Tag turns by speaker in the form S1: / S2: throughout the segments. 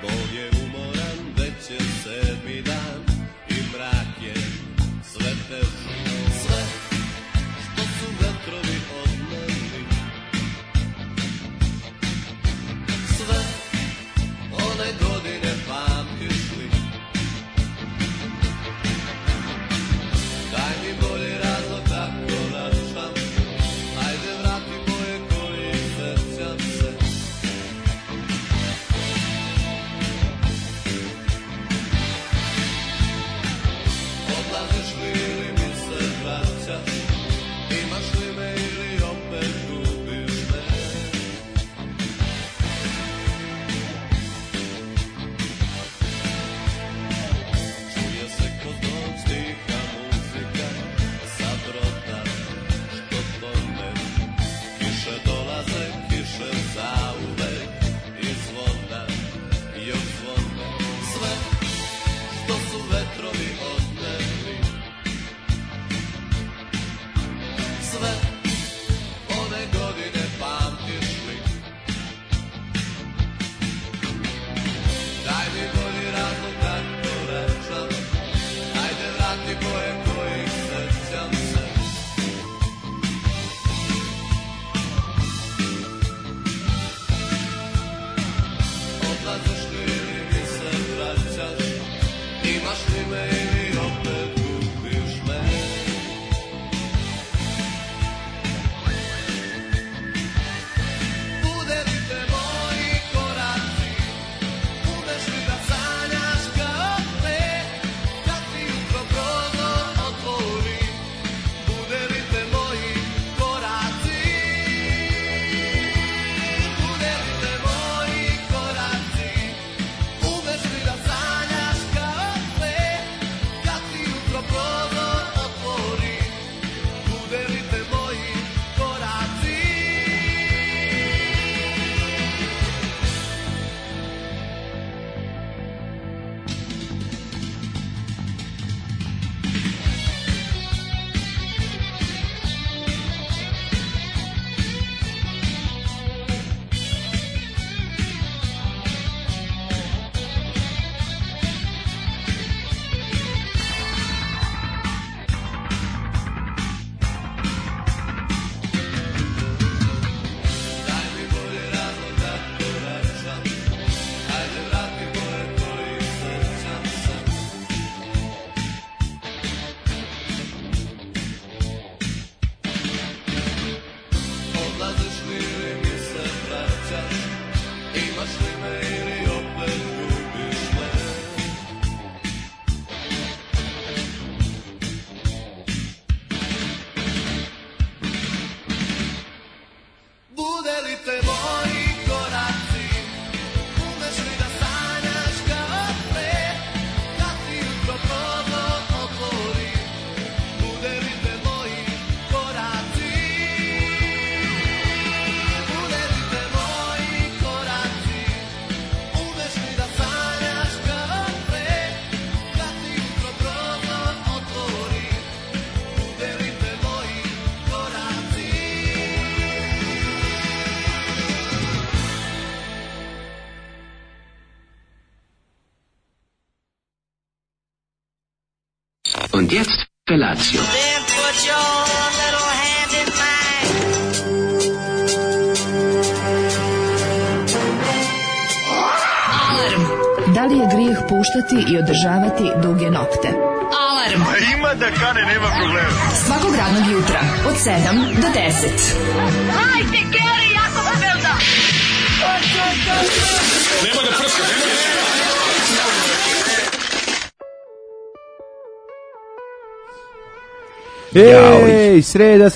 S1: Bog je umoran, već je 7. dan i mrak je sve teži. Sve što su vetrovi odneli, sve one godine pamtiš li? Daj mi bolji razlog da koračam, ajde vrati moje koji sećam se. Odlaziš li ili mi se vraćaš, imaš li me ili opet gubiš me? Čuje se kod noć tiha muzika sa broda što tone. Kiše dolaze, kiše zauvek i zvona još zvone. Sve što su vetrovi odneli, sve one godine pamtiš li? Daj mi bolji razlog da koračam, ajde vrati boje kojih sećam se. Odlaziš li ili mi se vraćaš, imaš li me ili opet gubiš me? Udarite moji koraci, umeš li da sanjaš kao pre, kad ti jutro prozor otvori? Udarite moji koraci, udarite moji koraci, umeš li da sanjaš kao pre, kad ti jutro prozor otvori? Udarite moji koraci. Daj mi bolji razlog da koračam, ajde vrati boje kojih sećam se. Odlaziš li ili mi se vraćaš, imaš li me ili opet gubiš me? Bude li te moji koraci, umeš li da sanjaš kao pre, kad ti jutro prozor otvori? Bude li te moji koraci, bude li te moji koraci, umeš li da sanjaš kao pre, kad ti jutro prozor otvori? Bude li te moji koraci?
S2: Und jetzt Felatio.
S3: Then put your little hand in mine.
S4: Alarm. Da li je grijeh puštati i održavati duge nokte? Alarm.
S5: Ima da kane, nema problema.
S4: Svakog radnog jutra od 7 do 10.
S3: Hajde, Geri, jako se velda.
S6: Ej, sreda.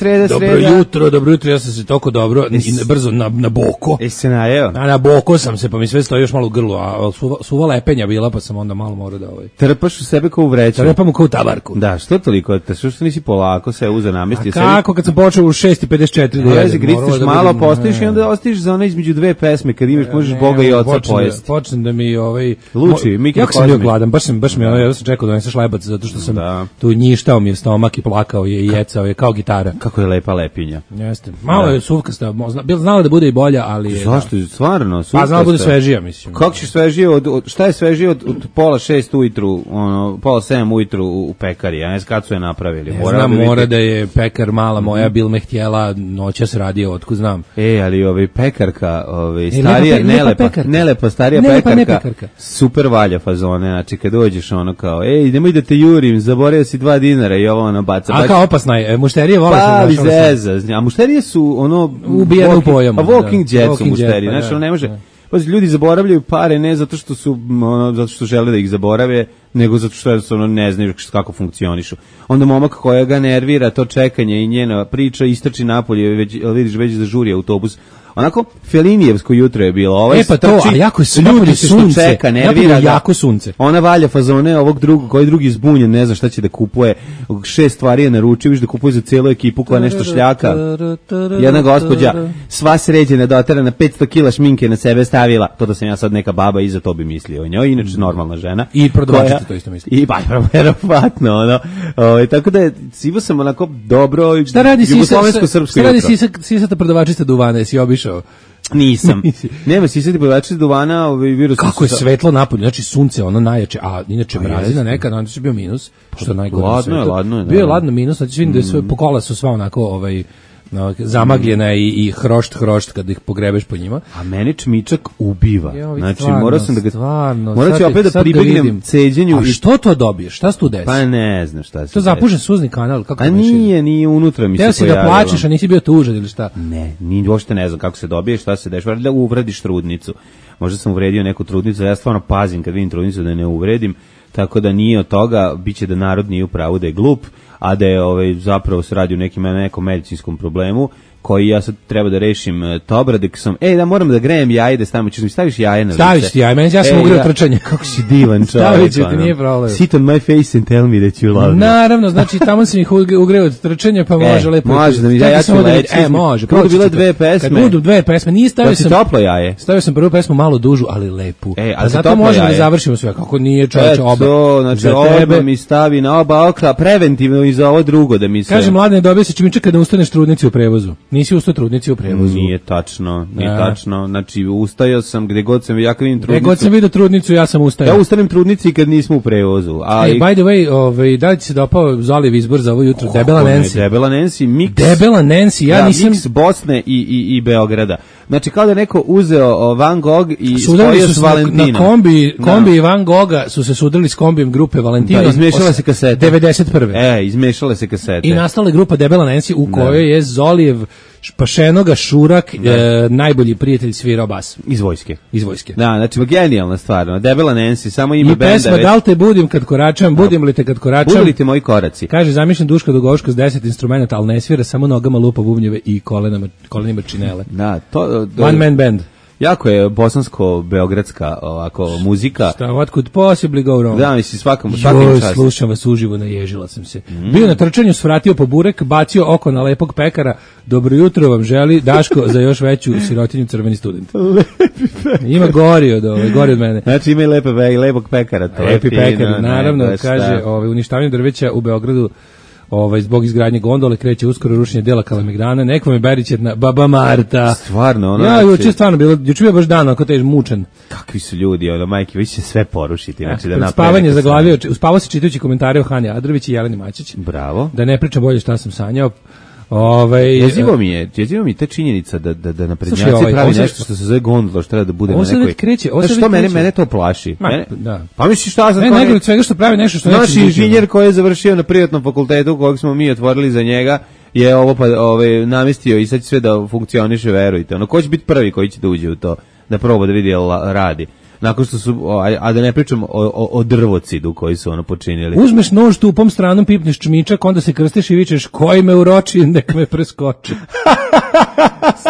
S7: Dobro jutro, ja sam se toliko dobro, brzo na boko.
S6: Jesi se najeo?
S7: Na boko sam se, pa mi sve stoji još malo u grlu, a suva lepenja bila, pa sam onda malo morao da
S6: Trpaš u sebe kao u vreću.
S7: Trpam kao u tabarku.
S6: Da, što toliko? Što nisi polako se uza namestio sebi?
S7: A kako, kad sam počeo u 6:54 da jedem?
S6: Gristiš malo, postojiš i onda ostiš za one između dve pesme, kad imaš, možeš Boga i Oca pojesti.
S7: Počnem da mi
S6: Luči,
S7: jako sam bio gladan, baš mi ja sam čekao da doneseš lebac, zato što sam tu njištao mi je stomak i plakao je i jecao je kao gitara.
S6: Kako je lepa lepinja.
S7: Jeste. Malo je suvkasta, znala da bude i bolja, ali je...
S6: Zašto? Stvarno,
S7: Pa znala da bude svežija, mislim.
S6: Kako će svežije šta je svežije od pola 6 ujutru, pola 7 ujutru u pekari, ja ne znam kad su je napravili.
S7: Mora da je pekar mala moja, bil me htjela, noćas radio, otkud znam.
S6: Ali pekarka, starija, nelepa starija pekarka, super valja fazone, znači kad dođeš ono kao, nemoj da te jurim, zaboravio si 2 dinara i ovo ono baca.
S7: A kao opasna je, mušterije vole se
S6: zeza, a mušterije su ono...
S7: ubijene u pojama.
S6: Walking jet su mušterije, znači ono ne može... Ljudi zaboravljaju pare ne zato što su zato što žele da ih zaborave, nego zato što jednostavno ne znaju kako funkcionišu. Onda momak koja ga nervira to čekanje i njena priča istrči napolje, vidiš već zažuri autobus. Onako Felinijevsko jutro je bilo.
S7: Pa to, a jako je ljudi sunce,
S6: čeka, nervira
S7: jako sunce.
S6: Ona valja fazone ovog drugog, koji drugi zbunjen, ne zna šta će da kupuje. 6 stvari je naručio, viš da kupuje za celu ekipu koja nešto šljaka. Jedna gospođa, sva sređena, doterana, 500 kila šminke na sebe stavila. To da sam ja sad neka baba i za to bi mislio o njoj, inače normalna žena.
S7: I prodavačica to isto misli.
S6: I verovatno, ono. Tako da sivo sam onako dobro.
S7: Šta radi
S6: jugoslovensko-srpsko jutro?
S7: Šta radi sisata prodavačica duvana, jesi obišao?
S6: Nisam. Nema sisati prodavačica duvana, virus.
S7: Kako je svetlo napolje, znači sunce ono najjače, a inače mrazina neka, onda je bio minus, što je najgore.
S6: Ladno je.
S7: Bio je ladno minus, znači vidim da je sve po kola su sva onako zamagljena i hrošt kad ih pogrebeš po njima.
S6: A meni čmičak ubiva. Znači morao sam da ga morat ću opet da pribegnem ceđenju.
S7: A što to dobiješ? Šta se tu desi?
S6: Pa ne znam šta se.
S7: To zapužen suzni kanal, kako
S6: to nije unutra mi se pojavilo.
S7: Teo si da plačeš, a nisi bio tužan ili šta?
S6: Ne, ni uopšte ne znam kako se dobije, šta se dešava, da uvrediš trudnicu. Možda sam uvredio neku trudnicu, ja stvarno pazim kad vidim trudnicu da ne uvredim. Tako da nije od toga, biće da narod nije u pravu da je glup, a da je zapravo se radi o nekom medicinskom problemu koji ja sad treba da rešim Tobradek sam, da moram da grejem jaje, da staviš jaje na lice.
S7: Staviš ti jaje, meni ja sam ugreo trčanje.
S6: Kako si divan čovjek.
S7: Stavit ću ti, nije problem.
S6: Sit on my face and tell me that you love me.
S7: Naravno, znači tamo sam ih ugreo od trčanja, pa može lepo.
S6: Može da mi ja ću leći.
S7: Može.
S6: Kad budu bile 2 pesme.
S7: Kad budu 2 pesme, nije stavio sam.
S6: Toplo jaje.
S7: Stavio sam prvu pesmu malo dužu, ali lepu.
S6: A
S7: zato možemo da završimo sve, kako nije čoveče oba.
S6: Znači oba mi stavi na oba okla preventivno i za ovo drugo da mi se.
S7: Kaže mladene, dobio se čimičak kada ustaneš trudnici u prevozu. Nisi ustao trudnici u prevozu.
S6: Nije tačno. Znači, ustajao sam gde god sam vidio trudnicu.
S7: Gde god sam vidio trudnicu, ja sam ustajao.
S6: Ja ustanem trudnici kad nismo u prevozu.
S7: By the way, da li ti se dopao Zoliv izbor za ovo jutro? Debela Nancy.
S6: Debela Nancy, miks.
S7: Debela Nancy, ja nisam...
S6: Miks Bosne i Beograda. Znači, kao da neko uzeo Van Gogh i spojio s Valentinom.
S7: Na kombi i Van Gogha su se sudili s kombijem grupe Valentino.
S6: Da, izmešala se kasete.
S7: 91.
S6: Izmešale se kasete.
S7: I nastala je grupa Debela Nancy u kojoj je Zolijev Pašenoga Šurak, najbolji prijatelj svirao bas.
S6: Iz vojske.
S7: Da,
S6: znači genijalna stvar. Debela Nancy, samo ime benda.
S7: I pesma Da li te budim kad koračam, budim li te kad koračam.
S6: Budu li te moji koraci.
S7: Kaže, zamišljam Duška Dugoško s 10 instrumenta, ali ne svira, samo nogama lupa bubnjeve i kolenima činele.
S6: Da,
S7: One man band.
S6: Jako je bosansko-beogradska ovako muzika.
S7: Šta, what could possibly go wrong?
S6: Da, mislim, svakim časom.
S7: Slušam vas uživo, naježila sam se. Bio na trčanju, svratio po burek, bacio oko na lepog pekara. Dobro jutro vam želi Daško za još veću sirotinju crveni student. Ima gori od mene.
S6: Znači ima i lepog pekara.
S7: Lepi pekar, naravno, kaže, uništavanje drveća u Beogradu. Zbog izgradnje gondole kreće uskoro rušenje dela Kalemegdana. Neko me berićetna Baba Marta.
S6: Stvarno,
S7: juče stvarno bilo, juče bio baš dan ako tež mučan.
S6: Kakvi su ljudi, majke, vi će sve porušiti, znači da naprave.
S7: Spavanje zaglavio, uspavao se čitajući komentare o Hani Adrović i Jeleni Mačić.
S6: Bravo.
S7: Da ne pričam bolje šta sam sanjao.
S6: Jezivo mi je ta činjenica da naprednjaci pravi nešto što se zove gondola, što treba da bude na nekoj. Što mene to plaši? Pa misliš šta sam...
S7: Ne, nego svega što pravi nešto što neće...
S6: Naš inženjer koji je završio na privatnom fakultetu kojeg smo mi otvorili za njega je ovo namestio i sad će sve da funkcioniše, verujte. Ko će biti prvi koji će da uđe u to, da proba da vidi radi? Nakon što su, a da ne pričam o drvocidu koji su počinili.
S7: Uzmeš nož tupom stranom, pipneš čmičak, onda se krstiš i vičeš koji me uroči, nek me preskoči.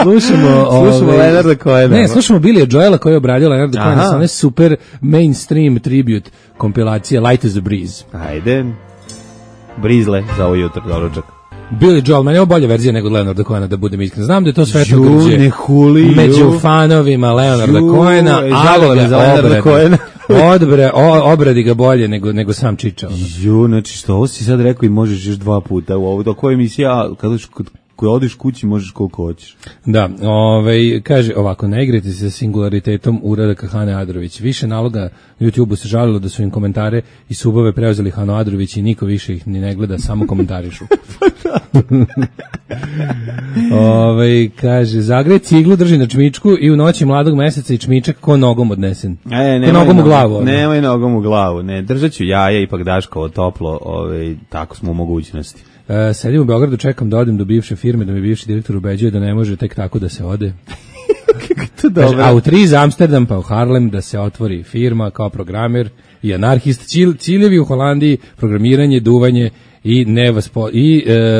S7: Slušamo
S6: Leonarda Cohena.
S7: Ne, slušamo Billy Joela koji je obradio Leonarda Cohena sa one super mainstream tribute kompilacije Light as a Breeze.
S6: Ajde, brizle za ovo jutro, doručak.
S7: Billy Joel, meni je ovo bolja verzija nego Leonarda Cohena, da budem iskren. Znam da je to svetlo grđe
S6: među
S7: fanovima Leonarda Cohena, ali ga obrane. Obradi ga bolje nego sam Čiča. Ono.
S6: Jo, znači što ovo si sad rekao i možeš još 2 puta u ovo. Dok ovo emisija, kada odeš kući možeš koliko hoćeš.
S7: Da, kaže ovako, ne igrajte se sa singularitetom uradaka Hane Adrović. Više naloga na YouTubeu se žalilo da su im komentare i subove preuzeli Hano Adrović i niko više ih ni ne gleda, samo komentarišu. Kaže, zagrej ciglu, drži na čmičku i u noći mladog meseca i čmičak ko nogom odnesen. Nogom u glavu.
S6: Nemoj nogom u glavu, ne, držat ću jaje, ipak Daškovo toplo, tako smo u mogućnosti.
S7: Sedim u Beogradu, čekam da odem do bivše firme, da mi bivši direktor ubeđuje da ne može tek tako da se ode. Kaže, a u 3 za Amsterdam pa u Harlem da se otvori firma kao programer i anarhist. Ciljevi u Holandiji, programiranje, duvanje i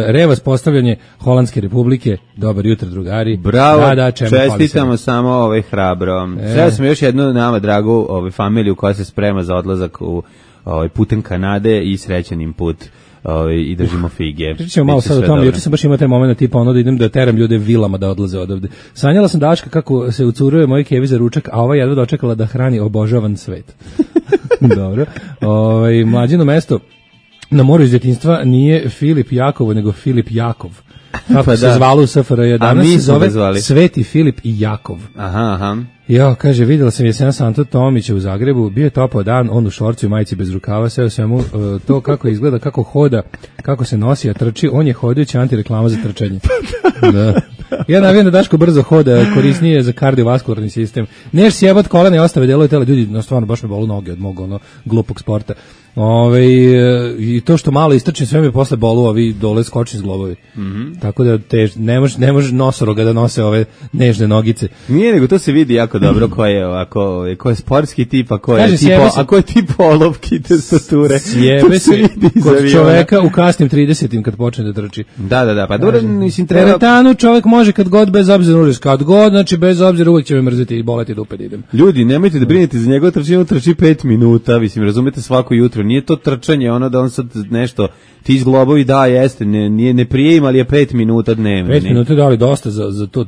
S7: revaspostavljanje Holandske republike. Dobar jutro, drugari.
S6: Bravo, čestitamo samo hrabro. Sreo sam još jednu nama dragu familiju koja se sprema za odlazak u putem Kanade i srećan im put. I držimo fige.
S7: Pričamo malo sad o tome, juče sam baš imao taj moment tipa da idem da teram ljude vilama da odlaze odavde. Sanjala sam Daška kako se ucuruje moj kevi za ručak, a ova jedva dočekala da hrani obožavan svet. Dobro. Mlađino mesto na moru iz djetinjstva nije Filip Jakovo, nego Filip Jakov. Kako se zvalo u SFRJ, danas se zove Sveti Filip i Jakov.
S6: Aha.
S7: Ja, kaže, vidjela sam jesena Santo Tomića u Zagrebu, bio je topao dan, on u šorcu i majici bez rukava, sve u svemu to kako izgleda, kako hoda, kako se nosi, a trči, on je hodajuća antireklama za trčanje. Da. Ja navijam da Daško brzo hoda, korisnije za kardiovaskularni sistem. Neš sjebat kolena i ostave delove tela, ljudi, no stvarno baš me bolu noge od mog glupog sporta. I to što malo istrčim, sve mi posle bolu ovi dole skočni zglobovi. Tako da ne može nosoroga da nose ove nežne nogice.
S6: Nije, nego to se vidi jako dobro ko je sportski tip, a ko je tip olovki te stature.
S7: Sjebe se kod čoveka u kasnim 30-im kad počne da trči.
S6: Da, pa dobro, mislim treba...
S7: Teretanu čovek može kad god, bez obzira užas, kad god, znači bez obzira uvek će me mrziti i boleti dupe da idem.
S6: Ljudi, nemojte da brinete za njegov trčanje, on trči 5 minuta, mislim, razumete, svako jutro. Nije to trčanje, da on sad nešto, ti izglobovi, da, jeste, ne prije im, ali je 5 minuta dnevno.
S7: 5 minuta je dali dosta za to,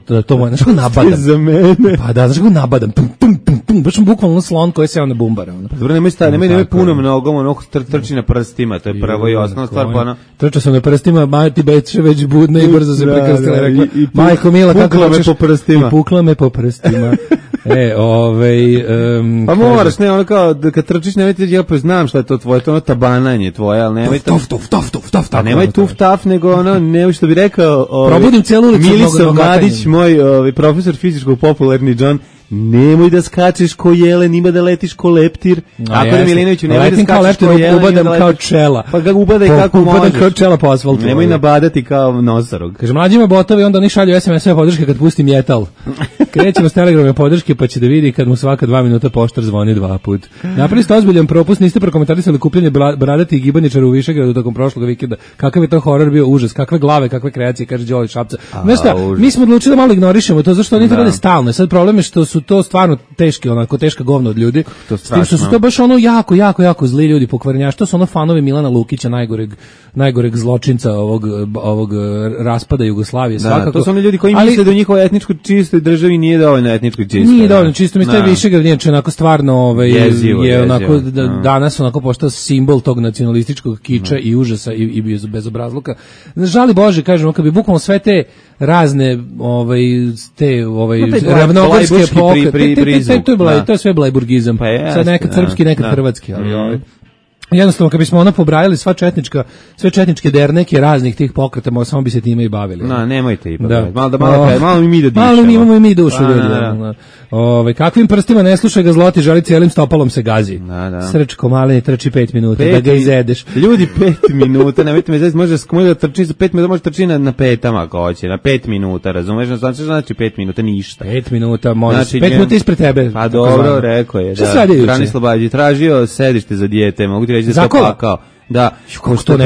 S7: znaš kako nabadam.
S6: Za mene.
S7: Pa da, znaš kako nabadam, baš sam bukvalno slon koji se na bumbara.
S6: Dobro, nemoj punom nogom, trči na prstima, to je prvo i osnovna stvar, pa
S7: trčao sam na prstima, majti beče već budne i brzo se prekrstila, rekla, majko mila, kako hoćeš, i pukla me po prstima.
S6: Pa moraš, ne, kao, kad trčiš, nemojte, ja pa znam šta je to tvoje, to tabananje tvoje, ali nemoj
S7: tuf,
S6: a nemoj tuf, nego nemoj što bi rekao,
S7: probudim celu ulicu.
S6: Milisav Madić, moj profesor fizičkog, popularni John, nemoj da skačeš ko jelen, ima da letiš ko leptir. Ako je Milinoviću, nemoj da skačeš ko jelen,
S7: ubadam kao čela.
S6: Pa ga ubadaj kako možeš.
S7: Ubadam kao čela po asfaltu.
S6: Nemoj nabadati kao nosorog.
S7: Kaže, mlađima botovi, onda oni šalju SMS-ove podrške kad pusti metal. Krećemo s telegrame podrške, pa će da vidi kad mu svaka 2 minuta poštar zvoni 2 put. Napravili ste ozbiljan propust, niste prokomentarisali kupljanje bradatih gibaničara u Višegradu tokom prošlog vikenda. Kakav je to horor bio, užas, kakve glave, kakve kreacije, kaže Đoli Šapca. Znaš šta, mi smo odlučili da malo ignorišemo to, zašto oni to rade stalno. Sad problem je što su to stvarno teška govna od ljudi. S tim što su to baš jako zli ljudi, pokvarenjaši. To su fanovi Milana Lukića, najgoreg zločinca ovog raspada Jugoslavije.
S6: Da, to su oni ljudi koji misle da u njihovoj etničko čistoj državi nije dovoljno etnički čisto.
S7: Nije dovoljno čisto, mi taj Višegrad nije onako stvarno je onako danas onako postao simbol tog nacionalističkog kiča i užasa i bezobrazluka. Žali Bože, kažemo, kad bi bukvalno sve te razne ravnogorske to je sve blajburgizam. Sad nekad srpski, nekad hrvatski, ali jednostavno, kad bismo pobrajali sve četničke derneke raznih tih pokreta, samo bi se time i bavili.
S6: Nemojte ipak. Malo mi da dišemo.
S7: Malo mi imamo i mi dušu, ljudi. Kakvim prstima ne slušaj ga Zloti, želi cijelim stopalom se gazi. Srčko maleni trči 5 minuta, da ga izedeš.
S6: Ljudi, 5 minuta, nemojte me zezati, može da trči za 5 minuta, može trči na petama ako hoće, na 5 minuta, razumeš? Znači 5 minuta ništa.
S7: 5 minuta, može, 5 minuta ispred tebe.
S6: Pa dobro, rekao je. Branislav Bađić tražio sedište za dijete, mogu ti reći da se opakao. Da, što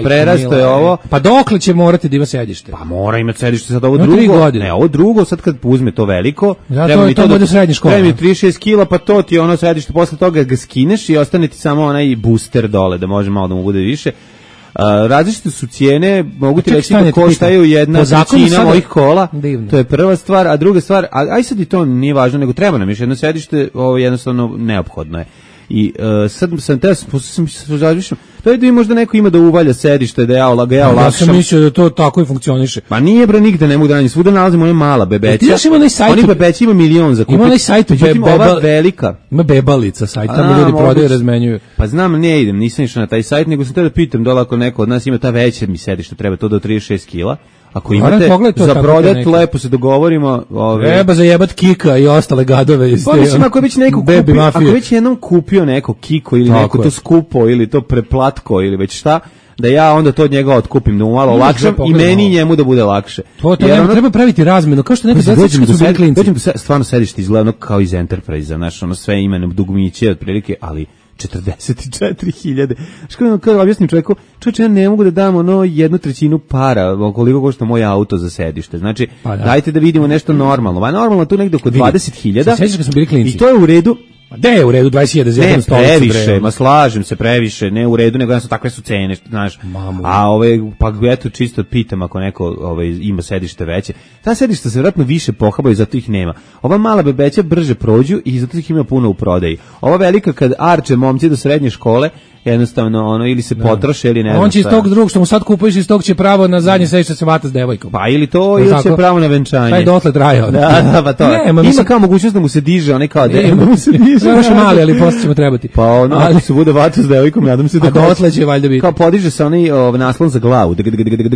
S6: prerasto je ovo.
S7: Pa dokle će morati da ima sedište?
S6: Pa mora imati sedište sad ovo drugo. Ne, ovo drugo, sad kad uzme to veliko,
S7: treba mi to do srednje škole.
S6: Treba mi 36 kila, pa to ti je sedište, posle toga ga skineš i ostane ti samo onaj booster dole, da može malo da mu bude više. Različite su cijene, mogu ti
S7: Čekaj,
S6: reći
S7: stani,
S6: da
S7: ti pitam.
S6: koštaju jedna
S7: Po zakonu
S6: trećina
S7: sada-
S6: mojih kola.
S7: Divno.
S6: To je prva stvar, a druga stvar, aj sad i to nije važno, nego treba nam još jedno sedište, ovo jednostavno neophodno je. I sad sam te razmišljam, to je da možda neko ima da uvalja sedište, da ja
S7: Ja
S6: olakšam.
S7: sam mislio da to tako i funkcioniše.
S6: Pa nije bre, nigde ne mogu da nađem, svuda nalazimo one mala bebeća.
S7: Ti znaš, ima onaj sajt-
S6: Oni bebeći ima milion za kupiti.
S7: Ima onaj sajt u
S6: Međutim, ova velika.
S7: Ima bebalica sajt, tamo ljudi
S6: moguće.
S7: prodaju i razmenjuju.
S6: Pa znam, ne idem, nisam išao na taj sajt, nego sam te da pitam da li ako neko od nas ima ta veća mi sedište, treba to do 36 kila. Ako
S7: Moram
S6: imate
S7: pogledati to
S6: za
S7: tako
S6: prodat,
S7: neki.
S6: lepo se dogovorimo.
S7: Treba zajebat Kika i ostale gadove iz
S6: Pa mislim, ako je već neko
S7: baby
S6: kupio,
S7: mafije.
S6: ako je već jednom kupio neko Kiko ili
S7: Tako
S6: neko
S7: je.
S6: to skupo ili to preplatko ili već šta, da ja onda to od njega otkupim, da mu malo olakšam i
S7: pogledamo.
S6: meni i njemu da bude lakše.
S7: To
S6: Jer ono-
S7: treba praviti razmenu, kao što neka deca
S6: Dođem
S7: kad
S6: do
S7: su bili
S6: sed-
S7: klinci.
S6: dođem do stvarno sedište izgleda ono kao iz Enterprise, znaš, ono sve ima dugmiće otprilike, ali 44.000. Što kao objasnim čovjeku, čovječe, ja ne mogu da dam ono 1/3 para, koliko košta moj auto za sedište. Znači,
S7: Pa da.
S6: dajte da vidimo nešto normalno. Va normalno tu negde oko 20.000.
S7: Se sjećaš kad smo bili klinci?
S6: I to je u redu.
S7: A gde je u redu 20.000 za
S6: Ne,
S7: jednu stolicu?
S6: previše,
S7: bre?
S6: ma slažem se, previše, ne u redu, nego jednostavno takve su cene, znaš.
S7: Mamu.
S6: A pa eto čisto pitam ako neko ima sedište veće. Ta sedišta se vjerojatno više pohabaju, zato ih nema. Ova mala bebeća brže prođu i zato ih ima puno u prodaji. Ova velika kad arče momci do srednje škole, jednostavno ono ili se potroše ili ne znam
S7: On će iz
S6: šta.
S7: tog drugog što mu sad kupuješ, iz tog će pravo na zadnje sedište se vata s devojkom.
S6: Pa ili to,
S7: Jel
S6: ili će
S7: tako?
S6: pravo na venčanje.
S7: Taj dotle traje.
S6: Da, pa to.
S7: Ne, ma
S6: Ima
S7: mislim-
S6: kao mogućnost da mu se diže, onaj kao
S7: Ne,
S6: da mu se diže.
S7: Još je mali, ali posle ćemo trebati.
S6: Pa ono,
S7: Ali-
S6: ako se bude vata s devojkom, nadam se da
S7: A dotle će valjda biti.
S6: kao podiže se onaj naslon za glavu,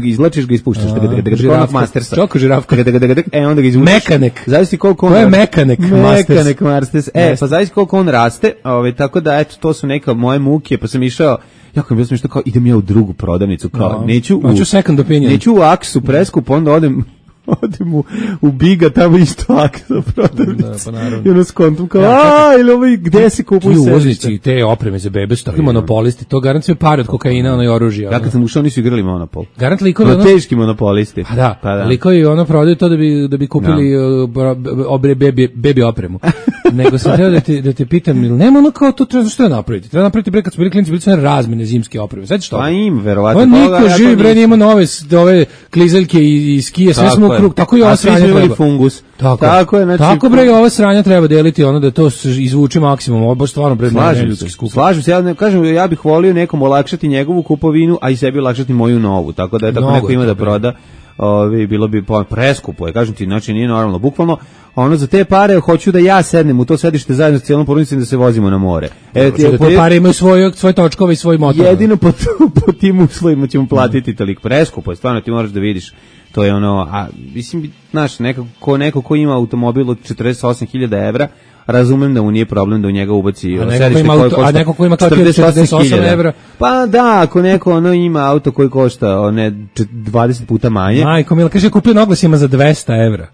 S6: izlačiš ga, ispuštaš,
S7: žirafka.
S6: Mastersa.
S7: Čoko žirafka.
S6: Onda ga izvučeš.
S7: Mekanik.
S6: Zavisi koliko on...
S7: To je mekanik Masters.
S6: Mekanik Masters. Pa zavisi koliko on raste, tako da, eto, to su neka moje muke, pa sam išao, jako mi bilo smišno, kao idem ja u drugu prodavnicu, kao neću
S7: Hoću second opinion.
S6: neću u Aksu preskup, onda odem u Biga, tamo isto Aksa prodavnica.
S7: Da, pa naravno.
S6: I ono skontum kao, ili ovaj, gde se kupuju
S7: Ti
S6: sedište?
S7: uvoznici te opreme za bebe su takvi monopolisti, to garant sve pare od kokaina, ono i oružja.
S6: Ja kad sam ušao nisu igrali Monopol.
S7: Garant likovi
S6: No,
S7: ono...
S6: teški monopolisti.
S7: Pa da, likovi ono prodaju to da bi kupili bebi opremu. Nego sam htio da te pitam, ili nema ono kao to treba što je napraviti? Treba napraviti bre kad su bili klinci, bili su one razmene zimske opreme. Znači što?
S6: Pa im, verovatno.
S7: Pa niko
S6: toga, ja
S7: živi
S6: to
S7: bre,
S6: nisam.
S7: nema ove klizeljke i skije, sve smo u krug. Tako i ova
S6: A svi
S7: sranja
S6: smo imali
S7: treba.
S6: fungus.
S7: Tako
S6: je, znači...
S7: Tako bre, i ova sranja treba deliti ono da to se izvuče maksimum. Ovo baš stvarno bre neljudski skup.
S6: Slažem se, ja ne kažem, ja bih volio nekom olakšati njegovu kupovinu, a i sebi olakšati moju novu. Tako da je tako
S7: Mnogo
S6: neko
S7: je
S6: ima
S7: to,
S6: da
S7: bre.
S6: proda. Bilo bi preskupo je, kažem ti, znači nije normalno. Bukvalno, ono za te pare hoću da ja sednem u to sedište zajedno s cijelom porodicom da se vozimo na more.
S7: Te pare imaju svoje točkove i svoj motor.
S6: Jedino po tim uslovima ćemo platiti toliko. Preskupo je, stvarno ti moraš da vidiš. To je ono, a mislim, znaš, neko ko ima automobil od 48.000 evra, razumem da mu nije problem da u njega ubaci sedište koje košta
S7: 48.000
S6: 48.000
S7: evra.
S6: Pa da, ako neko ima auto koji košta 20 puta manje.
S7: Majko mila, kaže kupio na oglasima za 200 evra.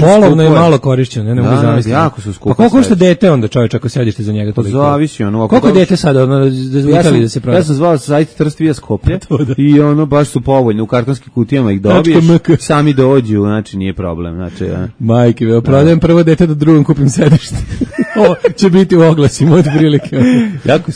S7: Polovno je malo korišćeno, ne mogu zamisliti.
S6: Jako su skupe.
S7: Pa koliko košta dete onda, čovječ, ako sedište za njega toliko?
S6: Zavisi ono.
S7: Koliko je dete sada, da se proda?
S6: Ja sam zvao sajt Trst via Skoplje i ono baš su povoljni, u kartonskim kutijama ih
S7: Tačka
S6: dobiješ,
S7: MK.
S6: sami dođu, znači nije problem. Znači,
S7: Majke, prodajem prvo dete da drugom kupim sedište. Ovo će biti u oglasima od prilike.
S6: jako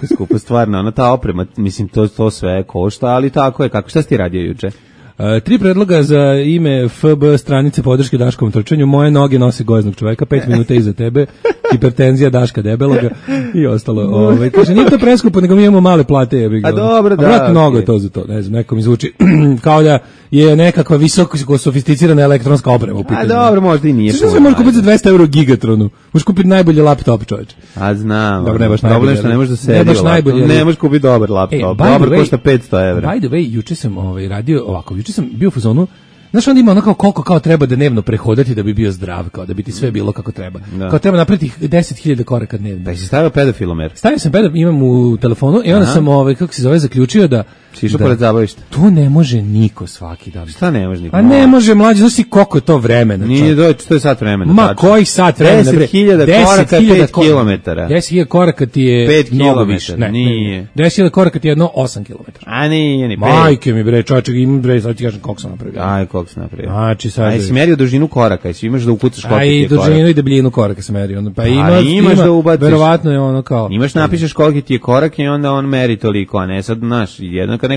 S6: skupo, stvarno, ona ta oprema, mislim, to sve košta, ali tako je, šta si ti radio juče?
S7: 3 predloga za ime FB stranice podrške Daškom trčanju. Moje noge nose gojeznog čoveka, 5 minuta iza tebe, hipertenzija Daška debeloga i ostalo. Kaže, nije to preskupo, nego mi imamo male plate.
S6: A dobro, da.
S7: Vratno mnogo je to za to, ne znam, nekom izvuči kao da je nekakva visoko sofisticirana elektronska oprema u pitanju.
S6: A dobro, možda i nije.
S7: Što se može kupiti za 200 euro Gigatronu? Možeš kupiti najbolji laptop, čovječe.
S6: A znam.
S7: Dobro, ne baš
S6: problem
S7: najbolji,
S6: što ne možeš da
S7: ne
S6: sedi
S7: baš
S6: laptop.
S7: najbolji, ali-
S6: Ne možeš kupiti dobar laptop. Dobar košta 500 evra.
S7: By the way, juče sam radio ovako, juče sam bio u fazonu, znaš, onda ima ono kao koliko kao treba da dnevno prehodati da bi bio zdrav, kao da bi ti sve bilo kako treba.
S6: Da.
S7: Kao treba napraviti 10.000 koraka dnevno.
S6: Da si stavio pedofilomer.
S7: Stavio sam pedal, imam u telefonu i onda sam, kako se zove, zaključio da
S6: Si išao pored zabavišta.
S7: to ne može niko svaki dan.
S6: Šta ne može niko?
S7: A ne može, mlađe, znaš ti koliko je to vremena.
S6: Nije to je sat vremena.
S7: Ma
S6: tačno.
S7: kojih sat vremena?
S6: 10.000 koraka, 5 kilometara.
S7: 10.000 koraka ti je
S6: 5
S7: mnogo
S6: kilometara,
S7: više. Ne,
S6: nije.
S7: 10.000 koraka ti je jedno 8 kilometara.
S6: A nije ni 5.
S7: Majke mi bre, čovječe, imam bre, sad ti kažem koliko sam napravio.
S6: Aj, koliko box napravio.
S7: Znači, sad...
S6: A jesi merio dužinu koraka, jesi imaš da ukucaš koliki
S7: A
S6: ti
S7: i
S6: je korak?
S7: dužinu i debljinu koraka se meri. Ono, pa
S6: imaš da ubaciš.
S7: Verovatno je ono kao...
S6: Imaš napišeš koliki ti je korak i onda on meri toliko, a ne sad, znaš, jedno kad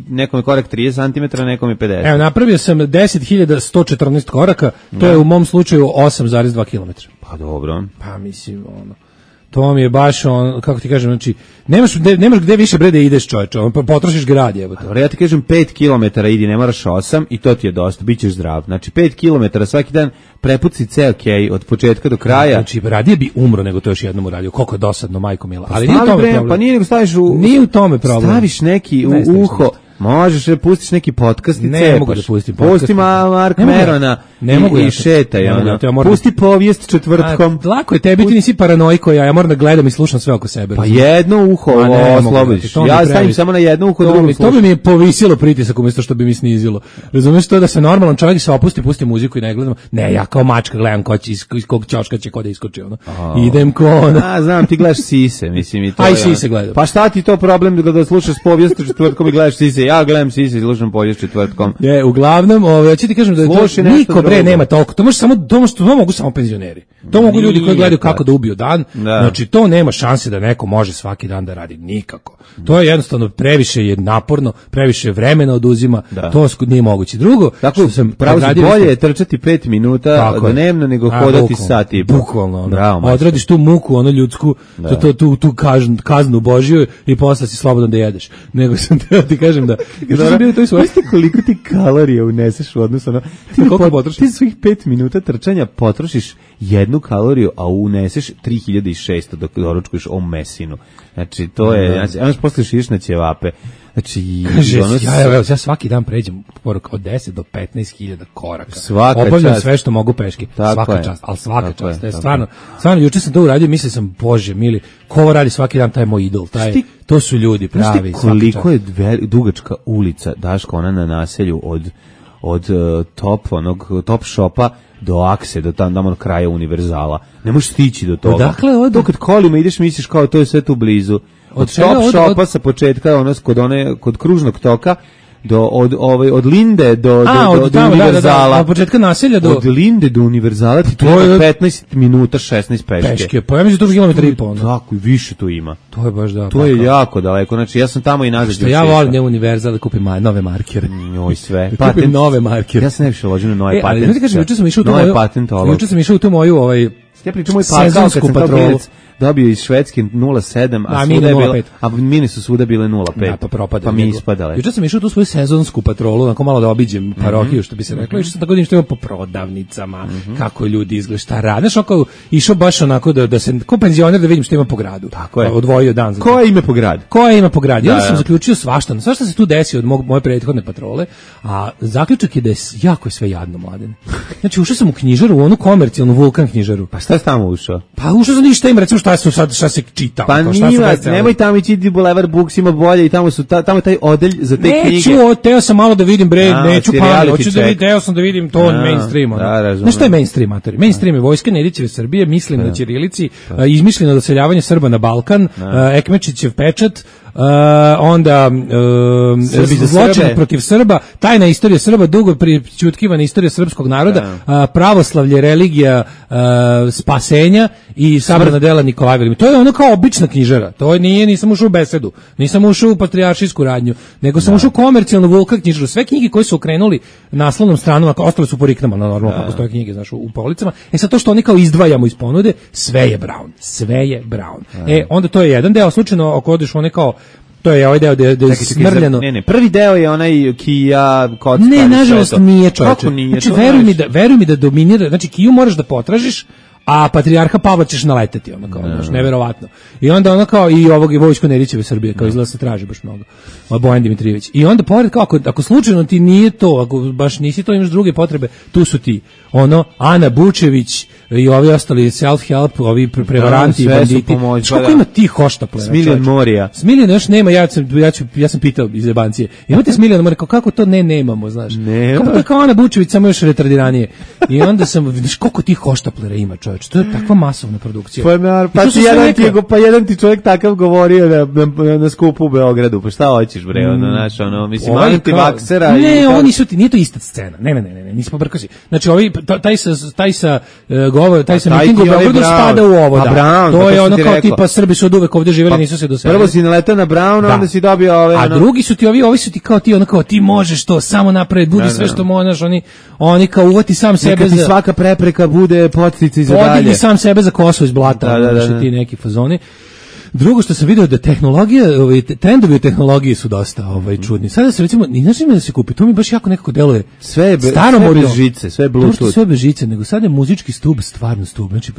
S6: nekom je korak 30 cm, nekom je 50.
S7: Evo, napravio sam 10.114 koraka, to je u mom slučaju 8,2 km.
S6: Pa dobro.
S7: Pa mislim, ono... To mi je baš on, kako ti kažem, znači nemaš gde više bre da ideš, čoveče, pa potrošiš grad, jebote.
S6: Dobro, ja ti kažem 5 km idi, ne moraš 8 i to ti je dosta, bićeš zdrav. Znači 5 km svaki dan prepuci ceo kej od početka do kraja.
S7: Znači radije bi umro nego to još jednom uradio. Koliko je dosadno, majko mila. Ali nije u
S6: Stavi
S7: tome
S6: bre,
S7: problem.
S6: pa nije nego staviš
S7: Nije u tome problem.
S6: Staviš neki
S7: Ne
S6: u
S7: staviš
S6: uho.
S7: ništa.
S6: Možeš pustiš neki podcast i
S7: Ne
S6: cepaš.
S7: mogu da pustim podcast.
S6: Pusti Mark Merona i šetaj. Pusti povijest četvrtkom.
S7: Lako je tebi, ti nisi paranoiko, ja moram da gledam i slušam sve oko sebe.
S6: Pa jedno uho oslobodiš. Ja stavim samo na jedno uho, drugo slušam.
S7: To bi mi je povisilo pritisak umjesto što bi mi snizilo. Razumeš to da se normalan čovjek se opusti, pusti muziku i ne gledam. Ne, ja kao mačka gledam ko će, iz kog ćoška će ko da iskoči. Ono. Idem ko ono.
S6: A, znam, ti gledaš sise, mislim i to.
S7: Aj sise gledam.
S6: Pa šta ti to problem da slušaš povijest četvrtkom i gledaš sise? Ja gledam sise i slušam povijest četvrtkom.
S7: Je, uglavnom, ja ću ti kažem da niko bre nema toliko. To može samo to mogu samo penzioneri. To mogu ljudi koji gledaju kako da ubiju dan. Znači to nema šanse da neko može svaki dan da radi nikako. To je jednostavno previše je naporno, previše vremena oduzima. To nije moguće. Drugo,
S6: tako sam bolje je trčati 5 minuta dnevno nego hodati sat i
S7: bukvalno. Odradiš tu muku, ono ljudsku, tu kaznu Božju i posle si slobodan da jedeš. Nego sam ti kažem da
S6: koliko ti kalorija uneseš u odnosu na ti svih 5 minuta trčanja potrošiš 1 kaloriju, a uneseš 3600 dok doručkuješ o mesinu. Znači to je, znači posle širiš na ćevape. Znači
S7: ja svaki dan pređem od 10 do 15.000 koraka.
S6: Svaka
S7: obavljam
S6: čast.
S7: Sve što mogu peški. Svaka čast, ali svaka
S6: tako
S7: čast. Stvarno juče sam to uradio i mislio sam, Bože mili, ko ovo radi svaki dan, taj je moj idol, to su ljudi pravi.
S6: Koliko je dugačka ulica, Daško, ona na naselju od top shopa do Akse, do tamo kraja Univerzala. Ne možeš stići do toga.
S7: Dakle,
S6: to kad kolima ideš misliš kao to je sve tu blizu. Od top shopa sa početka kod kružnog toka od Linde do Univerzala.
S7: Od početka naselja do...
S6: Od Linde do Univerzala ti to je 15 minuta 16 peške.
S7: Pa ja mislim da to je 1,5 km.
S6: Tako, i više tu ima.
S7: To je baš da.
S6: To je jako daleko. Znači, ja sam tamo i nazad.
S7: Što ja volim ne Univerzal da kupim nove markere.
S6: Njoj sve.
S7: Kupim nove markere.
S6: Ja sam najviše ložio na nove patente.
S7: Ali, kažem, juče sam išao u tu moju
S6: ja pričam moj pakao kad sam kao klinac dobio iz Švedske 0,7, a mini su svuda bile 0,5. Pa mi ispadale.
S7: Juče sam išao tu svoju sezonsku patrolu, onako malo da obiđem parohiju, što bi se reklo, išao sam tako da što ima po prodavnicama, kako ljudi izgleda, šta rade. Znaš, išao baš onako da se, ko penzioner da vidim što ima po gradu.
S6: Tako je.
S7: Odvojio dan za to.
S6: Koje ime po gradu?
S7: Koje ima po gradu? Ja sam zaključio svašta se tu desi od moje prethodne patrole, a zaključak je da je jako sve jadno, Mladen. Znači, ušao sam u knjižaru, u onu komercijalnu Vulkan knjižaru.
S6: Pa šta si tamo ušao?
S7: Pa ušao sam ništa im, recimo šta se čita.
S6: Pa nemoj tamo ići Boulevard Books, ima bolje i tamo je taj odelj za te knjige.
S7: Teo sam malo da vidim neću teo sam da vidim to mainstream. Znaš šta je mainstream, matori? Mainstream je Vojska Nedićeve Srbije, mislim na ćirilici, izmišljeno doseljavanje Srba na Balkan, Ekmečićev pečat, onda zločin protiv Srba, tajna istorija Srba, dugo prićutkivana istorija srpskog naroda, pravoslavlje, religija spasenja i sabrana dela Nikolaj Veliki. To je ono kao obična knjižara. To nisam ušao u besedu, nisam ušao u patrijaršijsku radnju, nego sam ušao u komercijalnu Vulkan knjižaru. Sve knjige koje su okrenuli naslovnom stranom, ostale su po riknama, normalno kako stoje knjige, znaš, u policama. Sad to što oni kao izdvajamo iz ponude, sve je brown. Onda to je jedan deo, slučajno ako odeš one kao to je ovaj deo da je smrljeno.
S6: Ne, prvi deo je onaj Kija, kocka.
S7: Ne, nažalost nije, čovječe.
S6: Kako nije?
S7: Znači, veruj mi da dominira, znači Kiju moraš da potražiš, a patrijarha Pavla ćeš naleteti, ono kao, znaš, neverovatno. I onda ono kao i ovog i Vojsko Nedićeve Srbije, kao izgleda se traži baš mnogo. Bojan Dimitrijević. I onda pored kao, ako slučajno ti nije to, ako baš nisi to, imaš druge potrebe, tu su ti, Ana Bučević, i ovi ostali self-help, ovi prevaranti,
S6: sve su
S7: banditi.
S6: pomoć,
S7: Kako
S6: da.
S7: ima tih hoštaplera?
S6: Smiljan Morija.
S7: Smiljan još nema, ja sam pitao iz jebancije. Imate Smiljan Morija, kako to nemamo, znaš?
S6: Nema.
S7: Kako to je kao Ana Bučević, samo još retardiranije. I onda sam, vidiš koliko tih hoštaplera ima, čoveče. To je takva masovna produkcija.
S6: Pa jedan ti čovjek takav govorio na skupu u Beogradu. Pa šta hoćeš bre, ono, znaš, ono, mislim, antivaksera.
S7: Ne, oni su ti, nije to ista scena. Ne, nisi pobrkasi. Znači, taj sa mitingu u Beogradu spada u ovo, da.
S6: Brown,
S7: to je
S6: sam
S7: ono
S6: ti
S7: kao
S6: rekao.
S7: tipa Srbi su od uvek ovde živjeli, nisu se doselili.
S6: Prvo si naletao na Browna, onda si dobio ove...
S7: A drugi su ti ovi su ti kao ti, ono kao ti možeš to, samo napraviti, budi sve što možeš, oni kao uvati sam sebe
S6: neka ti svaka prepreka bude podsticaj za dalje.
S7: Podigni sam sebe za kosu iz blata,
S6: da.
S7: ti neki fazoni. Drugo što sam video da tehnologija, trendovi u tehnologiji su dosta čudni. Sada se recimo, ni znaš ima da se kupi, to mi baš jako nekako deluje.
S6: Sve bez žice, sve Bluetooth.
S7: Sve bez žice, nego sada je muzički stub stvarno stub. Znači,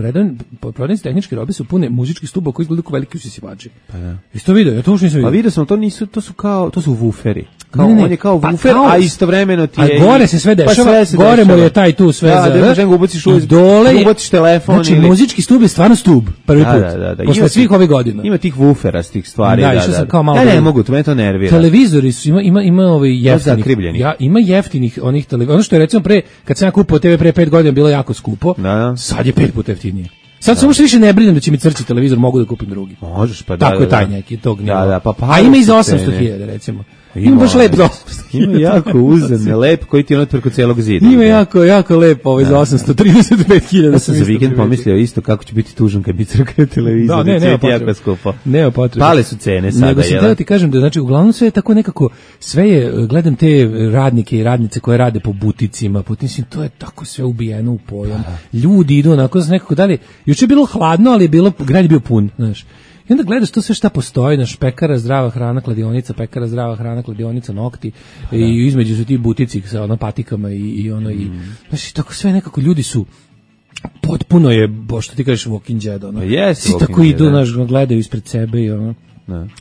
S7: prodavnice tehničke robe su pune muzičkih stuba koji izgledaju kao veliki usisivači. Pa da. Jesi to video? Ja to uopšte nisam video.
S6: Pa vidio sam, to su wuferi. On je kao wufer, a istovremeno ti je...
S7: A gore se sve dešava, gore mu je taj tu sve za...
S6: Da, možeš ga ubaciš ubaciš telefon.
S7: Znači, muzički stub je stvarno stub, prvi put.
S6: Da.
S7: Posle svih ovih godina.
S6: Ima tih wufera s tih stvari.
S7: Da, išao sam kao malo...
S6: Ne mogu, to me to nervira.
S7: Televizori su, ima jeftinih... Ima jeftinih onih televizora. Ono što je recimo kad sam ja kupio TV pre 5 godina bilo jako skupo, sad je 5 puta jeftinije. Sad samo što više ne brinem da će mi crći televizor, mogu da kupim drugi.
S6: Možeš, pa da.
S7: Tako je taj neki, tog nivoa.
S6: Da, pa
S7: a ima i za 800.000 recimo. Ima baš lep za 800.000.
S6: Ima jako uzemne, lep koji ti je preko celog zida.
S7: Ima jako lep za 835.000.
S6: Ja sam za vikend pomislio isto kako će biti tužan kad bi crkao televizor.
S7: Da, nema potrebe.
S6: Pale su cene sada.
S7: Nego sam ti kažem da znači uglavnom sve je tako nekako, sve je, gledam te radnike i radnice koje rade po buticima, mislim, to je tako sve ubijeno u pojam. Ljudi idu onako nekako dalje. Juče je bilo hladno, ali grad je bio pun, znaš. I onda gledaš to sve šta postoji, naš pekara, zdrava hrana, kladionica, pekara, zdrava hrana, kladionica, nokti, i između su ti butici sa patikama i znači, tako sve nekako ljudi su, potpuno je, što ti kažeš, walking dead, svi tako idu, naš, gledaju ispred sebe i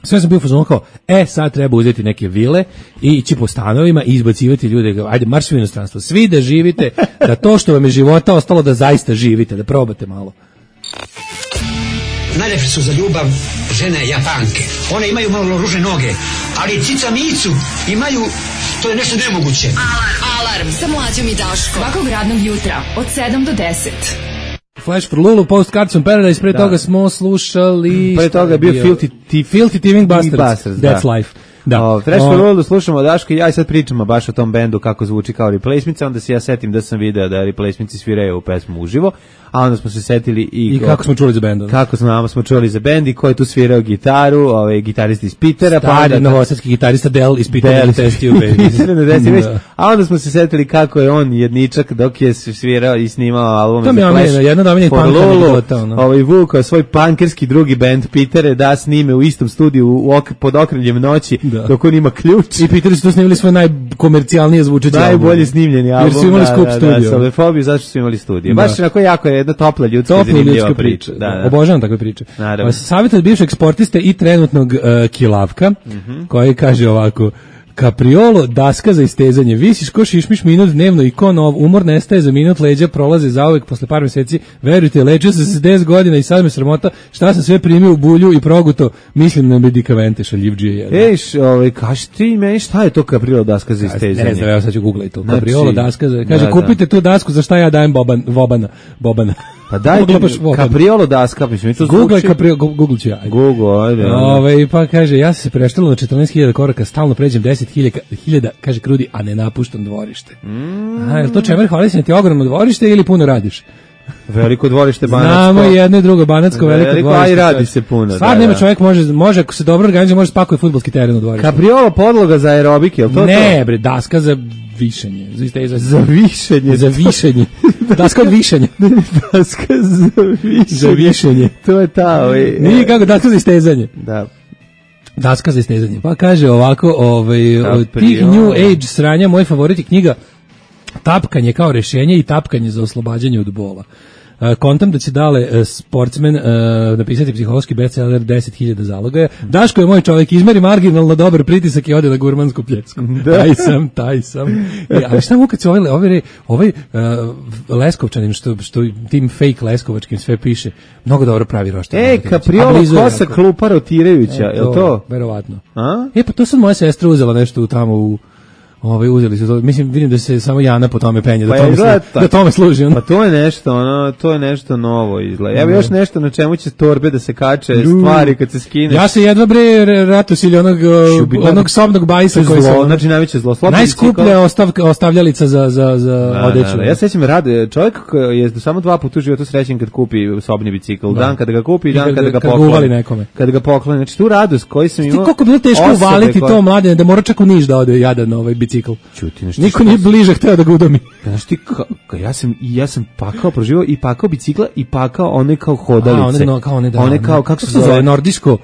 S7: sve sam bio fazon kao, sad treba uzeti neke vile i ići po stanovima i izbacivati ljude, ajde, marš u inostranstvo, svi da živite, da to što vam je života ostalo da zaista živite, da probate malo.
S8: Najlepše su za ljubav žene Japanke. One imaju malo ružne noge, ali cica micu imaju, to je nešto nemoguće.
S4: Alarm sa Mlađom i Daškom. Svakog radnog jutra od 7 do 10.
S7: Flash for Lulu, Postcards from Paradise, pre toga smo slušali...
S6: Pre toga je bio
S7: Filthy Thieving Bastards, That's Life. Da.
S6: Fresh for World slušamo Daško i ja sad pričamo baš o tom bendu kako zvuči kao Replacements, onda se ja setim da sam video da Replacements sviraju u pesmu uživo, a onda smo se setili
S7: i kako smo čuli za bend.
S6: Kako smo čuli za bend i ko je tu svirao gitaru, gitarist iz Pitera,
S7: stari novosadski gitarista Del iz Pitera,
S6: a onda smo se setili kako je on jedničak dok je svirao i snimao albume
S7: za Flash. To mi je jedna dominant punk anegdota.
S6: Vukao svoj punkerski drugi bend Pitere da snime u istom studiju pod okriljem noći dok on ima ključ.
S7: I Piteri su to snimili svoj najkomercijalnije zvučeći album.
S6: Najbolje snimljeni album.
S7: Jer su imali skup studio.
S6: Solefobiju, zašto su imali studio. Baš onako jako je jedna topla ljudska zanimljiva priča.
S7: Obožavam takve priče. Savjet od bivšeg sportiste i trenutnog kilavka, koji kaže ovako: Capriolo, daska za istezanje. Visiš ko šišmiš minut dnevno i ko nov. Umor nestaje za minut, leđa prolaze zauvek posle par meseci. Verujte, lečio sam se 10 godina i sad me sramota šta sam sve primio u bulju i proguto. Mislim na medikamente, šaljivđije.
S6: Kaži ti meni šta je to Capriolo daska za istezanje?
S7: Ne znam, evo sad ću googlaj to. Capriolo daska za... Kaže, kupite tu dasku za šta ja dajem Bobana.
S6: Pa daj Capriolo daska, mislim, to zvuči.
S7: Google ću ja.
S6: Google, ajde.
S7: Pa kaže, ja sam se preštalo na 14.000 koraka, stalno pređem 10.000, kaže Krudi, a ne napuštam dvorište. Je to čemer, hvali se na ti ogromno dvorište ili puno radiš?
S6: Veliko dvorište Banatsko.
S7: Znamo jedno i drugo Banatsko, veliko dvorište.
S6: A i radi se puno.
S7: Stvarno nema čovjek, može ako se dobro organizuje, može spakuje fudbalski teren u dvorištu.
S6: Capriolo podloga za aerobik, je li to?
S7: Ne, bre, daska za višenje.
S6: Za višenje.
S7: Za višenje. Daska od višenja.
S6: Daska za višenje. To je ta,
S7: Nije kako, daska za istezanje.
S6: Da.
S7: Daska za istezanje. Pa kaže ovako, od tih New Age sranja, moj favorit je knjiga Tapkanje kao rešenje i tapkanje za oslobađanje od bola. kontam da će dale sportsmen napisati psihološki bestseller 10.000 zalogaja. Daško je moj čovjek, izmeri marginalno dobar pritisak i ode na gurmansku pljecku. Taj sam. Ali šta mu kad se ovaj Leskovčanin, što tim fake leskovačkim sve piše, mnogo dobro pravi roštilj.
S6: Capriolo kosa klupa rotirajuća, je li to?
S7: Verovatno.
S6: A?
S7: Pa to sad moja sestra uzela nešto tamo u uzeli su to. Mislim, vidim da se samo Jana po tome penje, da tome služi.
S6: Pa to je nešto novo izgleda. Evo još nešto na čemu će torbe da se kače, stvari kad se skine.
S7: Ja se jedva Ratus ili onog sobnog bajsa koji se...
S6: Znači najveće zlo.
S7: Najskuplja ostavljalica za odeću.
S6: Ja sećam rade, čovjek koji je samo 2 puta u životu srećen kad kupi sobni bicikl. Dan kada ga kupi i dan kada ga pokloni. Kada ga pokloni. Znači tu radost koji sam imao...
S7: Koliko bilo teško uvaliti to mladene, da mora čak u Niš da ode jadan bicikl. Niko nije bliže hteo da ga udomi.
S6: Znaš ti, ja sam pakao proživao i pakao bicikla i pakao one kao hodalice. One kao, kako se zove? Nordijsko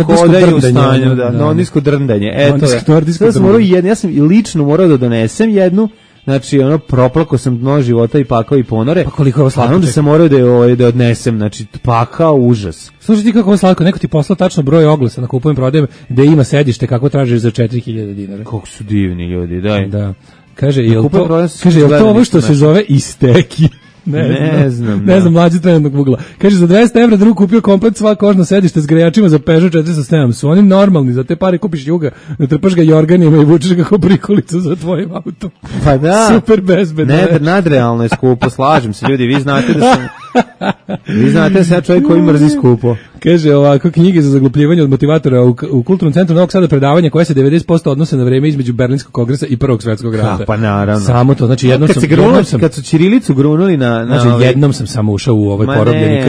S6: hodanje u stanju, nordijsko drndanje. Ja sam morao ja sam i lično morao da donesem jednu. Znači, proplako sam dno života i pakao i ponore.
S7: Pa koliko je ovo slatko.
S6: Onda sam morao da odnesem, znači, pakao užas.
S7: Slušaj ti kako je slatko, neko ti poslao tačno broj oglasa na kupujem prodajem, gde ima sedište kako tražiš za 4.000 dinara.
S6: Kako su divni ljudi, daj.
S7: Da. Kaže, je li to ovo što se zove isteki? Ne znam, mlađi trenutnog Google. Kaže, za 200 evra drug kupio komplet sva kožno sedište s grejačima za Peugeot 407. Su oni normalni, za te pare kupiš Juga, ne trpaš ga jorganima i vučeš ga kao prikolicu za tvojim autom.
S6: Pa da.
S7: Super bezbedno.
S6: Nadrealno je skupo, slažem se ljudi, vi znate da sam ja čovjek koji mrzi skupo.
S7: Kaže ovako, knjige za zaglupljivanje od motivatora u Kulturnom centru Novog Sada, predavanje koje se 90% odnose na vreme između Berlinskog kongresa i Prvog svjetskog rata.
S6: Pa naravno.
S7: Samo to, znači
S6: kad su ćirilicu grunuli
S7: znači jednom sam samo ušao u ovaj porobljeni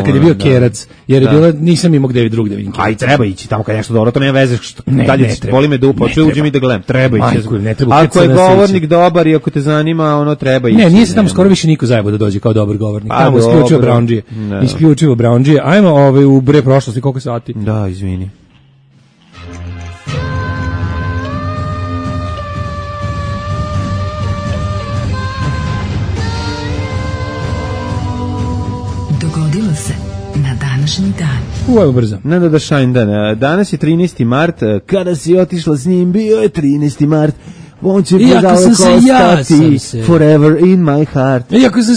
S7: kad je bio Kerac, jer je bilo, nisam imao gde drugde vidim.
S6: Aj, treba ići tamo kad nešto dobro, to nema veze, dalje boli me dupa, uđem i da gledam, treba ići. Ako je govornik dobar i ako te zanima, treba ići.
S7: Ne, nije se tamo skoro više niko zajebo da dođe kao dobar govornik, tamo isključivo Brownđije. Ajmo u bre prošlosti, koliko sati?
S6: Da, izvini.
S4: Dogodilo se na današnji dan.
S7: Evo brzo.
S6: Da šajn dan. Danas je 13. mart. Kada si otišla s njim, bio je 13. mart. On će
S7: Iako sam se
S6: forever in my heart.
S7: Iako sam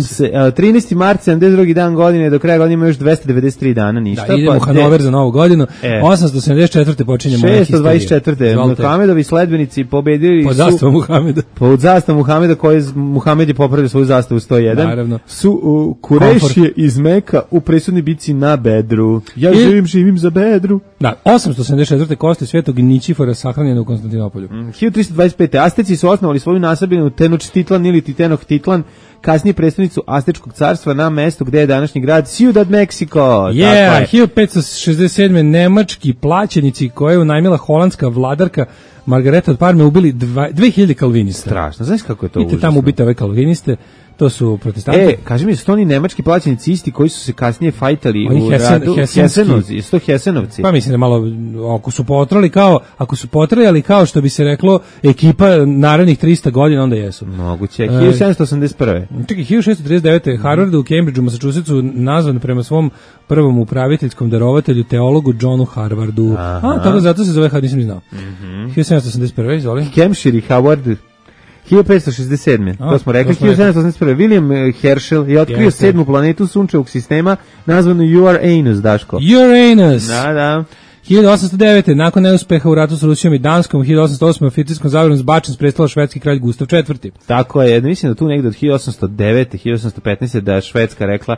S7: se
S6: 13. mart, 72. dan godine, do kraja godine ima još 293 dana, ništa.
S7: Da, idemo u Hanover za novu godinu. 874. počinje moja historija.
S6: 624. Muhamedovi sledbenici pobedili
S7: pod zastavom Muhameda.
S6: Pod zastavom Muhameda, koji Muhamed je popravio svoju zastavu 101.
S7: Naravno.
S6: Su Kurešije iz Meka u presudnoj bici na Bedru. Ja živim za Bedru.
S7: Da, 874. kosti Svetog Ničifora sahranjene u Konstantinopolju.
S6: 1325. Asteci su osnovali svoju nasabljenu Tenochtitlan ili Tenochtitlan, kasnije predstavnicu Astečkog carstva na mestu gde je današnji grad Ciudad Mexico.
S7: 1567. nemački plaćenici koje je unajmila holandska vladarka Margareta od Parme ubili 2000 kalvinista.
S6: Strašno, znaš kako je to užasno?
S7: Idite tamo ubiti ove kalviniste. To su protestanti.
S6: Kaži mi, su to oni nemački plaćenici isti koji su se kasnije fajtali u radu? Hesenovci.
S7: Pa mislim da malo, ako su potrajali kao što bi se reklo ekipa narednih 300 godina, onda jesu.
S6: Moguće. 1781.
S7: Čekaj, 1639. Harvardu u Cambridgeu, Massachusettsu, nazvan prema svom prvom upraviteljskom darovatelju, teologu Johnu Harvardu. Tako zato se zove, nisam znao. 1781. izvoli.
S6: Hampshire i Howard 1567. To smo rekli. 1781. William Herschel je otkrio 7. planetu sunčevog sistema nazvanu Uranus, Daško.
S7: Uranus!
S6: Da.
S7: 1809. nakon neuspeha u ratu s Rusijom i Danskom, 1808. oficirskom zavjerom zbačen s prestola švedski kralj Gustav IV.
S6: Tako je, mislim da tu negde od 1809. 1815. da je Švedska rekla,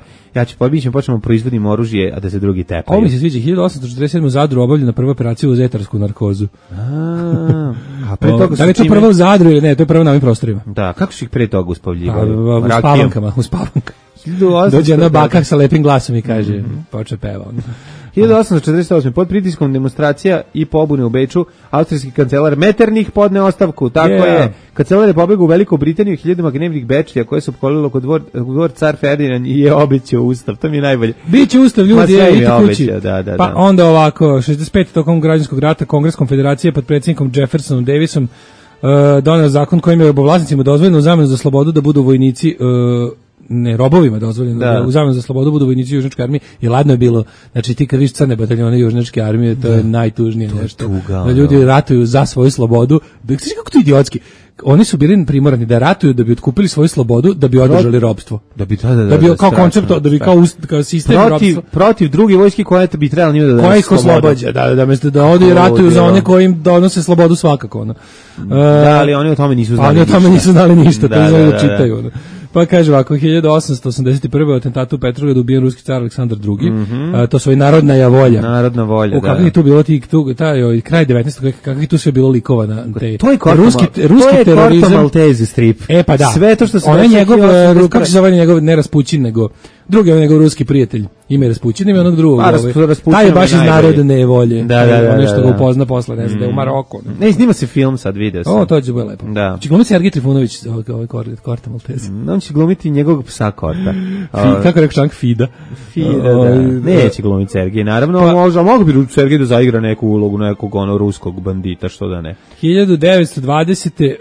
S6: počnemo proizvodimo oružje, a da se drugi tepaju.
S7: Ovo mi se sviđa, 1847. u Zadru obavljena prva operacija uz etarsku narkozu.
S6: A pre toga
S7: da li je to prvo u Zadru ili ne, to je prvo na ovim prostorima.
S6: Da, kako su ih pre toga uspavljivali?
S7: U spavankama. Dođe jedna baka sa lepim glasom i kaže, počne peva.
S6: 1848. pod pritiskom demonstracija i pobune u Beču, austrijski kancelar Metternich podne ostavku. Tako je. Kancelar je pobegao u Veliku Britaniju, hiljadama gnevnih Bečlija koje su opkolilo kod dvor car Ferdinand i je obećao ustav. To mi je najbolje.
S7: Biće ustav, ljudi, idite kući.
S6: Da.
S7: Pa onda ovako, 65. tokom građanskog rata, Kongres konfederacije pod predsjednikom Jeffersonom Davisom doneo zakon kojim je robovlasnicima dozvoljeno u zamenu za slobodu da budu vojnici robovima dozvoljeno
S6: Da.
S7: da u zamenu za slobodu budu vojnici južnjačke armije i ladno je bilo, znači ti kad vidiš crne bataljone južnjačke armije, to je najtužnije nešto.
S6: tuga,
S7: Da ljudi ratuju za svoju slobodu. Znaš kako to idiotski? Oni su bili primorani da ratuju da bi otkupili svoju slobodu, da bi održali ropstvo.
S6: Da bi
S7: Da bi kao koncept, da bi kao sistem ropstva.
S6: protiv druge vojske koja bi trebala njima da
S7: Koja ih oslobađa, da mesto da ode i ratuju za one koji im donose slobodu svakako. Ono.
S6: Da, ali oni o tome nisu znali.
S7: Oni o tome nisu znali ništa, to znaju da
S6: da.
S7: čitaju. Ono. Pa kaže ovako, 1881. u atentatu u Petrogradu ubijen ruski car Aleksandar II. To su i narodna je volja.
S6: Narodna volja, da.
S7: Kako je tu bilo taj kraj 19. Kako je tu sve bilo likova na te
S6: To je
S7: ruski terorizam.
S6: Korto Malteze strip.
S7: Pa da.
S6: Sve to što se
S7: on je
S6: desilo
S7: njegov,
S6: 1881.
S7: kako se zove njegov, ne Raspućin, nego drugi je njegov ruski prijatelj. Ime je Raspućin, ime onog drugog. Taj je baš iz narodne volje.
S6: Da.
S7: Nešto ga upozna posle, ne znam, da je u Maroku.
S6: Ne, snima se film sad, video sam.
S7: To će biti lepo.
S6: Da.
S7: Či glumiti Sergej Trifunović, ovaj Korto Malteze.
S6: On će glumiti njegovog psa Korta.
S7: Kako rekao Čank, Fida.
S6: Da. Neće glumiti Sergej, naravno, mogu bi Sergej da zaigra neku ulogu nekog ruskog bandita, što da ne.
S7: 1920.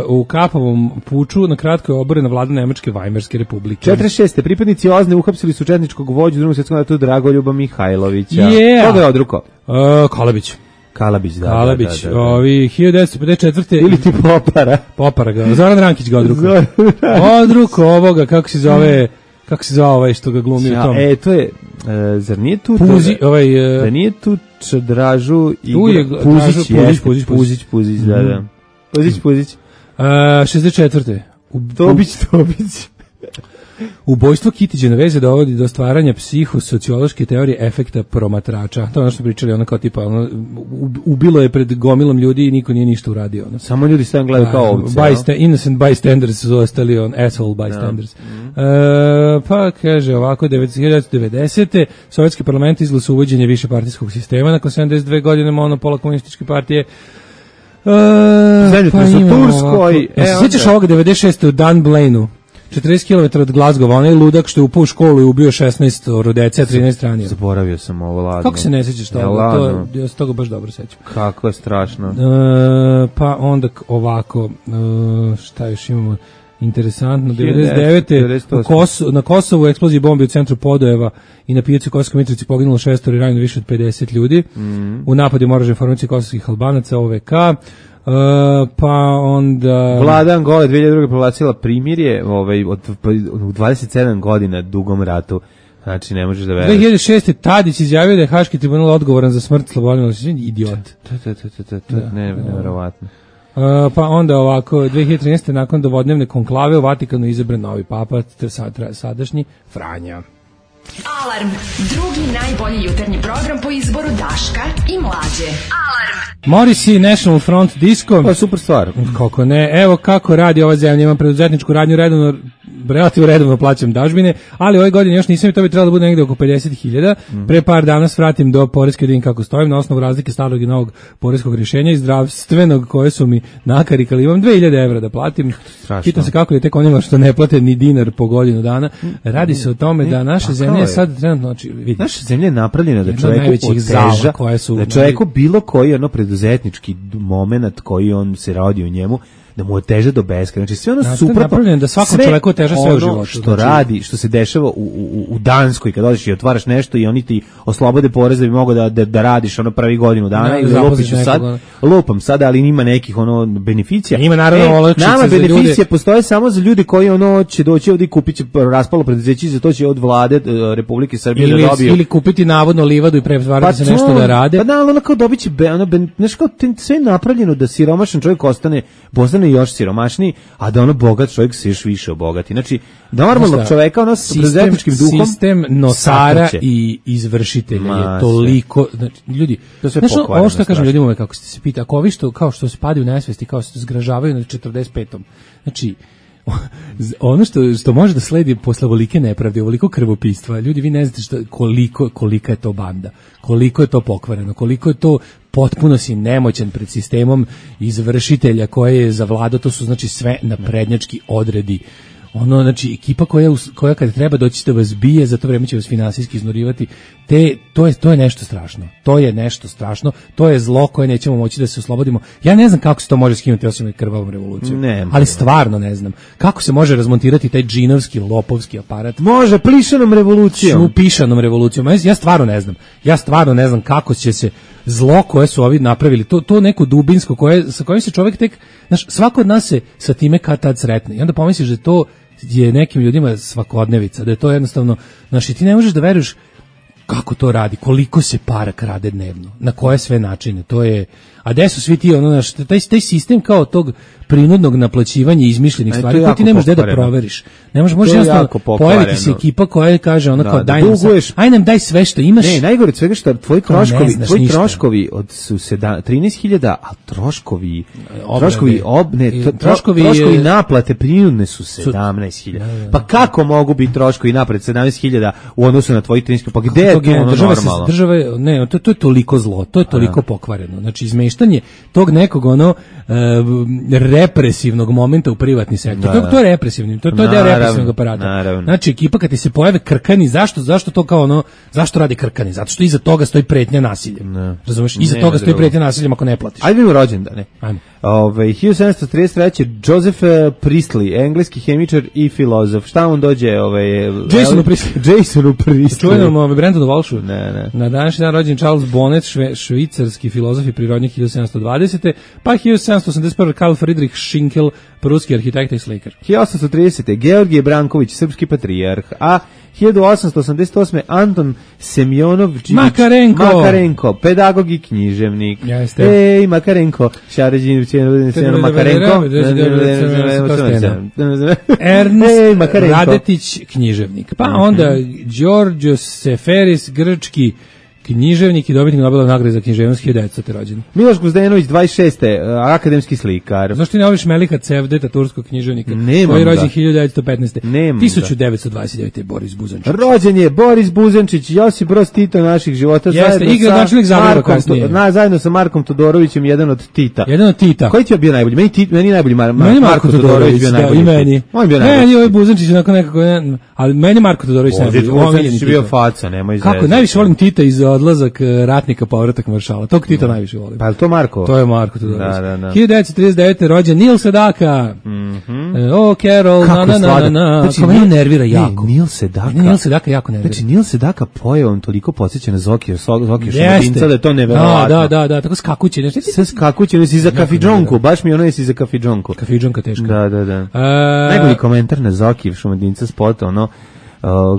S7: U Kapovom puču na kratko je oborena vlada Nemačke Vajmarske republike.
S6: 46. pripadnici OZNE uhapsili su četničkog vođu u Drugom svjetskom ratu Dragoljuba Mihajlovića.
S7: Yeah.
S6: Koga je odruko?
S7: Kalabić.
S6: Kalabić, da.
S7: Kalabić.
S6: Da.
S7: Ovi 1954.
S6: Ili ti Popara.
S7: Ga. Zoran Rankić ga odruko. Odruko ovoga, kako se zove ovaj što ga glumi u tom.
S6: To je, zar nije tu...
S7: Puzi,
S6: da nije tu Čadražu i Puzić, da. Puzić.
S7: 64.
S6: Tobić.
S7: Ubojstvo Kitića na veze dovodi do stvaranja psihosociološke teorije efekta promatrača. To je ono što pričali, ono kao tipa, ubilo je pred gomilom ljudi i niko nije ništa uradio. Ono.
S6: Samo ljudi stavim gledaju kao ovce.
S7: Innocent bystanders su ostali asshole bystanders. Pa kaže ovako, 1990. Sovjetski parlament izglasao uvođenje višepartijskog sistema nakon 72 godine monopola komunističke partije.
S6: Pa su Turskoj.
S7: Sjećaš ovoga 96. u Dunblane-u? 40 km od Glazgova, onaj ludak što je upao u školu i ubio 16 dece, a 13 ranio.
S6: Zaboravio sam ovo, ladno.
S7: Kako se ne sjećaš toga? Ja se toga baš dobro sećam.
S6: Kako je strašno.
S7: Pa onda ovako, šta još imamo interesantno, 99. Na Kosovu eksploziji bombi u centru Podojeva i na pijaci u Kosovskoj Mitrovici poginulo 6 i ranjeno više od 50 ljudi. U napadu oružane formacije kosovskih Albanaca, OVK. Pa onda...
S6: Vlada Angole 2002. proglasila primirje u 27 godina dugom ratu. Znači, ne možeš da veruješ.
S7: 2006. Tadić izjavio da je Haški tribunal odgovoran za smrt Slobodana Miloševića. Idiot.
S6: Neverovatno.
S7: Pa onda ovako, 2013. nakon dovodnevne konklave u Vatikanu izabran novi papa, sadašnji Franja.
S4: Alarm, drugi najbolji jutarnji program po izboru Daška i Mlađe. Alarm.
S7: Morrissey, National Front Disco.
S6: Pa super stvar.
S7: Kako ne, evo kako radi ova zemlja, imam preduzetničku radnju relativno redovno plaćam dažbine, ali ove godine još nisam i to bi trebalo da bude negde oko 50.000. Pre par dana svratim do poreske da vidim kako stojim, na osnovu razlike starog i novog poreskog rješenja i zdravstvenog koje su mi nakarikali. Imam 2.000 evra da platim. Pitam se kako je tek onima što ne plate ni dinar po godinu dana. Radi se o tome da naša zemlja je sad trenutno...
S6: Naša zemlja je napravljena da čovjeku oteža, da čovjeku bilo koji preduzetnički moment koji on se radi u njemu, da mu oteže do beskraja. Znači sve ono suprotno,
S7: da svakom čoveku oteža sve u životu.
S6: Što radi, što se dešava u Danskoj kad odeš i otvaraš nešto i oni ti oslobode porez da bi mogao da radiš ono pravi godinu dana ili lupiću sad, lupam sada, ali nima nekih beneficija.
S7: Ima naravno olakšice
S6: nama
S7: za ljude.
S6: beneficije postoje samo za ljude koji će doći ovdje i kupit će raspalo preduzeće i za to će od vlade Republike Srbije da dobiju.
S7: Ili kupiti navodno livadu i pretvarati se nešto da rade.
S6: Pa da, ono kao dobit će, znaš kao sve je napravljeno da siromašan čovjek postane još siromašniji, a da ono bogat čovjek se još više obogati. Znači, normalnog čoveka s preduzetničkim duhom
S7: sistem nosara i izvršitelja je toliko, znači, ljudi, znaš, ovo što kažem ljudima kako se pita, ako ovi kao što se padi u nesvesti, kao što se zgražavaju na 45. Znači, ono što može da sledi posle ovolike nepravde, ovoliko krvopistva, ljudi, vi ne znate kolika je to banda, koliko je to pokvareno, koliko je to potpuno si nemoćan pred sistemom izvršitelja koje je zavladao, to su znači sve naprednjački odredi ono, znači, ekipa koja kada treba doći da vas bije, za to vreme će vas finansijski iznurivati, to je nešto strašno. To je nešto strašno, to je zlo koje nećemo moći da se oslobodimo. Ja ne znam kako se to može skinuti osim krvavom revolucijom, ali stvarno ne znam. Kako se može razmontirati taj džinovski, lopovski aparat?
S6: Može, plišanom revolucijom.
S7: Pišanom revolucijom. Ja stvarno ne znam. Ja stvarno ne znam kako će se zlo koje su ovi napravili, to neko dubinsko sa kojim se čovjek tek, znaš, svako od nas se sa time kad tad sretne. I onda pomisliš da to je nekim ljudima svakodnevica, da je to jednostavno, znaš, i ti ne možeš da veruješ kako to radi, koliko se para krade dnevno, na koje sve načine, to je, a gde su svi ti, ono, znaš, taj sistem kao tog prinudnog naplaćivanja izmišljenih stvari, koje ti ne možeš da proveriš. Ne možeš jednostavno pojaviti se ekipa koja kaže ono kao daj nam aj nam daj sve što imaš.
S6: Ne, najgore od svega što tvoji troškovi od su 13.000, a troškovi naplate prinudne su 17.000. Pa kako mogu biti troškovi naplate 17.000 u odnosu na tvoji 13.000? Pa gde je to normalno? Država,
S7: ne, to je toliko zlo, to je toliko pokvareno. Znači izmeštanje tog nekog represivnog momenta u privatni sektor. To je represivni, to je deo represivnog aparata.
S6: Naravno.
S7: Znači ekipa kad ti se pojave krkani, zašto to kao ono, zašto radi krkani? Zato što iza toga stoji pretnja nasiljem. Razumeš? Iza toga stoji pretnja nasiljem ako ne platiš.
S6: Ajde vidimo rođendane. Ajmo. 1733. Joseph Priestley, engleski hemičar i filozof. Šta on dođe? Jasonu Priestley.
S7: Čujenom Brentonu Walshu. Na današnji dan rođen Charles Bonnet, švicarski filozof i prirodnjak 1720. Pa 1781. Karl Friedrich Schinkel, pruski arhitekta i slikar.
S6: 1830. Georgije Branković, srpski patrijarh, a 1888. Anton Semjonović Makarenko, pedagog i književnik. Ej, Makarenko, Makarenko.
S7: Ernst Radetić, književnik. Pa onda Đorđe Seferis, grčki književnik i dobitnik Nobelove nagrade za književnost, 1900. rođen.
S6: Miloš Guzdenović, 26. akademski slikar.
S7: Zašto ti ne voliš Melika Cevdeta, turskog književnika?
S6: Nemam
S7: koji je rođen 1915. 1929. Boris Buzančić.
S6: Rođen je Boris Buzančić, Josip Broz Tito naših života.
S7: Jeste, igra načelnik Zagreba kasnije.
S6: Zajedno sa Markom Todorovićem, jedan od Tita.
S7: Koji
S6: ti je bio najbolji? Meni najbolji Marko Todorović bio najbolji.
S7: I meni. Meni je Buzančić onako nekako, ali meni Marko Todorović najbolji.
S6: Buzančić je bio faca, nemoj izrezati.
S7: Kako, najviše volim Tita iz Odlazak ratnika, povratak maršala. Tog Tita najviše volim.
S6: Pa je to Marko?
S7: To je Marko Todorović. 1939. rođen Neil Sedaka. Carol,
S6: Znači,
S7: mene nervira jako.
S6: Neil Sedaka
S7: jako nervira.
S6: Znači, Neil Sedaka pojevom toliko podsjeća na Zokija Šumadinca da je to neverovatno.
S7: Da, tako skakuće.
S6: Sve skakuće, nesi za kafidžonku, baš mi ono jesi za kafidžonku.
S7: Kafidžonka teška.
S6: Da. Najbolji komentar na Zokija Šumadinca spota, ono,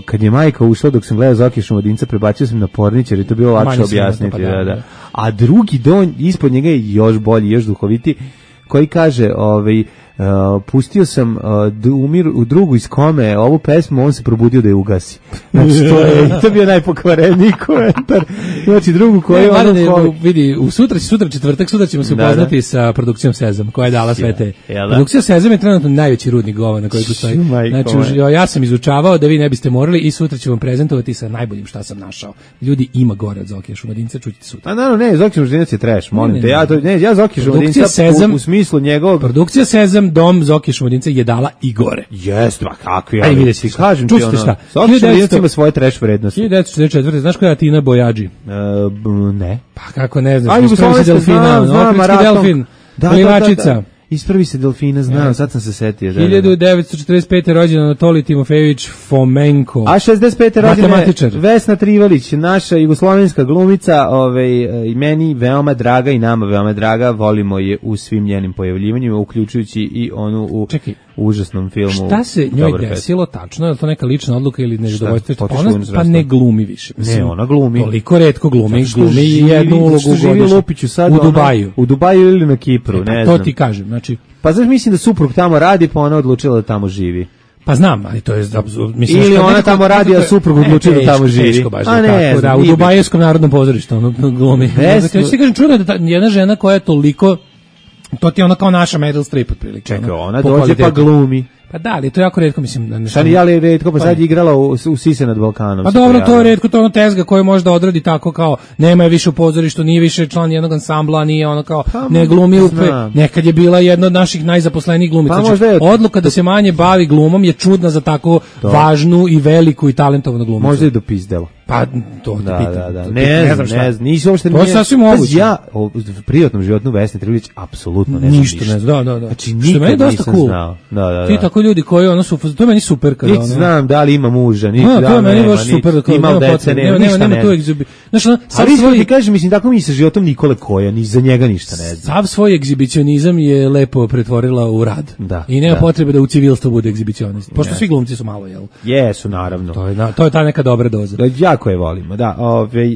S6: kad je majka ušla dok sam gledao Zokija Šumadinca, prebacio sam na Pornić jer je to bilo lakše objasniti. A drugi don ispod njega je još bolji, još duhoviti, koji kaže, pustio sam u drugu iz kome ovu pesmu, on se probudio da je ugasi. Znači, to bio najpokvareniji komentar. Znači, drugu koju
S7: vidi, sutra četvrtak, sutra ćemo se upoznati sa produkcijom Sezam, koja je dala sve te. Produkcija Sezam je trenutno najveći rudnik govana koji postoji. Znači, ja sam izučavao da vi ne biste morali i sutra ću vam prezentovati sa najboljim šta sam našao. Ljudi, ima gore od Zokija Šumadinca, čućete sutra.
S6: A naravno, ne, Zokija Šumadinac je trash, molim te. Ja Zokija Šumadinca u smislu njegovog...
S7: Produkcija Sezam, dom Zokija Šumadinca je dala i gore.
S6: Jeste, pa kakvi.
S7: Ajde vidjeti šta.
S6: Kažem ti ono. Zokija Šumadinca ima svoje trash vrednosti.
S7: 1944. Znaš koja je Atina Bojađi?
S6: Ne.
S7: Pa kako ne znaš? Ispravi se delfina. Afrički delfin. Plivačica.
S6: Ispravi se delfina, znam, sad sam se setio.
S7: 1945. rođen Anatolij Timofejević Fomenko.
S6: A 65. rođena Vesna Trivalić, naša jugoslovenska glumica, i meni veoma draga i nama veoma draga, volimo je u svim njenim pojavljivanjima, uključujući i onu u užasnom filmu.
S7: Šta se njoj desilo tačno? Je to neka lična odluka ili nezadovoljstvo? Pa ne glumi više.
S6: Ne, ona glumi.
S7: Toliko retko glumi jednu ulogu godišnje. U Dubaju.
S6: U Dubaju ili na Kipru, ne znam.
S7: To ti kažem, znači.
S6: Pa znaš, mislim da suprug tamo radi, pa ona odlučila da tamo živi.
S7: Pa znam, ali to je
S6: mislim, ili ona tamo radi, a suprug odlučila da tamo živi.
S7: Teško baš tako, da, u Dubajevskom narodnom pozorištu ono glumi. Ja ti kažem, čudo da jedna žena koja je toliko To ti je ono kao naša Meryl Streep otprilike.
S6: Čekaj,
S7: ono,
S6: ona
S7: po
S6: dođe pa
S7: kvalitetu.
S6: glumi.
S7: Pa da, ali to je jako retko, mislim. Da
S6: Šta nije, ali retko, pa sad je igrala u Sise nad Balkanom.
S7: Pa
S6: se
S7: dobro, to je
S6: pojavila.
S7: retko, to je ono tezga koju možda odradi tako kao, nema je više u pozorištu, nije više član jednog ansambla, nije ono kao, ne glumi
S6: znam.
S7: nekad je bila jedna od naših najzaposlenijih glumica.
S6: Pa
S7: Znači,
S6: možda je-
S7: odluka da se manje bavi glumom je čudna za tako važnu i veliku i talentovanu glumicu.
S6: Možda je dopizdelo.
S7: Pa to te pitam.
S6: Da.
S7: To
S6: Ne
S7: znam šta.
S6: znam, nisi uopšte...
S7: To je
S6: nije-
S7: sasvim moguće.
S6: Ja u privatnom životu Vesne Trivlić apsolutno ne znam
S7: Ništa ne znam, da.
S6: Znači,
S7: Što je meni
S6: nikad
S7: dosta
S6: nisam
S7: cool.
S6: znao. Da.
S7: Ti tako ljudi koji ono su, to je meni super kada
S6: Niti
S7: ono.
S6: znam da li ima muža, niti
S7: To
S6: da
S7: je
S6: li
S7: meni
S6: nema,
S7: baš super da kao
S6: ima
S7: nema
S6: dece,
S7: potrebe,
S6: nema, ništa
S7: nema tu
S6: ne.
S7: egzibi. Znaš, ono, sav
S6: Ali isto
S7: svoj
S6: ti kažem, mislim, tako mi sa životom Nikole Koja, ni za njega ništa ne znam.
S7: sav svoj egzibicionizam je lepo pretvorila u rad.
S6: Da,
S7: I nema
S6: da.
S7: potrebe da u civilstvu bude egzibicionist. Pošto svi glumci su malo, jel?
S6: Jesu, naravno.
S7: To je ta neka dobra doza.
S6: Da, jako je volimo, da.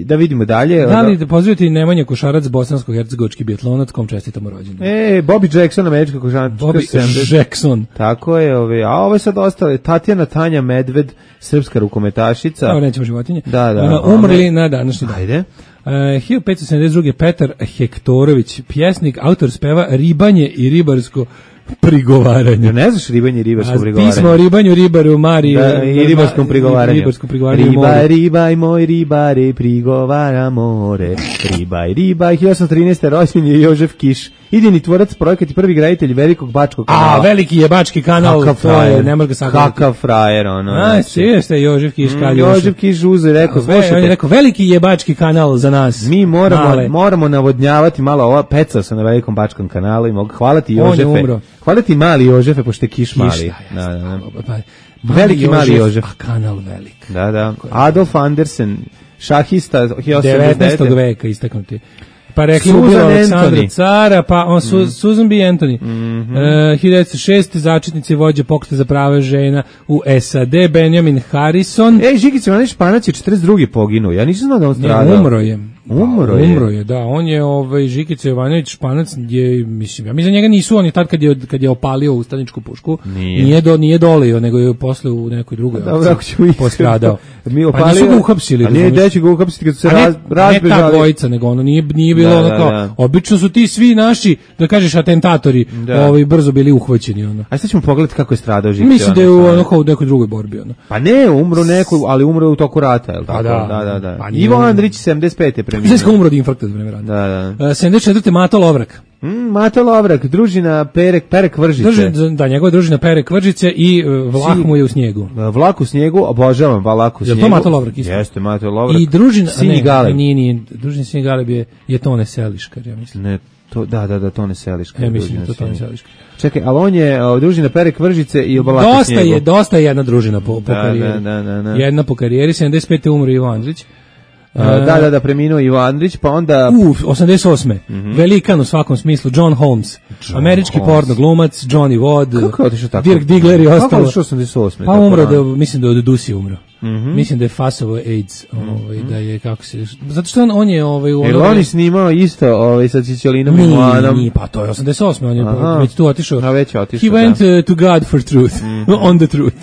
S6: Da vidimo dalje.
S7: Da li da pozdravite Nemanja Košarac, bosansko-hercegovački biatlonac, kom čestitamo rođendan.
S6: Bobby Jackson, američka košarkaška.
S7: Bobby Jackson.
S6: Tako je, a ovo je sad ostale. Tatjana Tanja Medved, srpska rukometašica.
S7: Evo nećemo životinje.
S6: Da.
S7: Umrli na današnji dan.
S6: Ajde.
S7: 1572. Petar Hektorović, pjesnik, autor speva Ribanje i ribarsko prigovaranje.
S6: Ne znaš ribanje i ribarsko prigovaranje?
S7: Pismo o ribanju, ribaru, Mariju.
S6: I ribarskom prigovaranju.
S7: Ribarskom prigovaranju
S6: Ribaj, moj ribare, prigovara more. Ribaj. 1813. rođen je Jožef Kiš. Idejni tvorac, projekat i prvi graditelj velikog bačkog kanala.
S7: veliki je bački kanal,
S6: Kakav
S7: to je,
S6: frajer.
S7: ne može ga sagledati.
S6: Kakav frajer, ono.
S7: Sješ te Jožef Kiš kad
S6: Jožef Kiš uze, rekao,
S7: on je
S6: slušajte,
S7: rekao, veliki je bački kanal za nas.
S6: mi
S7: Male.
S6: moramo navodnjavati malo ova, pecao sam na velikom bačkom kanalu i mogu hvalati
S7: On je
S6: Jožefe.
S7: umro.
S6: Hvalati mali Jožefe, pošto je Kiš mali. Da. Veliki mali Jožef.
S7: A kanal velik.
S6: Da. Adolf Andersen, šahista
S7: 19.
S6: 1889.
S7: veka istaknuti. Pa rekli
S6: Susan
S7: mu bilo Aleksandra
S6: Anthony.
S7: Cara, pa on Susan B. Anthony. 1906. začetnici vođe pokreta za prava žena u SAD, Benjamin Harrison.
S6: Žigice, onaj Španac je 42. poginuo. Ja nisam znao da on stradao.
S7: Umro je.
S6: Umro je.
S7: Da. On je, Žikica Jovanović Španac, je, mislim, ja mislim da njega nisu oni tad kad je opalio ustaničku pušku. Nije dolio, nego je posle u nekoj drugoj
S6: Dobro, ako ćemo
S7: postradao.
S6: Mi
S7: Pa nisu ga uhapsili.
S6: A nije deći ga uhapsili kad su se
S7: Ne ta
S6: razbežali.
S7: dvojica, nego ono nije bilo ono kao, obično su ti svi naši, da kažeš, atentatori, brzo bili uhvaćeni, ono.
S6: A sad ćemo pogledati kako je stradao Žikica.
S7: Mislim da je u nekoj drugoj borbi, ono.
S6: Pa ne, umro neko, ali umro u toku rata, je li tako?
S7: Da. Pa nije
S6: Ivo
S7: umro.
S6: Andrić 75. je preminuo.
S7: Znaš kao umro od infarkta za vreme rata.
S6: Da.
S7: 74. Mato Lovrak.
S6: Mato Lovrak, družina Perek Vržice.
S7: Njegova družina Perek Vržice i Vlah mu je u snijegu.
S6: Vlak u snijegu, obožavam Vlak u snijegu.
S7: Je to Mato Lovrak isto?
S6: Jeste, Mato Lovrak.
S7: I družina,
S6: Sini Galeb.
S7: nije, družina Sini Galeb je Tone Seliškar, ja mislim.
S6: Ne, Tone Seliškar.
S7: Ja mislim da to Tone Seliškar.
S6: Čekaj, ali on je družina Perek Vržice i Vlak u snijegu.
S7: Dosta je jedna družina po karijeri.
S6: Da.
S7: Jedna po karijeri, 75. umro Ivo Andrić.
S6: Da, preminuo Ivo Andrić, pa onda...
S7: 88. Velikan u svakom smislu, John Holmes. Američki porno glumac, Johnny Wadd.
S6: Kako je otišao tako?
S7: Dirk Diggler i ostalo.
S6: Kako je otišao 88?
S7: Pa umro, mislim da od Dusi umro. Mislim da je fasovo AIDS, da je, kako se... Zato što on je...
S6: Jer on je snimao isto sa Čičolinom i Mlanom.
S7: Nije, pa to je 88. On je već tu otišao.
S6: A već je otišao,
S7: He went to God for truth. On the truth.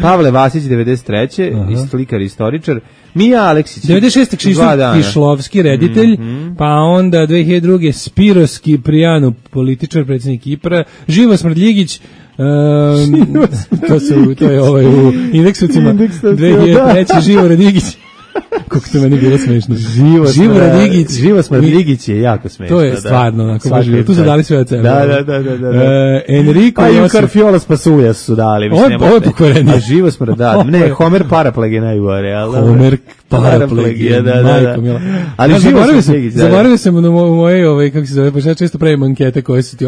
S6: Pavle Vasić, 93. Slikar i istoričar. Mija Aleksić.
S7: 96. Kšištof Kišlovski, reditelj, pa onda 2002. Spiros Kiprijanu, političar, predsjednik Kipra, Živo Smrdljigić, to je u indeksovcima 2003. Živo Radigić. Kako to meni bilo smešno.
S6: Živo Smrdljigić je jako smešno.
S7: To je stvarno, onako, tu su dali sve od sebe.
S6: Da.
S7: Enrico
S6: pa i
S7: Josip.
S6: Karfiola Spasulja su dali.
S7: Ovo je pokvarenije.
S6: A Živo Smrdljić, ne, Homer Parapleg je najgore.
S7: Homer Parapleg je, majko mila.
S6: Ali Živo Smrdljić.
S7: Zaboravio sam u moje, kako se zove, pa ja često pravim ankete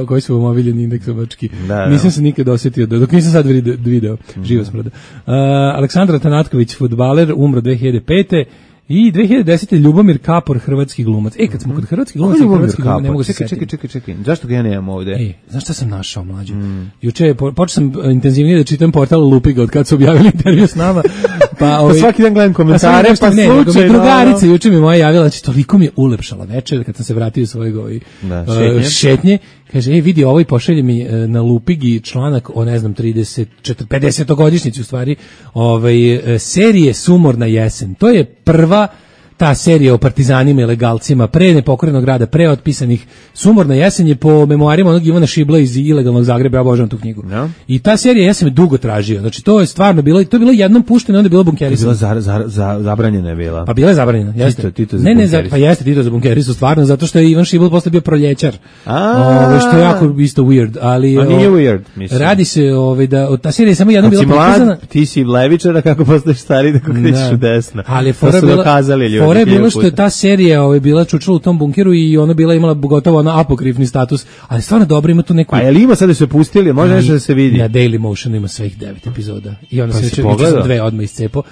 S7: koje su omiljeni indeksovački. Nisam se nikad osjetio, dok nisam sad video. Živo Smrdljić. Aleksandar Tanatković, fudbaler, umro 2005. I 2010. Ljubomir Kapor, hrvatski glumac. Kad smo kod hrvatskih glumaca, ne mogu se setiti.
S6: Čekaj. Zašto ga ja nemam ovde?
S7: Znaš šta sam našao, mlađe? Juče počeo sam intenzivnije da čitam portal Lupiga od kad su objavili intervju s nama. Pa
S6: svaki dan gledam komentare, pa slučajno.
S7: Drugarica juče mi moja javila, znači toliko mi je ulepšala večer kad sam se vratio iz svojeg šetnje. Kaže, vidi ovo i pošalje mi na Lupigi članak o, ne znam, 50-godišnjici u stvari, serije Sumorna jesen. To je prva ta serija o partizanima i legalcima, pre nepokorenog grada, pre otpisanih Sumorna jesen je po memoarima onog Ivana Šibla iz ilegalnog Zagreba, ja obožavam tu knjigu.
S6: No.
S7: I ta serija ja sam je dugo tražio. Znači to je stvarno bilo, to je bilo jednom pušteno, onda je bilo bunkerisano.
S6: Zabranjena je bila.
S7: Pa bila je zabranjena, jeste.
S6: Tito za
S7: ne,
S6: bunkeris.
S7: pa jeste Tito za bunkerisu, stvarno, zato što je Ivan Šibl posle bio proljećar. Što je jako isto weird, ali
S6: a nije weird, mislim.
S7: Radi se da ta serija je samo jednom bila prikazana.
S6: Ti si levičar, kako postaješ stari, da krećeš u desno.
S7: Ali
S6: fora
S7: je bilo što je ta serija bila čučala u tom bunkeru i ona bila imala gotovo ona apokrifni status, ali stvarno dobro, ima tu neku.
S6: A je li ima sad da se pustili, može nešto da se vidi?
S7: Na Daily Motionu ima svih 9 epizoda. I onda
S6: pa
S7: se već dve odmah iscepo.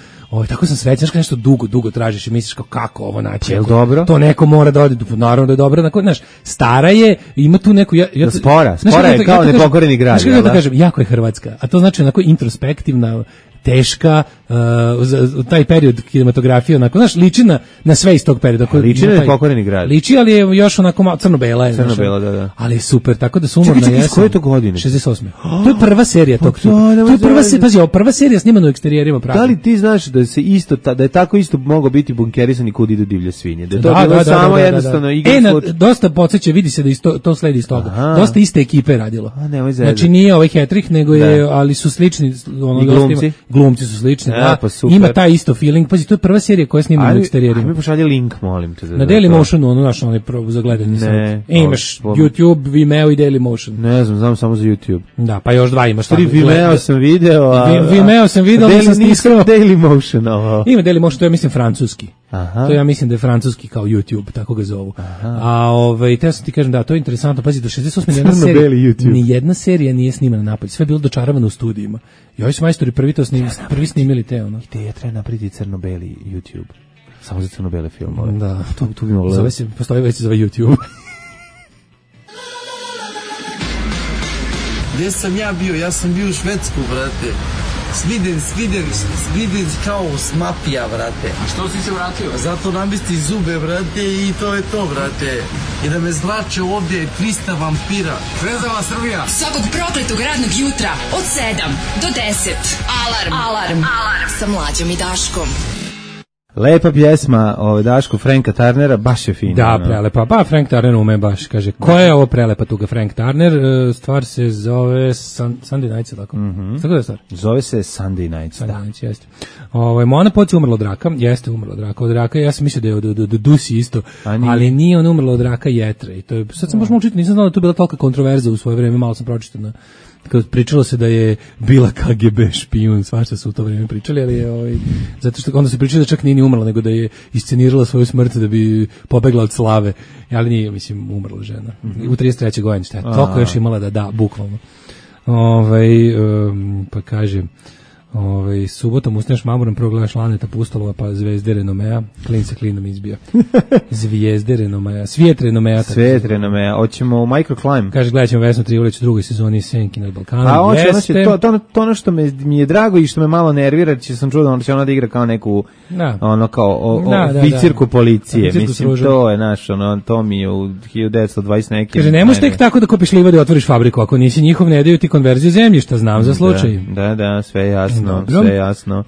S7: Tako sam srećan, znaš, nešto dugo tražiš i misliš kako ovo naći.
S6: Je li dobro?
S7: To neko mora da ode, naravno da je dobro, znaš, stara je, ima tu neku
S6: spora je kao nepokoreni grad.
S7: Znaš kako da kažem, jako je Hrvatska, a to znači onako introspektivna, teška, taj period kinematografije, onako, znaš, liči na sve iz tog perioda.
S6: Liči na nepokoreni grad.
S7: Liči, ali je još onako malo crno-bela.
S6: Crno-bela, da.
S7: Ali je super, tako da Sumorna jesen.
S6: Čekaj, koje je to godine?
S7: 68. To je prva serija tog. To je prva serija snimana u eksterijerima Praga.
S6: Da li ti znaš da je tako isto moglo biti bunkerisan i Kud idu divlje svinje? Da je to bilo samo jednostavno igra slučaj.
S7: Dosta podsjeća, vidi se da to sledi iz toga. Dosta iste ekipe radilo. Znači nije ovaj Hetrich, nego je, ali su slični. Glumci su slični, da.
S6: Pa
S7: ima taj isto feeling. Pazi, to je prva serija koja snima u eksterijerima.
S6: Mi pošalje link, molim te.
S7: Na Daily Motionu, naš onaj za gledanje sad. Imaš YouTube, Vimeo i Daily Motion.
S6: Ne znam samo za YouTube.
S7: Da, pa još dva imaš.
S6: Vimeo sam video,
S7: Vimeo sam video,
S6: nisam Daily Motion.
S7: Ima Daily Motion, to ja mislim francuski.
S6: Aha.
S7: To ja mislim da je francuski kao YouTube, tako ga zovu. A te sam ti kažem, da, to je interesantno. Pazi, do 68. ni jedna serija nije snimana napolje. Sve je bilo dočaravano u studijima. I ovi su majstori prvi snimili te, ono.
S6: Ideja treba napraviti crno-beli YouTube. Samo za crno-bele filmove.
S7: Da.
S6: Tu bi moglo.
S7: Postoji već za YouTube.
S1: Gde sam ja bio? Ja sam bio u Švedsku, brate. Sviden kao smapija, brate.
S8: A što si se vratio?
S1: Zato namesti zube, brate, i to je to, brate. I da me zlače ovdje 300 vampira.
S8: Zvezala Srbija.
S4: Svakog prokletog radnog jutra od 7 do 10. Alarm. Sa Mlađom i Daškom.
S6: Lepa pjesma Daško Franka Turnera, baš je fina.
S7: Da, prelepa. Pa Frank Turner ume baš, kaže, koja je ovo prelepa tuga Frank Turner? Stvar se zove Sunday Nights, tako? Tako da je stvar?
S6: Zove se Sunday Nights,
S7: Sunday Nights, jeste. Mona Poc je umrla od raka, jeste umrla od raka, ja sam mislio da je od Dusi isto, ali nije on umrla od raka jetre. I to je, sad sam baš učiti, nisam znao da tu bila tolika kontroverza u svoje vreme, malo sam pročitao kad pričalo se da je bila KGB špijun, svašta su u to vrijeme pričali, ali je zato što onda se pričali da čak nije ni umrla, nego da je iscenirala svoju smrt da bi pobegla od slave, ali nije, mislim, umrla žena. U 33. godini, šta je, toliko još imala da, bukvalno. Pa kaže, subotom ustaneš mamurom, prvo gledaš Laneta Pustolova, pa Zvezde renomea, klin se klinom izbija. Zvijezde renomea, svijet renomea.
S6: Hoćemo Microclimb.
S7: Kaže, gledat ćemo Vesnu Trivolić u drugoj sezoni Senki nad Balkanom.
S6: To ono što mi je drago i što me malo nervira, će sam čuo da će ona da igra kao neku oficirku policije. Mislim, to je to mi je u 1920 neki.
S7: Kaže, ne možeš tek tako da kupiš livadu i otvoriš fabriku, ako nisi njihov, ne daju ti konverziju zemljišta, znam za slučaj.
S6: Da, sve jasno. Sve jasno.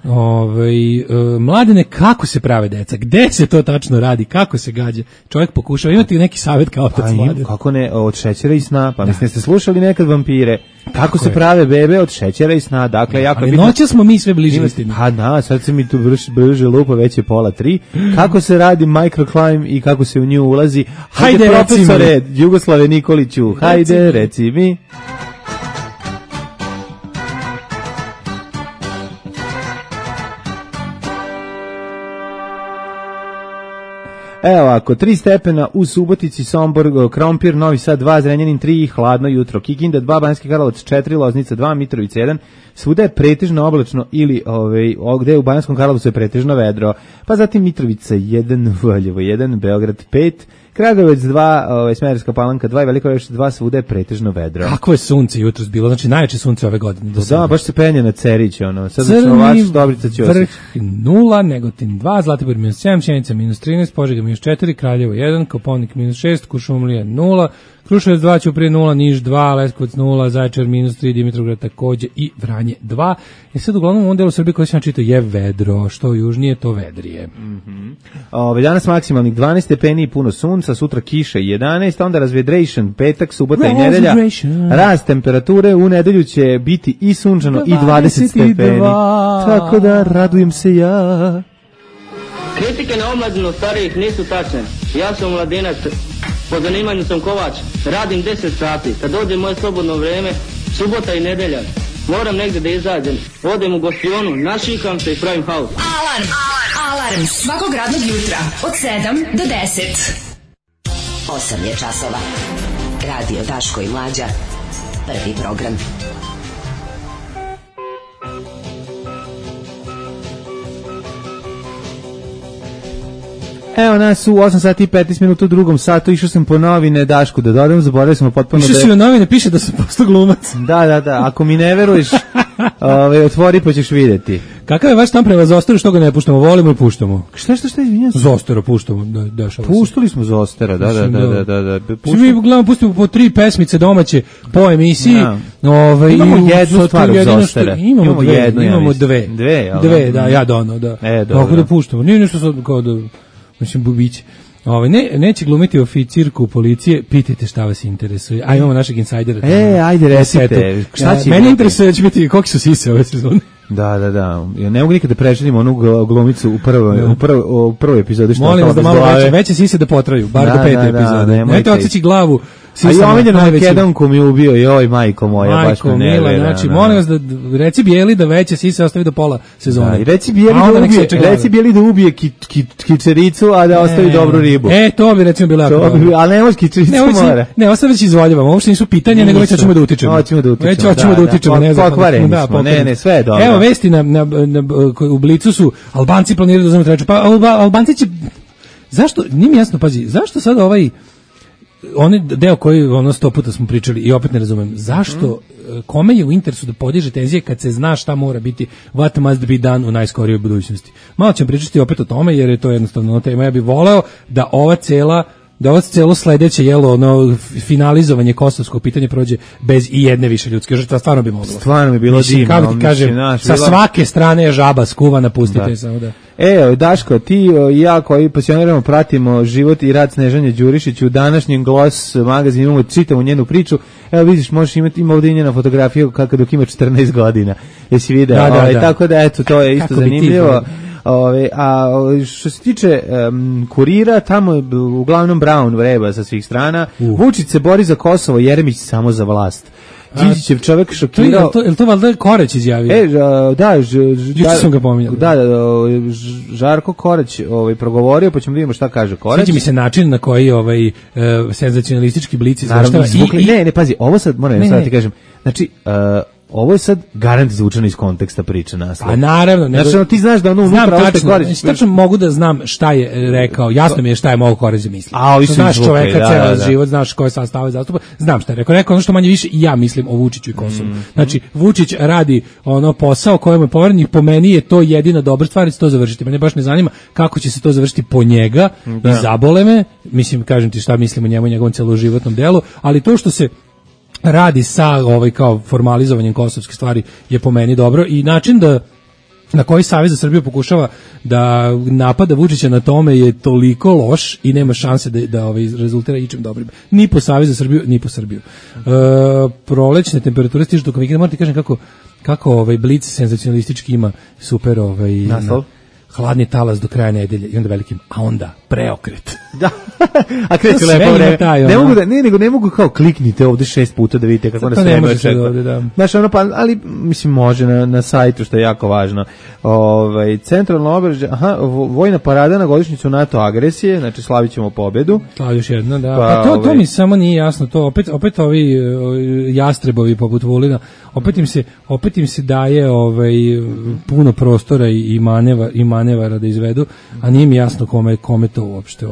S7: Mladene, kako se prave deca? Gde se to tačno radi? Kako se gađa? Čovjek pokušava, imati neki savjet kao otac mladen?
S6: Kako ne, od šećera i sna. Pa mislim, ste slušali nekad vampire? Kako se prave bebe od šećera i sna? Dakle, jako
S7: ali noća smo mi sve bliže istini.
S6: Sad se mi tu brže lupa, već je 2:30. Kako se radi Microclimb i kako se u nju ulazi? Hajde, profesore Jugoslave Nikoliću, hajde, reci mi. Evo ovako, 3 stepena u Subotici, Sombor, Krompir, Novi Sad 2, Zrenjanin 3, hladno jutro, Kikinda 2, Banjski Karlovac 4, Loznica 2, Mitrovica 1, svuda je pretežno oblačno ili gde u Banjskom Karlovcu je pretežno vedro, pa zatim Mitrovica 1, Valjevo 1, Beograd 5, Kragujevac 2, Smederevska Palanka 2 i Veliko Gradište 2, svuda je pretežno vedro.
S7: Kako je sunce jutros bilo? Znači najjače sunce ove godine.
S6: Da, baš se penje na Cerić, sad Crni
S7: vrh 0, Negotin 2, Zlatibor -7, Sjenica -13, Požega -4, Kraljevo 1, Kopaonik -6, Kuršumlija 0, Kruševac 2, Ćuprije 0, Niš 2, Leskovac 0, Zaječar -3, Dimitrovgrad takođe i Vranje stanje 2. I sad uglavnom u ovom delu Srbije koji sam čitao je vedro, što južnije to vedrije.
S6: Danas maksimalnih 12 stepeni i puno sunca, sutra kiša i 11, onda razvedration, petak, subota i nedelja. Rast temperature, u nedelju će biti i sunčano i 20 stepeni. Tako da radujem se ja.
S9: Kritike na omladinu starijih nisu tačne. Ja sam mladinac, po zanimanju sam kovač, radim 10 sati. Kad dođe moje slobodno vreme, subota i nedelja, moram negdje da izađem. Odem u gostionu, našikam se i pravim haos.
S4: Alarm svakog radnog jutra od 7 do 10.
S10: 8 je časova. Radio Daško i Mlađa. Prvi program.
S6: Evo nas u 8 sati i 15 minuta u drugom satu, išao sam po novine, Dašku, da dodam, zaboravili smo potpuno
S7: Išao si na novine, piše da sam postao glumac.
S6: Da, ako mi ne veruješ, otvori pa ćeš vidjeti.
S7: Kakav je vaš tam prema Zosteru, što ga ne puštamo, volimo i puštamo?
S6: Šta, izvinjam se?
S7: Zostera puštamo, dešava se.
S6: Puštali smo Zostera, da.
S7: Mi uglavnom pustimo po 3 pesmice domaće po emisiji.
S6: Imamo jednu stvar u Zostera.
S7: Imamo dve. Dve, da, ja dono, da. Tako da puštamo. Nije nešto sad kao da, mislim, bubiće. Neće glumiti oficirku policije, pitajte šta vas interesuje. A imamo našeg insajdera.
S6: Ajde recite.
S7: Mene interesuje da će biti koliko su sise ove sezone.
S6: Da. Ja ne mogu nikada prešetim onu glumicu u prvoj epizodi.
S7: Molim vas da malo veće sise da potraju, bar do 5. epizode. Nemojte odseći glavu.
S6: A i omiljeno Makedonku mi ubio, joj majko moja, baš me ne vera.
S7: Znači, molim vas da reci Bijeli da veće sise ostavi do pola sezone.
S6: I reci Bijeli da ubije kičericu, a da ostavi dobru ribu.
S7: To bi recimo bilo jako.
S6: Ali ne može kičericu mora.
S7: Ne, ostavit će izvoljavamo, uopšte nisu pitanja, nego već hoćemo da utičemo.
S6: Hoćemo
S7: da utičemo, ne znam.
S6: Pokvareni smo, ne, sve je dobro.
S7: Evo vesti u Blicu su, Albanci planiraju da uzmu treću, pa Albanci će, zašto, nije mi jasno, pazi, zašto sad onaj deo koji 100 puta smo pričali i opet ne razumem, zašto, kome je u interesu da podiže tenzije kad se zna šta mora biti, what must be done u najskorijoj budućnosti. Malo ćemo pričati opet o tome jer je to jednostavno tema. Ja bih voleo da ovo celo sledeće finalizovanje kosovskog pitanja prođe bez i jedne više ljudske žrtve, stvarno bi moglo.
S6: Stvarno bi bilo divno.
S7: Kako ti kažem, sa svake strane je žaba skuvana, pustite samo da.
S6: Daško, ti i ja koji pasionirano pratimo život i rad Snežanje Đurišić, u današnjem Gloss magazinu imamo, čitamo njenu priču. Evo vidiš, možeš imati ovdje njena fotografiju kako dok ima 14 godina. Jesi video?
S7: Da.
S6: Tako da, eto, to je isto kako zanimljivo. A što se tiče Kurira, tamo je uglavnom Brown vreba sa svih strana. Vučić se bori za Kosovo, Jeremić samo za vlast. Đinđićev čovjek šokirao.
S7: Je to valjda Koreć izjavio?
S6: Da,
S7: sam ga pominjao.
S6: Da, Žarko Koreć progovorio, pa ćemo vidimo šta kaže Koreć.
S7: Sviđa mi se način na koji senzacionalistički blic
S6: izveštava. Ne, pazi, ovo sad moram sad da ti kažem. Znači, ovo je sad garant izvučeno iz konteksta priče naslov.
S7: A naravno.
S6: Znači, ti znaš da ono unutra ostaje Koreć.
S7: Tačno mogu da znam šta je rekao. Jasno mi je šta je mogo Koreć misliti.
S6: Znaš
S7: čoveka, ceo život, znaš koje sastave zastupa. Znam šta je rekao. Rekao ono što manje više i ja mislim o Vučiću i Kosovu. Znači, Vučić radi posao kojemu je poveren i po meni je to jedina dobra stvar i to završiti. Mene baš ne zanima kako će se to završiti po njega i zabole me. Mislim, kažem ti šta mislim o njemu i njegovom celoživotnom delu, ali to što se radi sa kao formalizovanjem kosovske stvari je po meni dobro i način na koji Savez za Srbiju pokušava da napada Vučića na tome je toliko loš i nema šanse da rezultira ičim dobrim. Ni po Savez za Srbiju, ni po Srbiju. Prolećne temperature stižu tokom vikenda, moram ti kažem kako Blic senzacionalistički ima super
S6: naslov.
S7: Hladni talas do kraja nedelje i onda velikim, a onda preokret.
S6: Da. A kreće lepo vreme. Ne mogu kao kliknite ovde 6 puta da vidite kako nas vreme očekuje. Znaš, ali mislim može na sajtu, što je jako važno. Centralno obeležje, vojna parada na godišnjicu NATO agresije, znači slavićemo pobedu.
S7: Slavi još jedna, da. Pa to mi samo nije jasno, to opet ovi jastrebovi poput Vulina, opet im se daje puno prostora i manevara da izvedu, a nije mi jasno kome to uopšte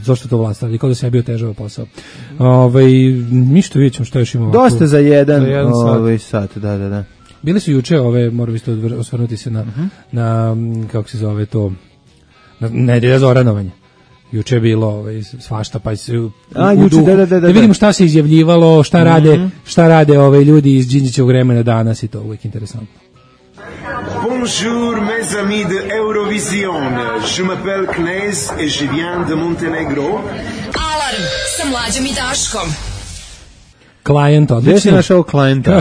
S7: zašto to vlast radi, kao da se je bio težava posao. Ništa, vidjet ćemo što još imamo.
S6: Dosta za jedan sat, da.
S7: Bili su juče moram isto osvrnuti se na kako se zove to, na razoranovanje. Juče je bilo svašta, pa se
S6: da
S7: vidimo šta se izjavljivalo, šta rade ljudi iz Đinđićevog vremena danas i to uvijek interesantno.
S11: Bonjour mes amis de Eurovision. Je m'appelle Knez et je viens de Montenegro.
S4: Alarm sa Mlađom i Daškom.
S7: Client, odlično.
S6: Gdje si našao klijenta?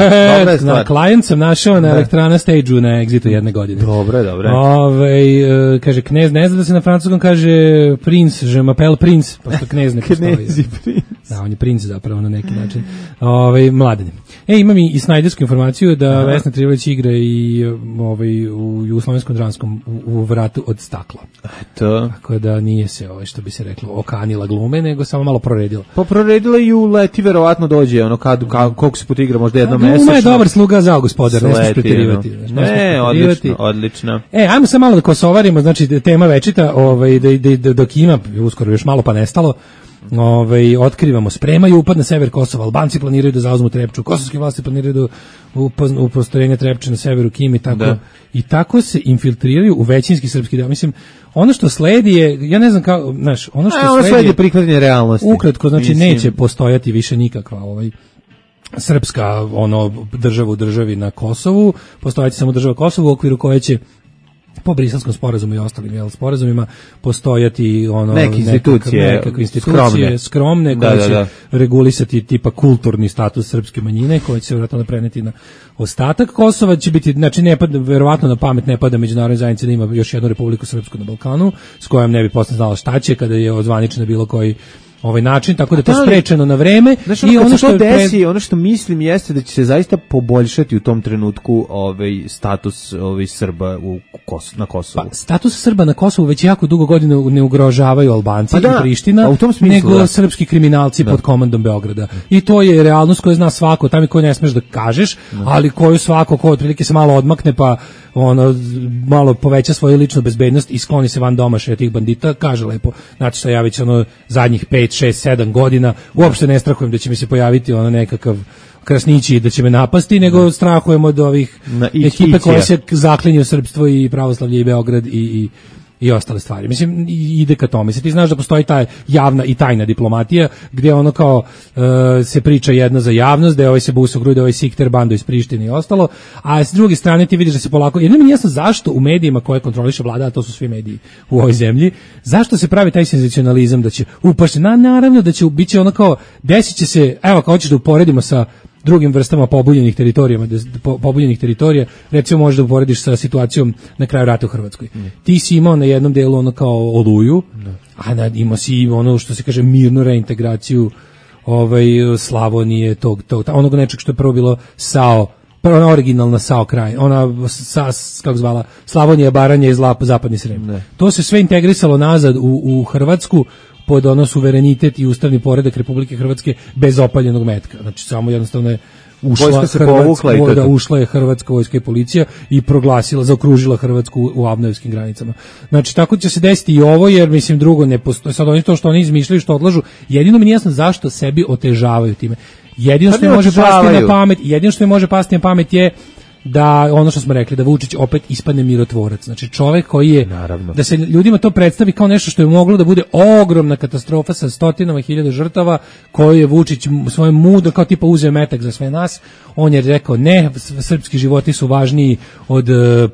S7: Na Client sam našao na Elektrana stage-u na Exitu jedne godine.
S6: Dobro.
S7: Kaže, Knez ne zna da se na francuskom kaže prince, je m'appelle prince, pošto Knez ne postoji.
S6: Knezi prince.
S7: Da, on je princ zapravo na neki način. Mladen. Imam i snajdersku informaciju da Vesna Trivović igra i u Jugoslovenskom dramskom u Vratu od stakla.
S6: To.
S7: Tako da nije se, što bi se reklo, okanila glume, nego samo malo proredila.
S6: Pa proredila i u Leti verovatno dođe, koliko se puta igra, možda jednom mesečno.
S7: Gluma je dobar sluga zao, gospodar, ne smiješ preterivati.
S6: Odlično.
S7: Ajmo sad malo da kosovarimo, znači tema večita, dok ima, uskoro još malo pa nestalo, otkrivamo, spremaju upad na sever Kosova, Albanci planiraju da zauzmu Trepču, kosovske vlasti planiraju da u prostorenje Trepče na severu Kimi, i tako se infiltriraju u većinski srpski deo. Mislim, ono što sledi je, ja ne znam kako, znaš, ono što sledi je
S6: prihvatanje realnosti.
S7: Ukratko, znači neće postojati više nikakva srpska država u državi na Kosovu, postojati samo država Kosovu u okviru koje će po Briselskom sporazumu i ostalim sporazumima postojati
S6: neke institucije
S7: skromne koje će regulisati tipa kulturni status srpske manjine koje će se vjerojatno preneti na ostatak Kosova. Će biti, znači verovatno na pamet ne pada međunarodnoj zajednici da ima još jednu Republiku Srpsku na Balkanu s kojom ne bi posle znala šta će kada je ozvaničena bilo koji način, tako da je to sprečeno na vreme.
S6: Znaš, ono što mislim jeste da će se zaista poboljšati u tom trenutku status Srba na Kosovu.
S7: Pa, status Srba na Kosovu već jako dugo godina ne ugrožavaju Albanci i Priština, nego srpski kriminalci pod komandom Beograda. I to je realnost koju zna svako, tamo koju ne smeš da kažeš, ali koju svako ko otprilike se malo odmakne pa malo poveća svoju ličnu bezbednost i skloni se van domašaja tih bandita, kaže lepo, znači što ja već zadnjih 5, 6, 7 godina uopšte ne strahujem da će mi se pojaviti nekakav krasnići da će me napasti, nego strahujem od ovih ekipe koje se zaklinju srpstvo i pravoslavlje i Beograd i ostale stvari. Mislim, ide ka tome. Ti znaš da postoji ta javna i tajna diplomatija, gdje se priča jedno za javnost, da je se busa u grudi, sikter bando iz Prištine i ostalo, a s druge strane ti vidiš da se polako, jedno mi nije jasno zašto u medijima koje kontroliše vlada, a to su svi mediji u ovoj zemlji, zašto se pravi taj senzacionalizam da će upašti, naravno da će biti desit će se, evo kao hoćeš da uporedimo sa drugim vrstama pobunjenih teritorija, recimo možeš da uporediš sa situacijom na kraju rata u Hrvatskoj. Ti si imao na jednom delu kao Oluju, a imao si što se kaže mirnu reintegraciju Slavonije, onog nečeg što je prvo bilo SAO, prva originalna SAO kraj, kako zvala, Slavonija, Baranja i zapadni Srem. To se sve integrisalo nazad u Hrvatsku pod suverenitet i ustavni poredak Republike Hrvatske bez opaljenog metka. Znači samo jednostavno je ušla je hrvatska vojska i policija i zaokružila Hrvatsku u Abnojevskim granicama. Znači tako će se desiti i ovo, jer mislim drugo ne postoji. Sad to što oni izmišljaju, što odlažu, jedino mi nije jasno zašto sebi otežavaju time. Jedino što mi može pasti na pamet je da ono što smo rekli, da Vučić opet ispadne mirotvorac. Znači čovjek koji je, da se ljudima to predstavi kao nešto što je moglo da bude ogromna katastrofa sa stotinama hiljada žrtava, koju je Vučić svojim mudro, kao tipa uzeo metak za sve nas. On je rekao ne, srpski životi su važniji od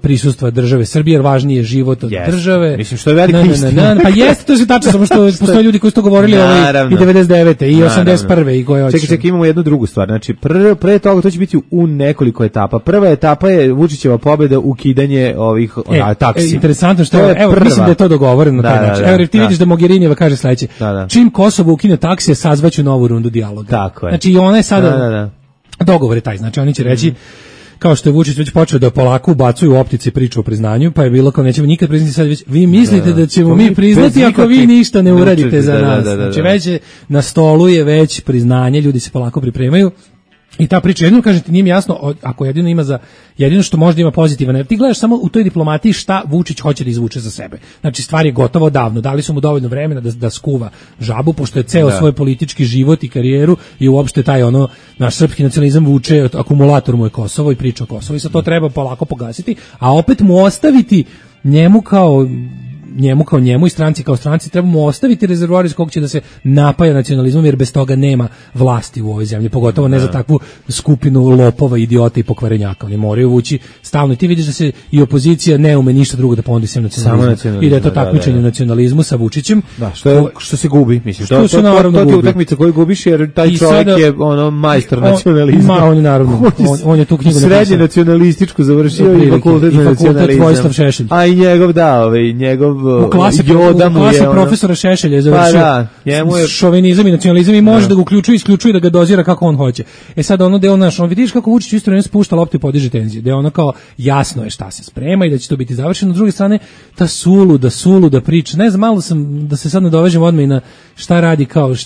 S7: prisustva države Srbije, jer važniji je život od države.
S6: Mislim što je velika istina.
S7: Pa jeste, to je tačno, samo što postoje ljudi koji su to govorili i 99. i 81. i koje hoće.
S6: Čekaj, imamo jednu drugu stvar. Znači pre toga to će biti u nekoliko etapa. Prva etapa je Vučićeva pobjeda, ukidanje ovih taksi.
S7: Interesantno što je, evo, mislim da je to dogovoreno na taj način. Evo, ti vidiš da Mogherinijeva kaže sledeće. Čim Kosovo ukine taksije, sazvaću novu rundu dijaloga.
S6: Tako je.
S7: Znači i ona je sada dogovor je taj, znači oni će reći kao što je Vučić već počeo da polako ubacuju u optici priču o priznanju, pa je bilo kao nećemo nikad priznati, sad već vi mislite da ćemo mi priznati ako vi ništa ne uradite za nas. Znači već na stolu je već priznanje, ljudi se polako pripremaju. I ta priča, jedino kažete, nije mi jasno, ako jedino što možda ima pozitivan, ti gledaš samo u toj diplomatiji šta Vučić hoće da izvuče za sebe. Znači stvar je gotovo davno, dali su mu dovoljno vremena da skuva žabu, pošto je ceo svoj politički život i karijeru i uopšte taj naš srpski nacionalizam vuče, akumulator mu je Kosovo i priča o Kosovu i sad to treba polako pogasiti, a opet mu ostaviti njemu kao njemu kao njemu i stranci kao stranci trebamo ostaviti rezervoar iz kog će da se napaja nacionalizmom, jer bez toga nema vlasti u ovoj zemlji, pogotovo ne za takvu skupinu lopova, idiota i pokvarenjaka. Oni moraju vući stalno i ti vidiš da se i opozicija ne ume ništa drugo da ponudi sem nacionalizmu. I da je to takmičenje u nacionalizmu sa Vučićem.
S6: Da, što se gubi, mislim.
S7: Što se naravno gubi.
S6: To je utakmica koju gubiš, jer taj čovjek je ono majstor nacionalizma.
S7: On je naravno, on je tu knjigu napisao.
S6: Srednje nacionalističku završio i fakultet za nacionalizam.
S7: Vojislav Šešelj.
S6: A i njegov, njegov Joda mu je.
S7: U klasi profesora Šešelja je završio šovinizam i nacionalizam i može da ga uključuje, isključuje, da ga dozira kako on hoće. sad ono deo naš, on vidiš kako Vučić isto ne spušta loptu i podiže tenzije, da je ono kao jasno je šta se sprema i da će to biti završeno. S druge strane, ta suluda priča, ne znam, malo sam, da se sad nadovežem odmah i na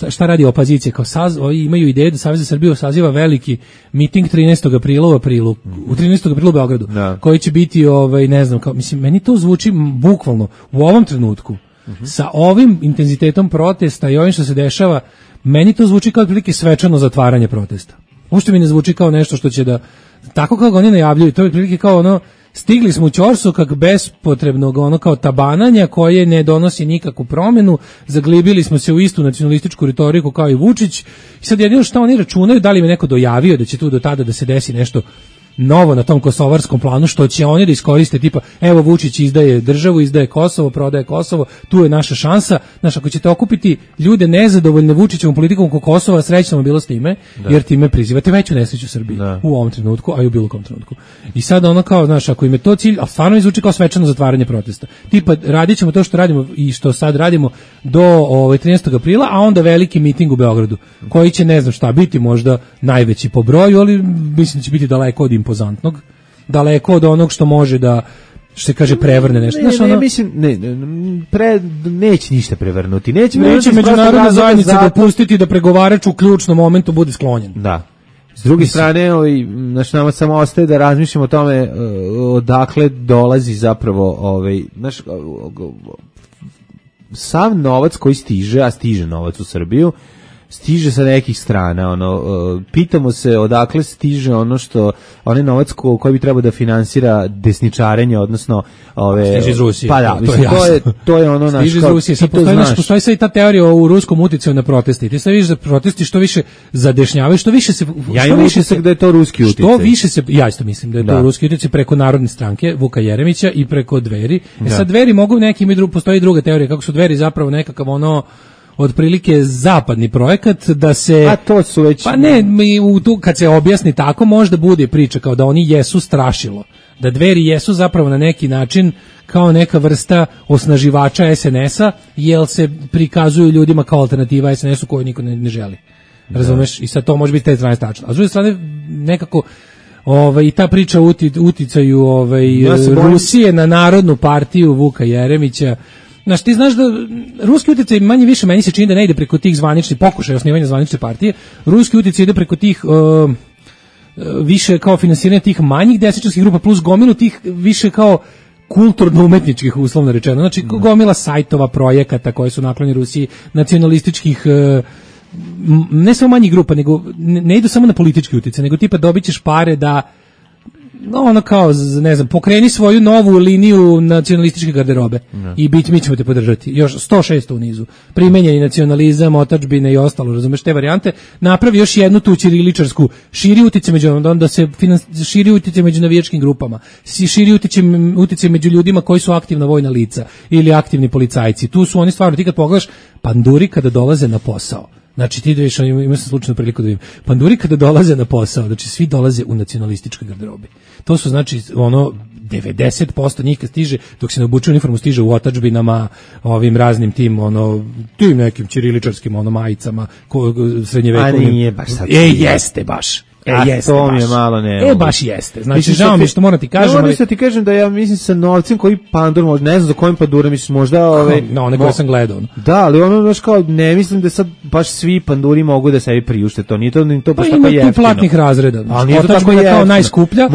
S7: šta radi opozicija, kao imaju ideju da Savez za Srbiju saziva veliki miting 13. aprila u 13. aprilu u Beogradu, koji će biti, ne znam, kao, mislim, meni to zvuči bukvalno u ovom trenutku, sa ovim intenzitetom protesta i ovim što se dešava, meni to zvuči kao otprilike svečano zatvaranje protesta. Uopšte mi ne zvuči kao nešto što će da, tako kao ga oni najavljuju, to je otprilike kao ono, stigli smo u ćorsokak bespotrebnog ono kao tabananja koje ne donosi nikakvu promenu, zaglibili smo se u istu nacionalističku retoriku kao i Vučić i sad jedino što oni računaju, da li mi neko dojavio da će tu do tada da se desi nešto novo na tom kosovarskom planu, što će oni da iskoriste, tipa, evo Vučić izdaje državu, izdaje Kosovo, prodaje Kosovo, tu je naša šansa. Znaš, ako ćete okupiti ljude nezadovoljne Vučićevom politikom oko Kosova, srećno bilo s time, jer time prizivate veću nesreću Srbiji u ovom trenutku, a i u bilo kom trenutku. I sad ono kao, znaš, ako im je to cilj, a stvarno mi zvuči kao svečano zatvaranje protesta. Tipa, radit ćemo to što radimo i što sad radimo do 13. aprila, a onda veliki miting u Beogradu, koji će, ne znam šta, biti možda najveći po broju, ali mislim da će biti daleko od impozantnog, daleko od onog što može da, što se kaže, prevrne nešto.
S6: Neće ništa prevrnuti. Neće
S7: međunarodna zajednica dopustiti da pregovarač u ključnom momentu bude sklonjen.
S6: Da. S druge strane, nama samo ostaje da razmišljamo o tome odakle dolazi zapravo sav novac koji stiže, a stiže novac u Srbiju, stiže sa nekih strana, pitamo se odakle stiže onaj novac koji bi trebao da finansira desničarenje, odnosno
S7: stiže iz Rusije.
S6: Pa da, to je ono naš,
S7: stiže iz Rusije. Postoji sad i ta teorija o ruskom uticaju na proteste. I ti sad vidiš da protesti što više zadešnjavaju, što više se...
S6: Ja imam utisak da je to ruski uticaj.
S7: Što više se, ja isto mislim da je to ruski uticaj preko Narodne stranke Vuka Jeremića i preko Dveri. Sad Dveri mogu neki, postoji druga teorija kako su Dveri zapravo nekakav otprilike zapadni projekat da se...
S6: A to su već...
S7: Pa ne, kad se objasni tako, možda bude priča kao da oni jesu strašilo. Da Dveri jesu zapravo na neki način kao neka vrsta osnaživača SNS-a, jer se prikazuju ljudima kao alternativa SNS-u koju niko ne želi. Razumeš? I sad to može biti te strane stačno. A s druge strane, nekako... i ta priča o uticaju Rusije na Narodnu partiju Vuka Jeremića. Znaš, ti znaš da ruski utjecaj manje više meni se čini da ne ide preko tih zvaničnih pokušaja osnivanja zvanične partije. Ruski utjecaj ide preko tih više kao finansiranje tih manjih desničarskih grupa plus gomilu tih više kao kulturno-umetničkih, uslovno rečeno. Znači, gomila sajtova, projekata koji su naklonjeni Rusiji, nacionalističkih, ne samo manjih grupa, nego ne idu samo na politički utjecaj, nego tipa dobit ćeš pare da kao, ne znam, pokreni svoju novu liniju nacionalističke garderobe i mi ćemo te podržati. Još 106 u nizu. Primenjeni nacionalizam, otadžbine i ostalo, razumeš te varijante. Napravi još jednu tu ćiriličarsku, širi utjecaj onda se širi utjecaj među navijačkim grupama, širi utjecaj među ljudima koji su aktivna vojna lica ili aktivni policajci. Tu su oni stvarno, ti kad pogledaš, panduri kada dolaze na posao. Znači ti vidiš, imao sam slučajno priliku da vidim. Panduri kada dolaze na posao, znači svi dolaze u nacionalističkoj garderobi. To su znači 90% njih kad stiže, dok se ne obuče uniformu, stiže u otadžbinama, ovim raznim tim tim nekim ćiriličarskim majicama, srednjevekovnim.
S6: A nije baš sad.
S7: Jeste baš. Jeste
S6: to
S7: baš.
S6: Mi je malo ne.
S7: Baš jeste. Znači žao mi što moram ti kažem.
S6: Ne, moram ti kažem da ja mislim sa novcem koji Pandur može, ne znam za kojim Pandura misliš, možda
S7: one koje sam gledao.
S6: Da, ali baš kao ne mislim da sad baš svi Panduri mogu da sebi priušte to. Nije to baš tako jeftino.
S7: Ima tu platnih razreda.
S6: Ali nije to tako jeftino.
S7: Kao najskuplja.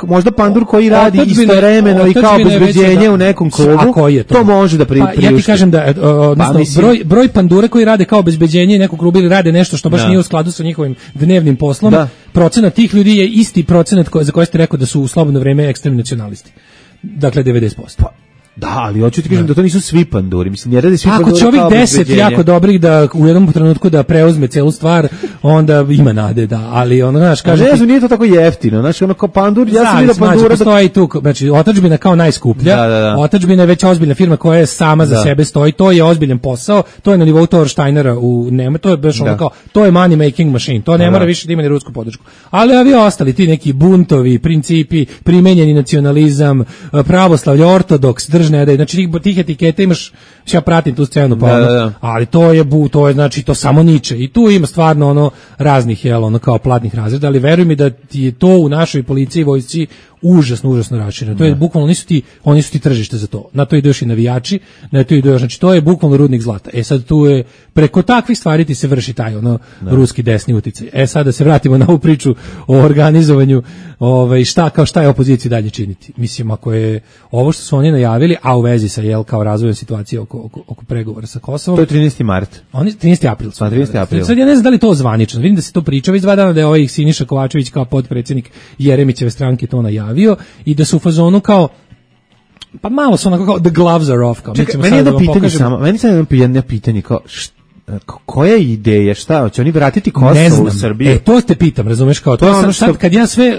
S6: Možda Pandur koji radi istovremeno i kao obezbeđenje u nekom klubu, to može da priušte.
S7: Ja ti kažem da broj Pandure koji rade kao obezbeđenje i nekog kluba ili rade nešto što baš nije u skladu sa njihovim dnevnim poslom. Procenat tih ljudi je isti procenat za koji ste rekao da su u slobodno vreme ekstremni nacionalisti. Dakle, 90%.
S6: Da, ali hoću ti kažem da to nisu svi panduri. Mislim, ne radi svi panduri.
S7: Ako će ovih 10 jako dobrih da u jednom trenutku da preuzme celu stvar, onda ima nade, da. Ali ono, znaš, kaže...
S6: Ne znam, nije to tako jeftino. Znaš, ono kao pandur, ja sam vidio pandura...
S7: Postoji tu, znači, otadžbina kao najskuplja.
S6: Da.
S7: Otadžbina je već ozbiljna firma koja je sama za sebe stoji. To je ozbiljan posao. To je na nivou Thorsteinera u Nemačkoj. To je baš ono kao, to je money making machine. To ne mora više da ima ni rusku podršku. Ali ovi ostali, ti neki buntovi, principi, primenjeni nacionalizam, pravoslavlje, ortodoks, držne, znači tih etiketa imaš, ja pratim tu scenu, pa ali to je znači to samo niče. I tu ima stvarno ono raznih ono kao platnih razreda, ali veruj mi da ti je to u našoj policiji i vojsci užasno rašireno. To je bukvalno oni su ti tržište za to. Na to idu još i navijači, na to idu još, znači to je bukvalno rudnik zlata. Sad tu je preko takvih stvari ti se vrši taj ruski desni uticaj. Sad da se vratimo na ovu priču o organizovanju, šta je opoziciji dalje činiti. Mislim, ako je ovo što su oni najavili, a u vezi sa kao razvojem situacije oko pregovora sa Kosovom.
S6: To je 13. mart.
S7: Oni 13. april.
S6: 13. april.
S7: Sad ja ne znam da li to zvanično. Vidim da se to priča već 2 dana, da je Siniša Kovačević kao potpredsjednik Jeremićeve stranke to najavio i da su u fazonu kao pa malo su onako kao the gloves are off. Kao.
S6: Čekaj, meni je jedno pitanje samo, meni je jedno pitanje kao koja je ideja, šta, će oni vratiti Kosovo u Srbiju?
S7: To te pitam, razumeš, kao to je sad kad ja sve,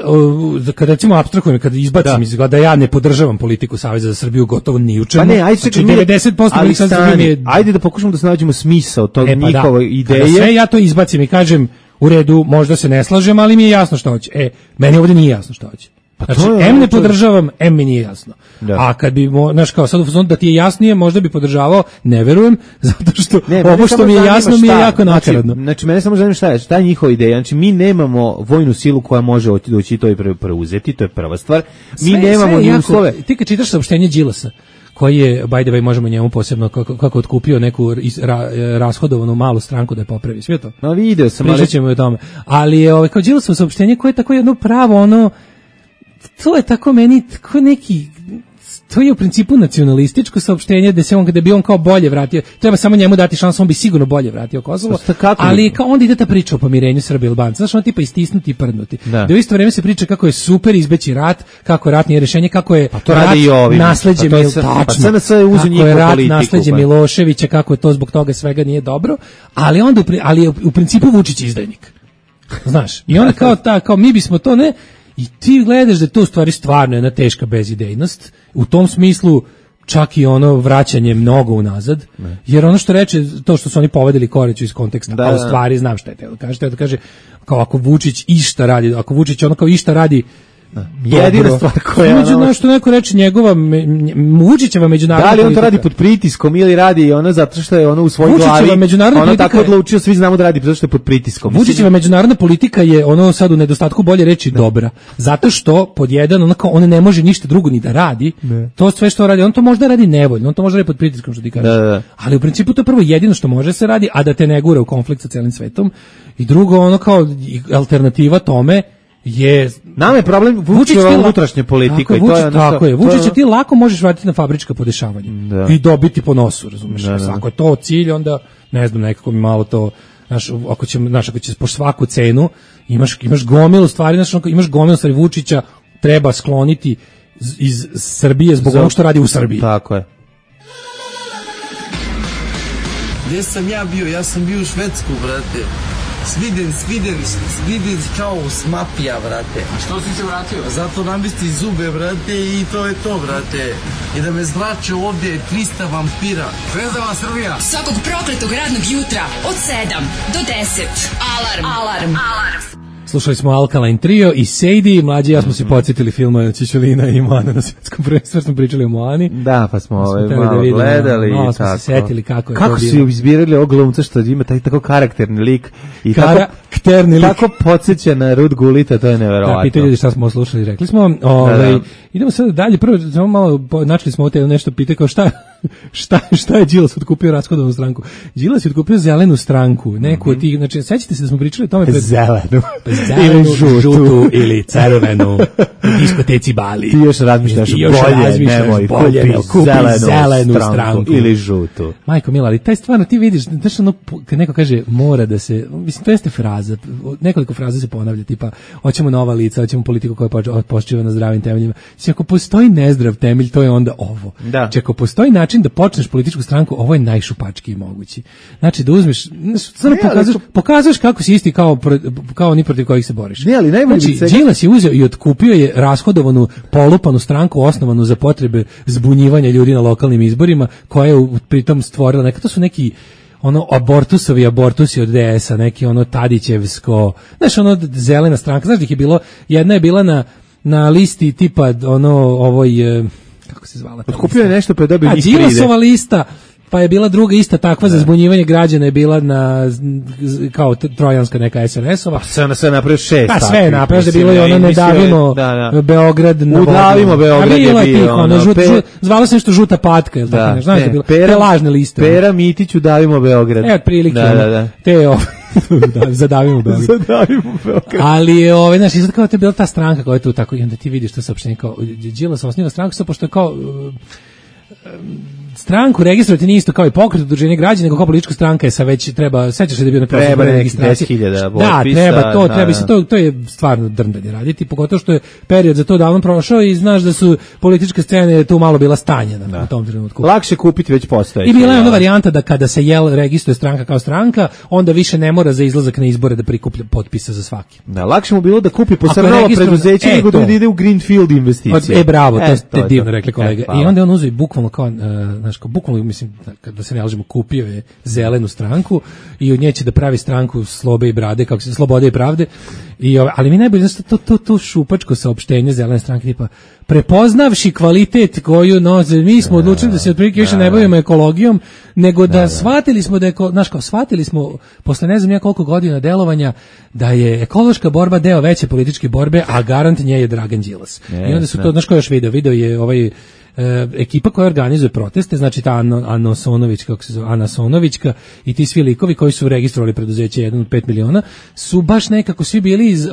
S7: kad recimo apstrahujem, kad izbacim iz da ja ne podržavam politiku Saveza za Srbiju gotovo ni u čemu.
S6: Pa ne, ajde,
S7: znači 90%
S6: ajde da pokušamo da se nađemo smisao tog njihove ideje.
S7: Kada sve ja to izbacim i kažem, u redu, možda se ne slažem, ali mi je jasno šta hoće. Meni ovdje nije jasno šta hoće. Znači, M ne podržavam, M mi nije jasno. A kad bi, znaš, kao sad u fazonu da ti je jasnije, možda bi podržavao, ne verujem, zato što ovo što mi je jasno mi je jako nakaradno.
S6: Znači, mene samo zanima šta je njihova ideja. Znači, mi nemamo vojnu silu koja može doći i to i preuzeti, to je prva stvar. Mi nemamo ni uslove.
S7: Ti kad čitaš saopštenje Đilasa, koji je, by the way, možemo njemu posebno kako otkupio neku rashodovanu malu stranku da je popravi. Sve to?
S6: No, video sam.
S7: Pričat ćemo o tome. Ali je kao Đilasovo saopštenje koje je tako jedno pravo, to je tako meni, tako neki, to je u principu nacionalističko saopštenje da bi on kao bolje vratio, treba samo njemu dati šansu, on bi sigurno bolje vratio Kosovo, ali kao onda ide ta priča o pomirenju Srba i Albanca, znaš, on tipa istisnuti i prdnuti. Da u isto vrijeme se priča kako je super izbeći rat, kako je rat nije rješenje, kako je rat nasleđe nasleđe Miloševića, kako je to zbog toga svega nije dobro, ali onda je u principu Vučić izdajnik. Znaš, i onda kao mi bismo to ne. I ti gledaš da to u stvari stvarno jedna teška bezidejnost, u tom smislu čak i vraćanje mnogo unazad, jer ono što reče, to što su oni povedali Koreću iz konteksta, a u stvari znam šta je teo da kaže, kao ako Vučić išta radi, ako Vučić kao išta radi
S6: jedina stvar koja
S7: je što neko reče njegova Vučićeva međunarodna politika.
S6: Da li on to radi pod pritiskom ili radi zato što je u svojoj glavi ono tako odlučio, svi znamo da radi zato što je pod pritiskom.
S7: Vučićeva međunarodna politika je sad u nedostatku bolje reći dobra, zato što pod jedan on ne može ništa drugo ni da radi, to sve što radi, on to možda radi nevoljno, on to može radi pod pritiskom što ti kažeš, ali u principu to prvo jedino što može se radi, a da te ne gura u konflikt sa celim svetom, i drugo kao alternativa tome je
S6: nama je problem Vučićeva unutrašnja politika i
S7: tako je. Vučića ti lako možeš vratiti na fabrička podešavanja i dobiti po nosu, razumiješ? Ako je to cilj, onda ne znam, nekako mi malo to, ako ćeš po svaku cenu imaš gomilu stvari, imaš gomilu stvari. Vučića treba skloniti iz Srbije zbog onog što radi u Srbiji.
S6: Tako je.
S1: Gdje sam ja bio? Ja sam bio u Švedsku, brate. Sviden kao smapija, brate.
S12: A što si se vratio?
S1: Zato namesti zube, brate, i to je to, brate. I da me zrače ovdje 300 vampira.
S12: Zvezdava Srbija.
S4: Svakog prokletog radnog jutra od 7 do 10. Alarm.
S7: Slušali smo Alkaline Trio i Sadie, mlađi ja smo se podsjetili filma Čičulina i Moana na svjetskom prvenstvu, smo pričali o Moani.
S6: Da, pa smo malo gledali.
S7: Malo smo se setili kako je to bilo.
S6: Kako su izbirali ovog glumca što ima tako karakterni lik i tako podsjeća na Rud Gulita, to je neverovatno.
S7: Da, pitaju ljudi šta smo slušali, rekli smo. Idemo sad dalje, prvo malo načeli smo nešto pitati kao šta šta je Đilas otkupio rashodovnu stranku? Đilas je otkupio zelenu stranku, neku od tih, znači, sećate se da smo pričali o tome
S6: Zelenu.
S7: Zelenu, žutu ili crvenu u diskoteci Bali.
S6: Ti još razmišljaš bolje, kupi zelenu stranku ili žutu.
S7: Majko mila, ali taj stvarno ti vidiš, znaš ono, kad neko kaže mora da se, mislim, to jeste fraza, nekoliko fraza se ponavlja, tipa, hoćemo nova lica, hoćemo politiku koja počiva na zdravim temeljima. Znači, ako postoji nezdrav temelj, to je onda ovo.
S6: Da.
S7: Znači, ako postoji način da počneš političku stranku, ovo je najšupačkiji mogući. Znači, da uzmeš, stvarno pokazuješ kako si isti kao oni protiv kojih se boriš.
S6: Ne, ali najbolje
S7: znači, Đilas je uzeo i otkupio je rashodovanu, polupanu stranku osnovanu za potrebe zbunjivanja ljudi na lokalnim izborima, koja je pritom stvorila, neka to su neki ono abortusi od DS-a, neki ono Tadićevsko, znaš, ono zelena stranka, znaš da ih je bilo, jedna je bila na listi tipa ono ovoj, kako se zvala?
S6: Otkupio je nešto pa je dobio njih 30.
S7: Đilasova lista, pa je bila druga ista takva za zbunjivanje građana, je bila kao trojanska neka SNS-ova.
S6: Pa sve napravio 6.
S7: Pa sve je napravio, da je bilo i ono ne davimo Beograd na vodu.
S6: Udavimo Beograd je bio.
S7: Zvalo se nešto žuta patka, ili tako nešto. Znaš da je bilo, te lažne liste.
S6: Pera Mitić udavimo Beograd.
S7: Evo, prilike. Te zadavimo Beograd. Ali je, znaš, izgleda kao da je bila ta stranka koja je tu tako, i onda ti vidiš to saopštenje kao, Đilas osniva stranku, sad pošto je kao stranku registrovati nije isto kao i pokret udruženja građana, nego kao politička stranka je sa već treba, sećaš se da je bio na
S6: treba neki 10.000 potpisa.
S7: Da, treba, to je stvarno drndanje raditi, pogotovo što je period za to davno prošao i znaš da su političke scene tu malo bila stanjena u tom trenutku.
S6: Lakše kupiti već postojeće.
S7: I bila je ona varijanta da kada se registruje stranka kao stranka, onda više ne mora za izlazak na izbore da prikuplja potpisa za svaki.
S6: Da, lakše mu bilo da kupi posebno preduzeće nego da ide u greenfield investicije.
S7: Bravo, to je divno rekli kolega. I onda on uzeo bukvalno kao bukvalno, mislim, da se ne lažemo, kupio je zelenu stranku i od nje će da pravi stranku Slobe i Brade, kako se Slobode i Pravde. Ali mi najbolje, znači, to šupačko saopštenje zelene stranke, tipa, prepoznavši kvalitet koju noze, mi smo odlučili da se otprilike više ne bavimo ekologijom, nego da shvatili smo shvatili smo, posle ne znam ja koliko godina delovanja, da je ekološka borba deo veće političke borbe, a garant nje je Dragan Đilas. I onda su to, znaš ko još video je ekipa koja organizuje proteste, znači ta Ana Sonovićka i ti svi likovi koji su registrovali preduzeće 1 od 5 miliona, su baš nekako svi bili iz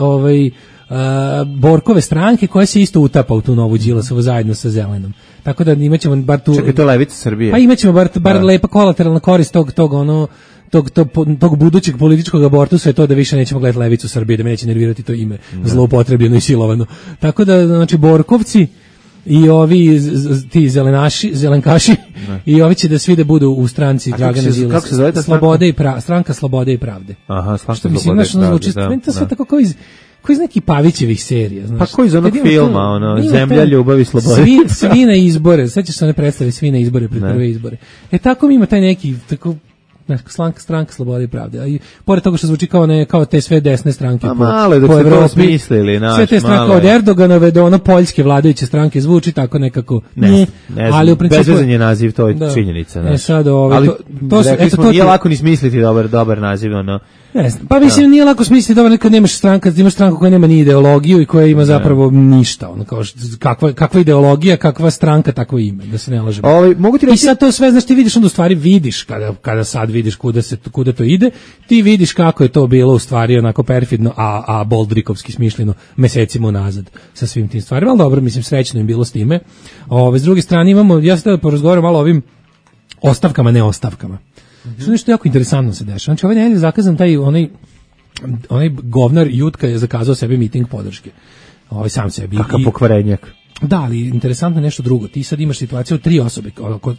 S7: Borkove stranke koja se isto utapa u tu novu Đilasovu zajedno sa zelenom. Tako da imaćemo bar tu...
S6: Čekaj, to je levica Srbije.
S7: Pa imaćemo bar lepa kolateralna korist tog budućeg političkog abortusa je to da više nećemo gledati levicu Srbije, da me neće nervirati to ime zloupotrebljeno i silovano. Tako da, znači, Borkovci i ovi ti zelenkaši i ovi će da svi da budu u stranci Dragana Đilasa.
S6: Kako se zove ta
S7: stranka Slobode i Pravde.
S6: Aha, stranka
S7: Slobode i Pravde. Meni to sve tako kao iz nekih Pavićevih serija, znaš.
S6: Pa koji iz onog filma, Zemlja, ljubav i slobode.
S7: Svi na izbore, sećaš se one predstave Svi na izbore pred prve izbore. Tako mi ima taj neki tako stranka Slobode i Pravde. A i pored toga što zvuči kao te sve desne stranke
S6: malo dok ste to smislili,
S7: sve te stranke od Erdoganove do ono poljske vladajuće stranke zvuči tako nekako.
S6: Ne ali u principu bezvezan je naziv, to je činjenica. Ali nije lako ni smisliti dobar naziv,
S7: Pa mislim nije lako smisliti dobro kad imaš stranku koja nema ni ideologiju i koja ima zapravo ništa, kao kakva ideologija, kakva stranka, takvo ime, da se ne lažemo. I sad to sve, znaš, ti vidiš onda u stvari vidiš kada sad vidiš kuda to ide, ti vidiš kako je to bilo u stvari onako perfidno, a boldrikovski smišljeno mesecima unazad sa svim tim stvarima, ali dobro, mislim srećno im bilo s time. S druge strane imamo, ja sad da porazgovaram malo o ovim ostavkama, ne ostavkama. Što nešto jako interesantno se dešava. Znači, ovaj nedelje je zakazan onaj govnar Jutka je zakazao sebi miting podrške. Sam sebi.
S6: Kakav pokvarenjak.
S7: Da, ali interesantno je nešto drugo. Ti sad imaš situaciju 3 osobe,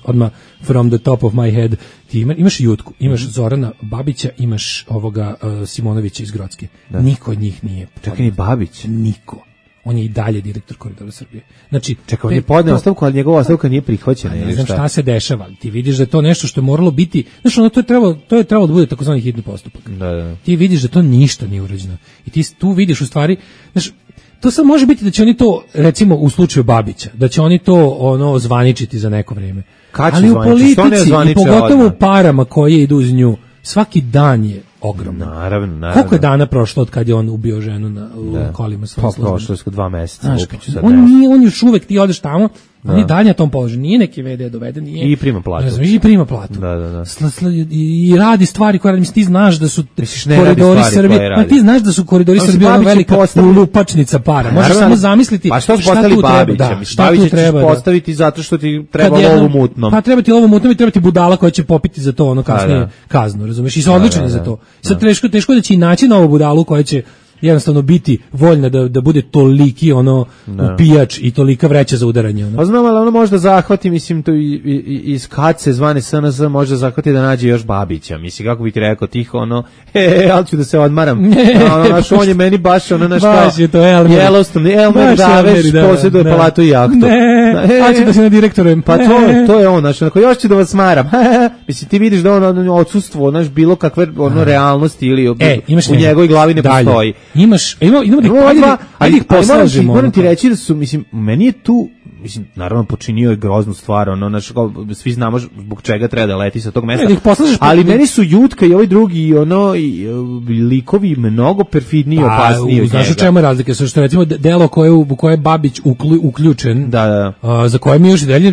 S7: odmah from the top of my head. Ti imaš Jutku, imaš Zorana Babića, imaš ovoga Simonovića iz Grocke. Niko od njih nije.
S6: Čekaj, ni Babić?
S7: Niko. On je i dalje direktor Koridora Srbije. Znači,
S6: čekaj, on je podneo ostavku, ali njegova ostavka nije prihvaćena.
S7: Ne znam šta se dešava. Ti vidiš da je to nešto što je moralo biti, znači to je trebalo da bude takozvani hitni postupak.
S6: Da.
S7: Ti vidiš da to ništa nije urađeno. I ti tu vidiš u stvari, znači, to sad može biti da će oni to, recimo u slučaju Babića, da će oni to zvaničiti za neko vreme. Ali u politici i pogotovo u parama koje idu uz nju, svaki dan je ogroman.
S6: Naravno.
S7: Koliko je dana prošlo od kad je on ubio ženu u kolima svojim službama?
S6: Prošlo je 2 meseca.
S7: Znaš, on još uvek, ti odeš tamo, on je dalje na tom položaju, nije neki VD doveden, nije.
S6: I prima platu.
S7: I prima platu.
S6: Da.
S7: I radi stvari koje radi, ti znaš da su koridori Srbije, ma ti znaš da su koridori Srbije ona velika lupačnica para. Možeš samo zamisliti šta tu treba. Šta tu treba
S6: postaviti zato što ti treba lovu mutnom.
S7: Pa treba ti lovu mutnom i treba ti budala koja će popiti za to kasnije kaznu, razumeš? I su odlični za to. Sad teško da će i naći novu budalu koja će jednostavno biti voljna da bude toliki upijač i tolika vreća za udaranje.
S6: Pa znam, ali ono možda zahvati, mislim, to iz kace zvane SNS možda zahvati da nađe još Babića. Mislim, kako bi ti rekao, tiho, ali ću da se odmaram. On je meni baš
S7: baš je to
S6: Yellowstone, Elmer Daveš, posjeduje palatu i jahtu.
S7: A ću da se na direktorem.
S6: Pa to je on, znači, još ću da vas smaram. Mislim, ti vidiš da on odsustvo, bilo kakve realnosti ili u njegovoj glavi ne postoji.
S7: Idemo da ih poslažemo.
S6: Moram ti reći da su, mislim, meni je tu, mislim, naravno počinio je groznu stvar, svi znamo zbog čega treba da leti sa tog mesta, ali meni su Jutka i ovaj drugi, likovi mnogo perfidniji i opasniji od njega.
S7: Znaš u čemu je razlika? Što recimo delo u koje je Babić uključen, za koje mi još dalje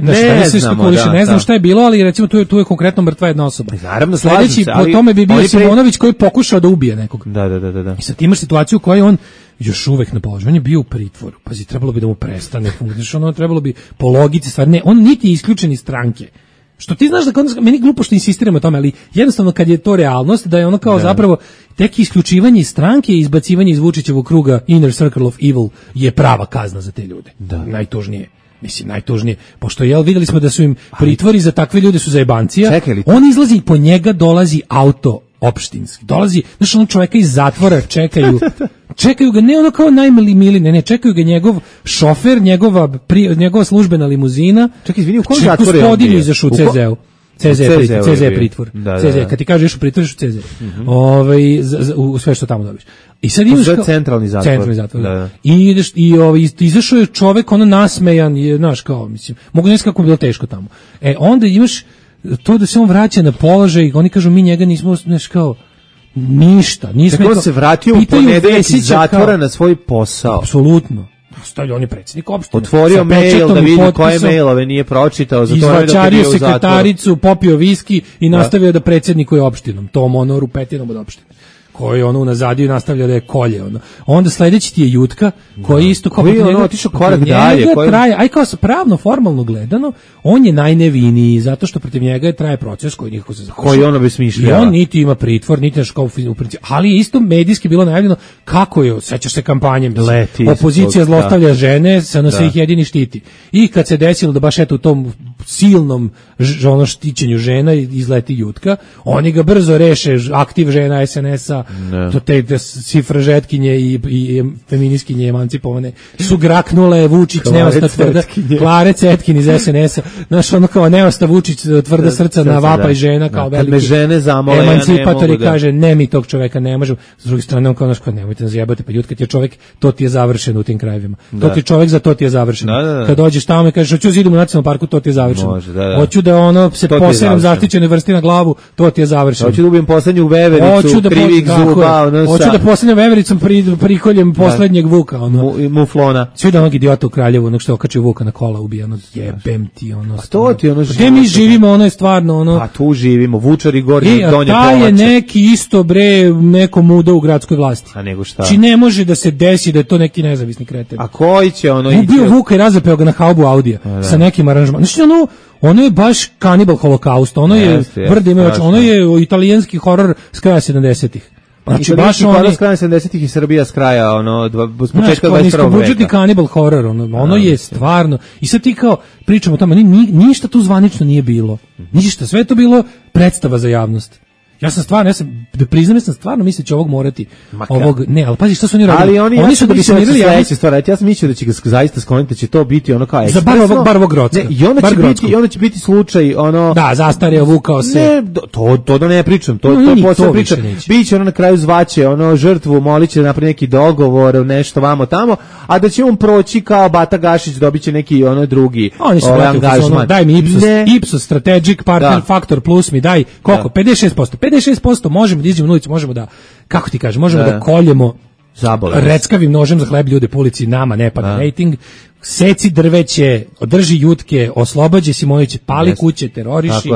S7: ne znam šta je bilo, ali recimo tu je konkretno mrtva jedna osoba.
S6: Naravno,
S7: sledeći po tome bi bio Simonović koji pokušao da ubije nekog.
S6: Da.
S7: I sad imaš situaciju u kojoj on još uvek na položaju, on je bio u pritvoru. Pazi, trebalo bi da mu prestane funkcionisati, trebalo bi po logici stvari. Ne, on niti je isključen iz stranke. Što ti znaš da meni glupo što insistiramo o tome, ali jednostavno kad je to realnost, da je ono kao zapravo tek isključivanje iz stranke i izbacivanje iz Vučićevog kruga inner circle of evil je prava kazna za te ljude. Najtužnije. Mislim, najtužnije. Pošto, vidjeli smo da su im pritvori za takve ljude su zajebancija. On izlazi i po njega dolazi auto opštinski. Dolazi, znaš, čoveka iz zatvora čekaju ga, ne ono kao najmili, ne, čekaju ga njegov šofer, njegova službena limuzina.
S6: Čekaj, izvini, u kojem zatvoru je on bio?
S7: Izašao u CZ-u. CZ je pritvor. CZ, kad ti kažeš u pritvor, u CZ. U sve što tamo dobiš. I sad imaš
S6: centralni zatvor.
S7: Da. I ideš i izašao je čovek nasmejan, znaš, kao, mislim, mogu ne znam kako je bilo teško tamo. Onda imaš to da se on vraća na položaj, oni kažu mi njega nismo, znaš, kao ništa, nismo.
S6: Tako se vratio u ponedeljak iz zatvora na svoj posao.
S7: Apsolutno. On je predsjednik opštine.
S6: Otvorio mail da vidi koje mailove nije pročitao.
S7: Izvačario sekretaricu, popio viski i nastavio da predsjednikuje opštinom. Tom rupetinom od opštine. Koji unazadiju nastavlja da je kolje. Onda sledeći ti je Jutka, koji isto kao
S6: otišao korak dalje.
S7: Aj kao pravno, formalno gledano, on je najneviniji, zato što protiv njega traje proces koji nikako se završava.
S6: Koji ono besmišljava.
S7: I on niti ima pritvor, niti naš kao u principu. Ali je isto medijski bilo najavljeno kako je, sećaš se kampanje, opozicija zlostavlja žene, SNS ih jedini štiti. I kad se desilo da baš u tom silnom štićenju žena izleti Jutka, oni ga brzo reše, aktiv žena SNS-a, to te cifražetkinje i feminiskinje emancipovane su graknule, Vučić neosta tvrda, Klare Cetkin iz SNS-a, znaš, kao neosta Vučić tvrda srca na vapaj žena, kao veliki emancipator i kaže, ne, mi tog čoveka ne možemo. S druge strane, on kao naš, nemojte nas jebati, pa Jutka ti je čovek, to ti je završeno u tim krajevima. To ti je čovek, za to ti je završeno. Kad dođeš tamo i kažeš, hoću zidom u nacionalnom parku, to ti je završeno. Hoću da se poseram zaštićene vrste na glavu, to ti je završeno.
S6: Hoću da ubijem poslednju vevericu, krivih zuba.
S7: Hoću da poslednjem vevericom prikoljem poslednjeg vuka.
S6: Muflona.
S7: Sve da onog idiota u Kraljevu, onog što je okačio vuka na kola, ubijeno, jebem ti, ono.
S6: A to ti ono
S7: gde mi živimo, ono je stvarno, ono.
S6: A tu živimo, Vučari, Gornji, Donje Polače.
S7: A taj je neki isto, neko muda u gradskoj vlasti.
S6: A nego šta?
S7: Či ne može da se desi da je to neki nezavisni kreten.
S6: A koji će ono ići?
S7: Ubio vuka i razapeo ga na haubu Audija sa nekim aranžmanom. Znači, ono je baš Kanibal Holokaust, ono je ono je italijanski horor s kraja 70-ih.
S6: Znači baš s kraja 70-ih i Srbija s kraja s početka 21.
S7: veka. Kanibal horor, ono je stvarno. I sad ti kao pričamo o tome, ništa tu zvanično nije bilo. Ništa, sve je to bilo predstava za javnost. Ja sam stvarno mislio da će ovog morati. Ne, ali pazi šta su oni radili.
S6: Ali oni su da bi sanirali sledeće stvari. Ja sam mislio da će ga zaista skloniti, da će to biti ono kao ekspresno.
S7: Za bar ovog Grocka.
S6: I onda će biti slučaj ono.
S7: Da, zastareo, vukao se.
S6: Ne, to da ne pričam, to posebno pričam. Biće ono na kraju zvaće žrtvu, moliće da napravi neki dogovor, nešto vamo tamo, a da će on proći kao Bata Gašić, dobiće neki drugi angažman.
S7: Daj mi Ipsos Strategic Partner Factor Plus mi daj koliko? 56%. 56% možemo da izađemo na ulicu, možemo da, kako ti kažeš, možemo da koljemo reckavim nožem za hleb ljude po ulici, nama ne pada rejting, seci drveće, održi jutke, oslobađe Simonović, pali kuće, teroriši,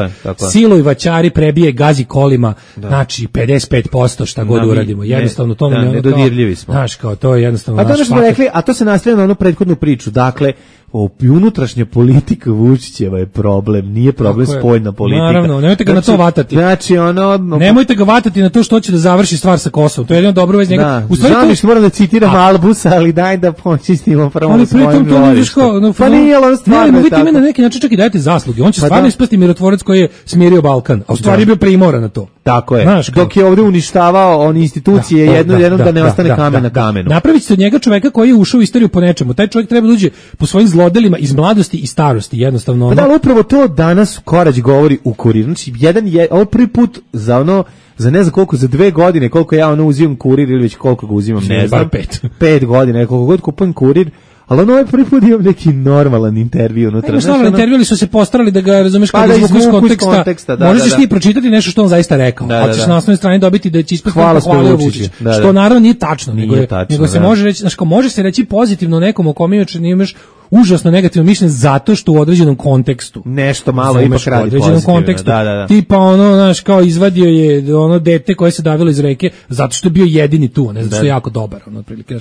S7: siluj vaćari, prebije, gazi kolima, znači 55% šta god uradimo. Jednostavno to
S6: nedodirljivi smo.
S7: Znaš, kao to je jednostavno
S6: naš faktor. Rekli, a to se nastavlja na onu prethodnu priču. Dakle, unutrašnja politika Vučićeva je problem, nije problem spoljna politika.
S7: Naravno, nemojte ga na to vatati.
S6: Znači,
S7: nemojte ga vatati na to što će da završi stvar sa Kosovom. To je jedno dobro vez njega.
S6: U stvari to moram da citiram Albusa, ali daj da počistimo prvo svojim dvorištom.
S7: Pa nije, ali stvarno je tako. Vi na neki način čak i dajete zasluge. On će stvarno ispasti mirotvorac koji je smirio Balkan, a u stvari je bio primoran na to.
S6: Tako je. Dok je ovdje uništavao on institucije jednom da ne ostane kamen na kamenu.
S7: Napravit ćete od njega čoveka koji je ušao u istoriju po nečemu. Taj čovjek treba da uđe po svojim zlodelima iz mladosti i starosti, jednostavno.
S6: Pa da, upravo to danas Korać govori u Kuriru. Znači, ovo prvi put za za ne znam koliko, za 2 godine, koliko ja uzimam Kurir ili već koliko ga uzimam, ne znam, 5 godina, koliko god kupujem Kurir, ali ovaj prvi put imam neki normalan intervju unutra.
S7: Normalan intervju, ali su se postarali da ga, razumeš, kada izvuku iz konteksta. Možeš ti pročitati nešto što on zaista rekao, ali ćeš na osnovnoj strani dobiti da će ispasti pohvalio Vučić, što naravno nije tačno, nego se može reći, znači, može se reći pozitivno nekom o kome imaš užasno negativno mišljenje zato što u određenom kontekstu
S6: nešto malo ipak radi pozitivno.
S7: Tipa znaš, kao izvadio je dete koje se davilo iz reke zato što je bio jedini tu, ne zato što je jako dobar, otprilike.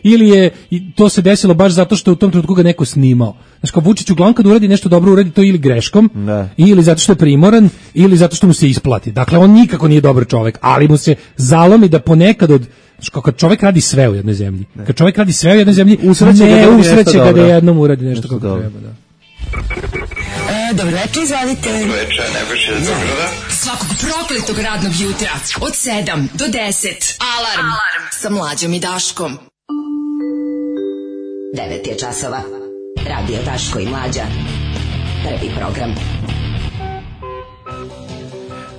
S7: Ili je to se desilo baš zato što u tom trenutku ga neko snimao. Znaš, kao Vučić uglavnom kad uradi nešto dobro, uradi to ili greškom, ili zato što je primoran, ili zato što mu se isplati. Dakle, on nikako nije dobar čovjek, ali mu se zalomi da ponekad kad čovjek radi sve u jednoj zemlji, usreće ga da jednom uradi nešto kako treba, da.
S4: Dobro večer, izvolite.
S5: Dobro večer, Nebojša iz Beograda.
S4: Svakog prokletog radnog jutra od 7 do 10. Alarm sa Mlađom i Daškom.
S10: 9 je časova. Radio Daško i Mlađa. Prvi program.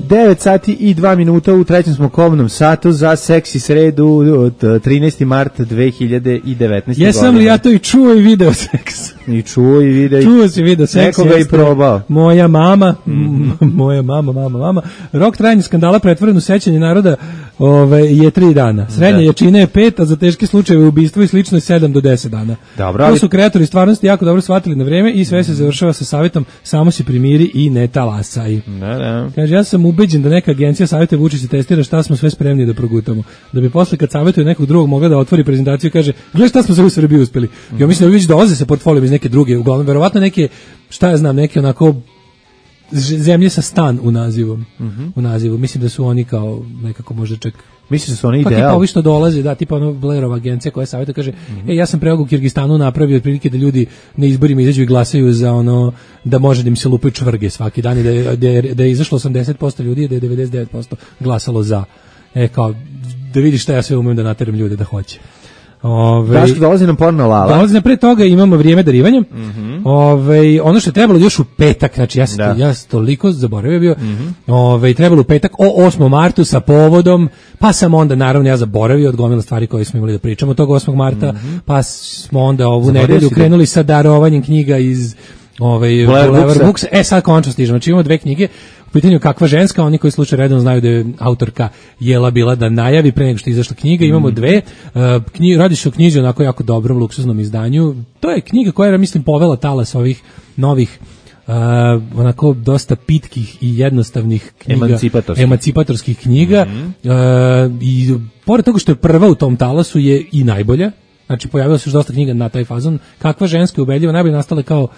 S6: 9 sati i 2 minuta, u trećem smo kobnom satu za seksi sredu od 13. marta 2019. godine.
S7: Jesam li ja to i čuo i video seks?
S6: I čuo i video.
S7: Čuo si video seks.
S6: Nekoga i probao.
S7: Moja mama, mama. Rok trajanja skandala pretvoren u sećanje naroda je 3 dana. Srednja jačina je 5, a za teške slučajeve ubistva i slično je 7 do 10 dana.
S6: Dobro,
S7: to su kreatori stvarnosti jako dobro shvatili na vreme i sve se završava sa savjetom samo se primiri i ne talasaj. Kaže, ja sam ubeđen da neka agencija savjetuje Vučića testira šta smo sve spremni da progutamo. Da bi posle kad savjetuje nekog drugog mogla da otvori prezentaciju i kaže, gledaj šta smo sve u Srbiji uspeli. Ja mislim da već dolaze sa portfolijom iz neke druge, uglavnom verovatno neke, šta ja znam, neke onako zemlje sa stan u nazivu. U nazivu. Mislim da su oni kao nekako možda čak.
S6: Mislim da su oni ideal.
S7: Pa tipa ovi što dolaze, da, tipa ono Blairova agencija koja savjetuje, kaže, ja sam preog u Kirgistanu napravio otprilike da ljudi na izborima izađu i glasaju za da može da im se lupaju čvrge svaki dan i da je izašlo 80% ljudi i da je 99% glasalo za. Kao, da vidiš šta ja sve umem da nateram ljude da hoće.
S6: Daško, dolazi nam porno lala.
S7: Dolazi nam pre toga, imamo vrijeme darivanja. Ono što je trebalo još u petak, znači ja sam toliko zaboravio bio, trebalo u petak o 8. martu sa povodom, pa sam onda naravno ja zaboravio od gomila stvari koje smo imali da pričamo tog 8. marta, pa smo onda ovu nedelju krenuli sa darovanjem knjiga iz Blair Books. Sad končno stižemo, znači imamo 2 knjige. U pitanju Kakva ženska, oni koji slučaju redom znaju da je autorka Jela bila da najavi pre nego što je izašla knjiga. Imamo 2. Radi se o knjizi onako jako dobrom, luksuznom izdanju. To je knjiga koja je, mislim, povela talas ovih novih onako dosta pitkih i jednostavnih knjiga, emancipatorskih knjiga. I pored toga što je prva u tom talasu je i najbolja. Znači, pojavilo se još dosta knjiga na taj fazon. Kakva ženska je ubedljiva, najbolje nastale kao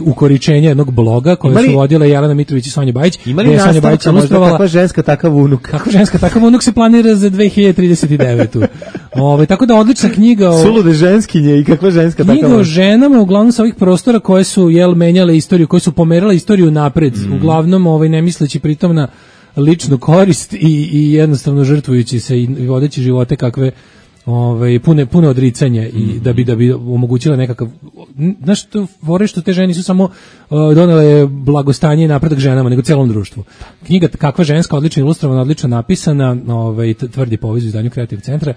S7: ukoričenje jednog bloga koje su vodile Jelena Mitrović i Sonja Bajić.
S6: Ima li nastavka možda Kakva ženska, takav unuk?
S7: Kakva ženska, takav unuk se planira za 2039. Tako da odlična knjiga
S6: Sulude ženskinje i Kakva ženska, takav unuk.
S7: Knjiga o ženama, uglavnom sa ovih prostora koje su menjale istoriju, koje su pomerale istoriju napred. Uglavnom, ne misleći pritom na ličnu korist i jednostavno žrtvujući se i vodeći živote kakve pune odricanje i da bi omogućila nekakav, znaš, to vore što te žene nisu samo donele blagostanje i napredak ženama, nego celom društvu. Knjiga Kakva ženska, odlično ilustrovana, odlično napisana, tvrdi poviz u izdanju Kreativ centra.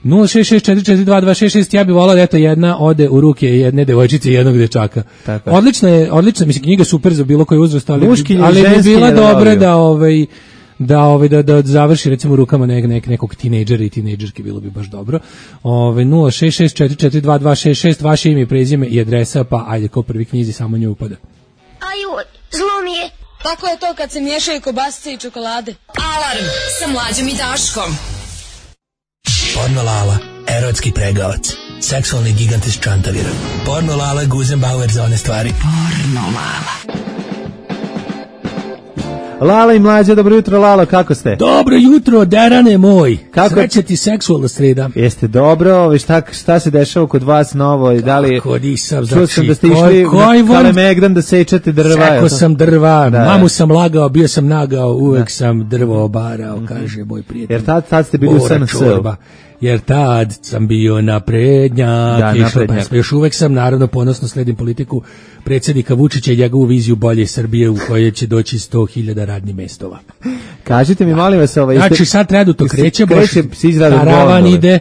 S7: 066442266. Ja bih volao da jedna ode u ruke jedne devojčice i jednog dečaka. Odlična, mislim, knjiga super za bilo koji uzrast, ali bi bila dobra da završi recimo u rukama nekog tinejdžera i tinejdžerke, bilo bi baš dobro. 066442266, vaše ime i prezime i adresa, pa ajde ko prvi knjizi samo nju upada.
S3: Aju, zlo mi je. Tako je to kad se miješaju kobasice i čokolade.
S4: Alarm sa Mlađom i Daškom.
S13: Porno Lala, erotski pregavac, seksualni gigant iz Čantavira. Porno Lala, Guzenbauer za one stvari.
S4: Porno Lala.
S6: Lala i Mlađa, dobro jutro, Lalo, kako ste?
S7: Dobro jutro, derane moj. Kako sreća ti seksualna sreda?
S6: Jeste dobro, šta se dešava kod vas novo? Da li
S7: kako disam,
S6: čuo sam da ste išli na Kalemegdan da sečete drva.
S7: Sekao sam drva, mamu sam lagao, bio sam nagao, uvek sam drvo obarao, kaže moj prijatelj.
S6: Jer tad ste bili u SNS-u.
S7: Jer tad sam bio naprednjak, još uvek sam, naravno ponosno sledim politiku predsjednika Vučića i njegovu viziju bolje Srbije u kojoj će doći 100.000 radnih mestova.
S6: Kažite mi, molim vas,
S7: znači sad tredu to kreće, karavan ide,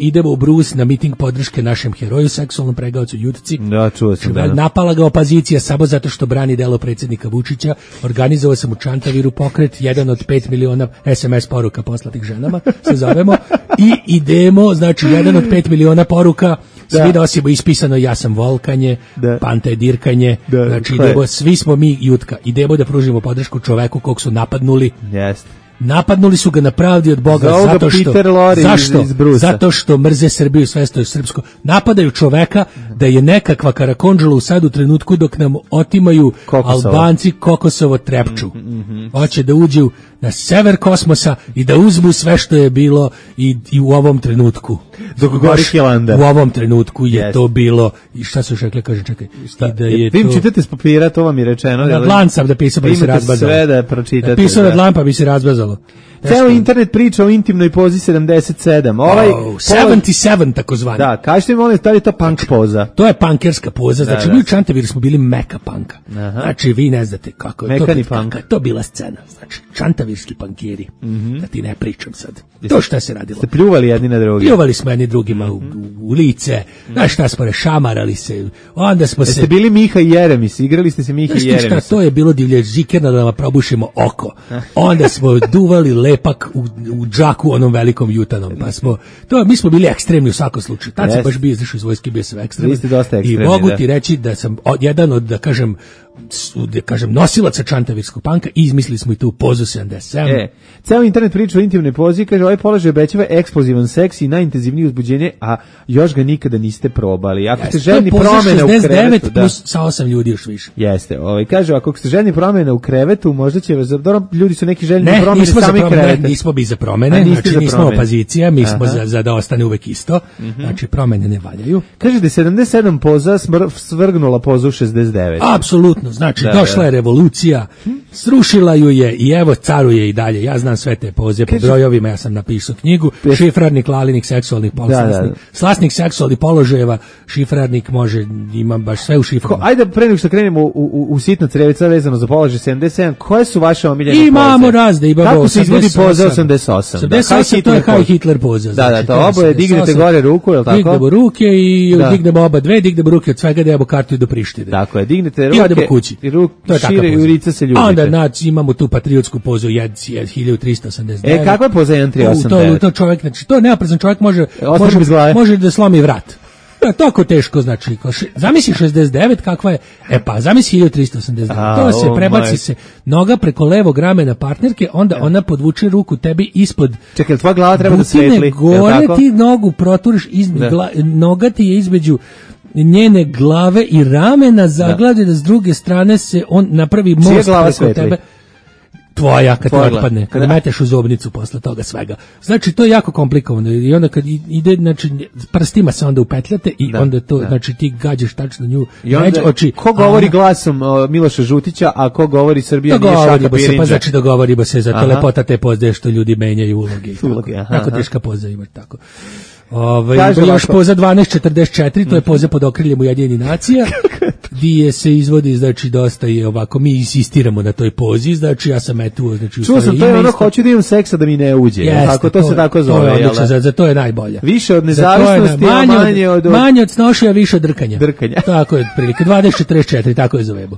S7: idemo u Brus na miting podrške našem heroju, seksualnom pregavcu Jutci.
S6: Da, čuo sam.
S7: Napala ga opozicija samo zato što brani delo predsjednika Vučića. Organizovao sam u Čantaviru pokret, 1 od 5 miliona SMS poruka poslatih ženama, se zovemo, i idemo, znači 1 od 5 miliona poruka, svi nosimo ispisano ja sam volkanje, Panta je dirkanje, znači idemo, svi smo mi Jutka, idemo da pružimo podršku čoveku kog su napadnuli.
S6: Jeste.
S7: Napadnuli su ga na pravdi od Boga zato što mrze Srbiju, sve što je srpsko. Napadaju čoveka da je nekakva karakondžula u sad u trenutku dok nam otimaju Albanci Kokosovo trepču. Hoće da uđu na sever kosmosa i da uzmu sve što je bilo i u ovom trenutku.
S6: Dok gori Hilander.
S7: U ovom trenutku je to bilo. I šta su još rekli, kažem, čekaj.
S6: Vi čitate s papira, to vam je rečeno.
S7: Na dlan sam da pisao pa bi se razbazalo.
S6: Sve da pročitate.
S7: Pisao na dlan pa bi se razbazalo.
S6: Ceo internet priča o intimnoj pozi 77.
S7: 77 takozvani.
S6: Da, kažete mi, molim, da li je to punk poza?
S7: To je punkerska poza, znači mi u Čantaviru smo bili meka panka. Znači vi ne znate kako je to bila scena. Znači čantavirski pankiri, da ti ne pričam sad. To šta se radilo.
S6: Ste pljuvali jedni na drugi?
S7: Pljuvali smo jedni drugima u lice, znaš šta smo šamarali se, onda smo se...
S6: Jeste bili Miha i Jeremis, igrali ste se Miha i Jeremis.
S7: Šta, to je bilo divlje žikerno da vam probušimo oko. Onda smo duvali lepak u džaku onom velikom jutanom, pa mi smo bili ekstremni u svakom slučaju. Tad sam baš bio izašao iz vojske, bio sam ekstreman.
S6: Vi ste dosta ekstremni,
S7: i mogu ti reći da sam jedan od, da kažem, nosilaca čantavirskog panka i izmislili smo i tu pozu 77.
S6: Ceo internet priča o intimnoj pozi, kaže, ovaj položaj obećava eksplozivan seks i najintenzivnije uzbuđenje, a još ga nikada niste probali. Ako ste željni promjene u krevetu...
S7: plus sa 8 ljudi još više.
S6: Jeste, kaže, ako ste željni promjene u krevetu, možda će vas... Dobro, ljudi su neki željni promjene sami krevete.
S7: Ne, nismo bi za promjene, znači nismo opozicija, mi smo za da ostane uvek isto, znači promjene ne valjaju.
S6: Kaže da 77 poza svrgnula pozu 69.
S7: Apsolutno. Znači, došla je revolucija, srušila ju je i evo caruje i dalje. Ja znam sve te poze po brojovima, ja sam napisao knjigu, šifrarnik, lalinik, seksualnih slasnik seksualnih položajeva, šifrarnik ima baš sve u šiframa.
S6: Ajde, pre nego što krenemo u sitno crevica vezano za položaj 77, koje su vaše omiljene poze?
S7: Imamo razne,
S6: kako se izvodi poza 88?
S7: 88 to je High Hitler poza.
S6: Da, to oboje, dignete gore ruku, je li tako?
S7: Dignemo ruke i dignemo oba dve, dignemo ruke od svega da jebo kartu i do Prištine.
S6: Tako je, dignete ruke. Šire i urica se ljubite.
S7: Onda imamo tu patriotsku pozu 1389.
S6: Kakva je poza 1389?
S7: To čovjek, znači to neoprezan čovjek može da slomi vrat. Tako teško, znači. Zamisli 69 kakva je, pa zamisli 1389. To se prebaci se noga preko levog ramena partnerke, onda ona podvuče ruku tebi ispod.
S6: Čekaj, tvoja glava treba da svetli.
S7: Gore ti nogu proturiš, noga ti je između njene glave i ramena zaglade da s druge strane se on napravi most preko tebe. Tvoja, kad te otpadne, kad meteš u zobnicu posle toga svega. Znači, to je jako komplikovano i onda kad ide, znači, prstima se onda upetljate i onda to, znači, ti gađaš tačno nju među oči.
S6: Ko govori glasom Miloša Žutića, a ko govori Srbija nije Šaka Pirinđa?
S7: Pa znači, dogovorimo se, zato lepota te pozde što ljudi menjaju uloge. Tako teška poza imaš tako. Još poza 1244, to je poza pod okriljem Ujedinjenih nacija, gdje se izvodi, znači dosta je ovako, mi insistiramo na toj pozi, znači ja sam etuo, znači
S6: čuo sam, to je ono, hoću da imam seksa da mi ne uđe, tako, to se tako zove.
S7: To je odlično, za to je najbolje.
S6: Više od nezavisnosti, a
S7: manje od snošija, više od drkanja. Tako je, prilike, 2044, tako je zovemo.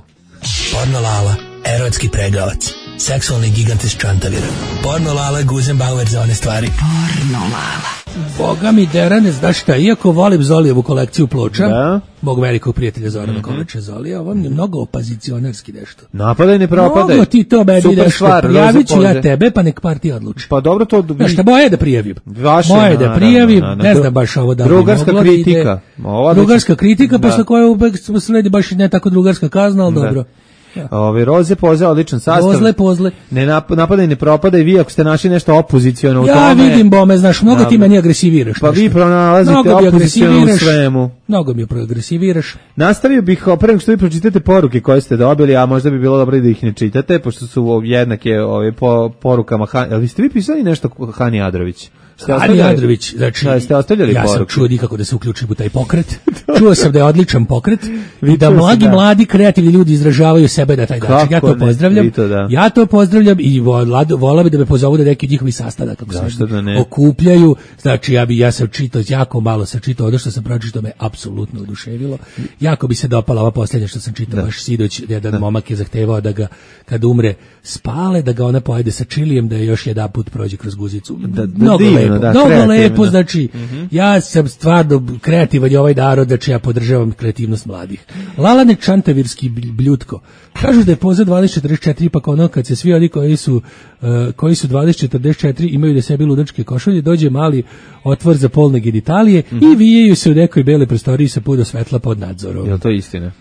S13: Porno Lala, erotski pregavac, seksualni gigant iz Čantavira. Porno Lala, Guzenbauer za one stvari.
S4: Porno Lala.
S7: Boga mi derane, znaš šta, iako volim Zolijevu kolekciju ploča, mog velikog prijatelja Zorana Kovača Zolija, on je mnogo opozicionarski nešto.
S6: Napadaj, ne propadaj.
S7: Mnogo ti to meni
S6: Super
S7: nešto,
S6: stvar,
S7: prijavit ću ja tebe, pa nek partija odluči.
S6: Pa dobro to...
S7: Znaš šta, moje da prijavim. Moje da prijavim, ne znam baš ovo da bi
S6: drugarska
S7: moglo
S6: kritika.
S7: Drugarska kritika, posle koje uvek sledi baš ne tako drugarska kazna, ali dobro.
S6: Roze Poze, odličan sastav.
S7: Pozle.
S6: Ne napadaj, ne propadaj, vi ako ste našli nešto opoziciono u tome.
S7: Ja vidim bome, znaš, mnogo ti meni agresiviraš.
S6: Pa vi pronalazite opoziciono u svemu.
S7: Mnogo mi agresiviraš.
S6: Nastavio bih, pre nego što vi pročitate poruke koje ste dobili, a možda bi bilo dobro da ih ne čitate, pošto su jednake po porukama. Ali ste vi pisali nešto Hani Adrović?
S7: Hani Andrović, znači, ja sam čuo nikako da se uključim u taj pokret. Čuo sam da je odličan pokret i da mladi kreativni ljudi izražavaju sebe na taj način. Ja to pozdravljam. Ja to pozdravljam i volao bi da me pozovu da neki njihovi sastanak kako se okupljaju. Znači, ja sam čitao, jako malo sam čitao, ono što sam pročitao me apsolutno oduševilo. Jako bi se dopala ova posljednja što sam čitao baš sidoć, jedan momak je zahtevao da ga, kad umre, spale, da ga ona pojede sa čilijem, da je još jedan put prođe kroz guzicu. Mnogo lepo, znači, ja sam stvarno kreativan i ovaj narod, znači ja podržavam kreativnost mladih. Lalane Čantavirski bljutko. Kažu da je poza 2044, pa ono kad se svi oni koji su 2044 imaju da sebi ludačke košulje, dođe mali otvor za polne genitalije i vijeju se u nekoj bele prostoriji sa puno svetla pod nadzorom.
S6: Je li to istina?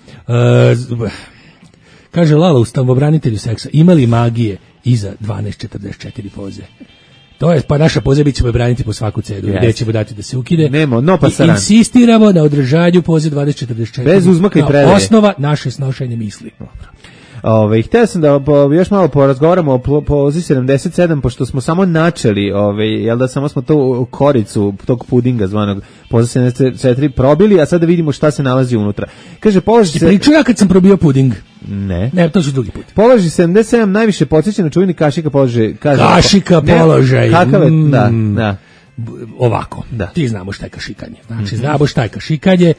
S7: Kaže Lala u stavobranitelju seksa, imali magije iza 1244 poze. To je, pa naša poza bit ćemo braniti po svaku cenu. Gde ćemo dati da se ukide.
S6: Nemo, no pasaran.
S7: Insistiramo na održanju poze 2044.
S6: Bez uzmaka i predaje.
S7: Osnova naše snošenje misli.
S6: Htio sam da još malo porazgovaramo o pozi 77, pošto smo samo načeli, jel da samo smo tu koricu tog pudinga zvanog poza 74 probili, a sad da vidimo šta se nalazi unutra. Kaže, položi se...
S7: Priču ja kad sam probio puding.
S6: Ne,
S7: to ću drugi put.
S6: Položi 77 najviše podsjeća na čuveni kašika položaj.
S7: Kašika položaj.
S6: Kakav je, da.
S7: Ovako, ti znamo šta je kašikanje. Znači, znamo šta je kašikanje.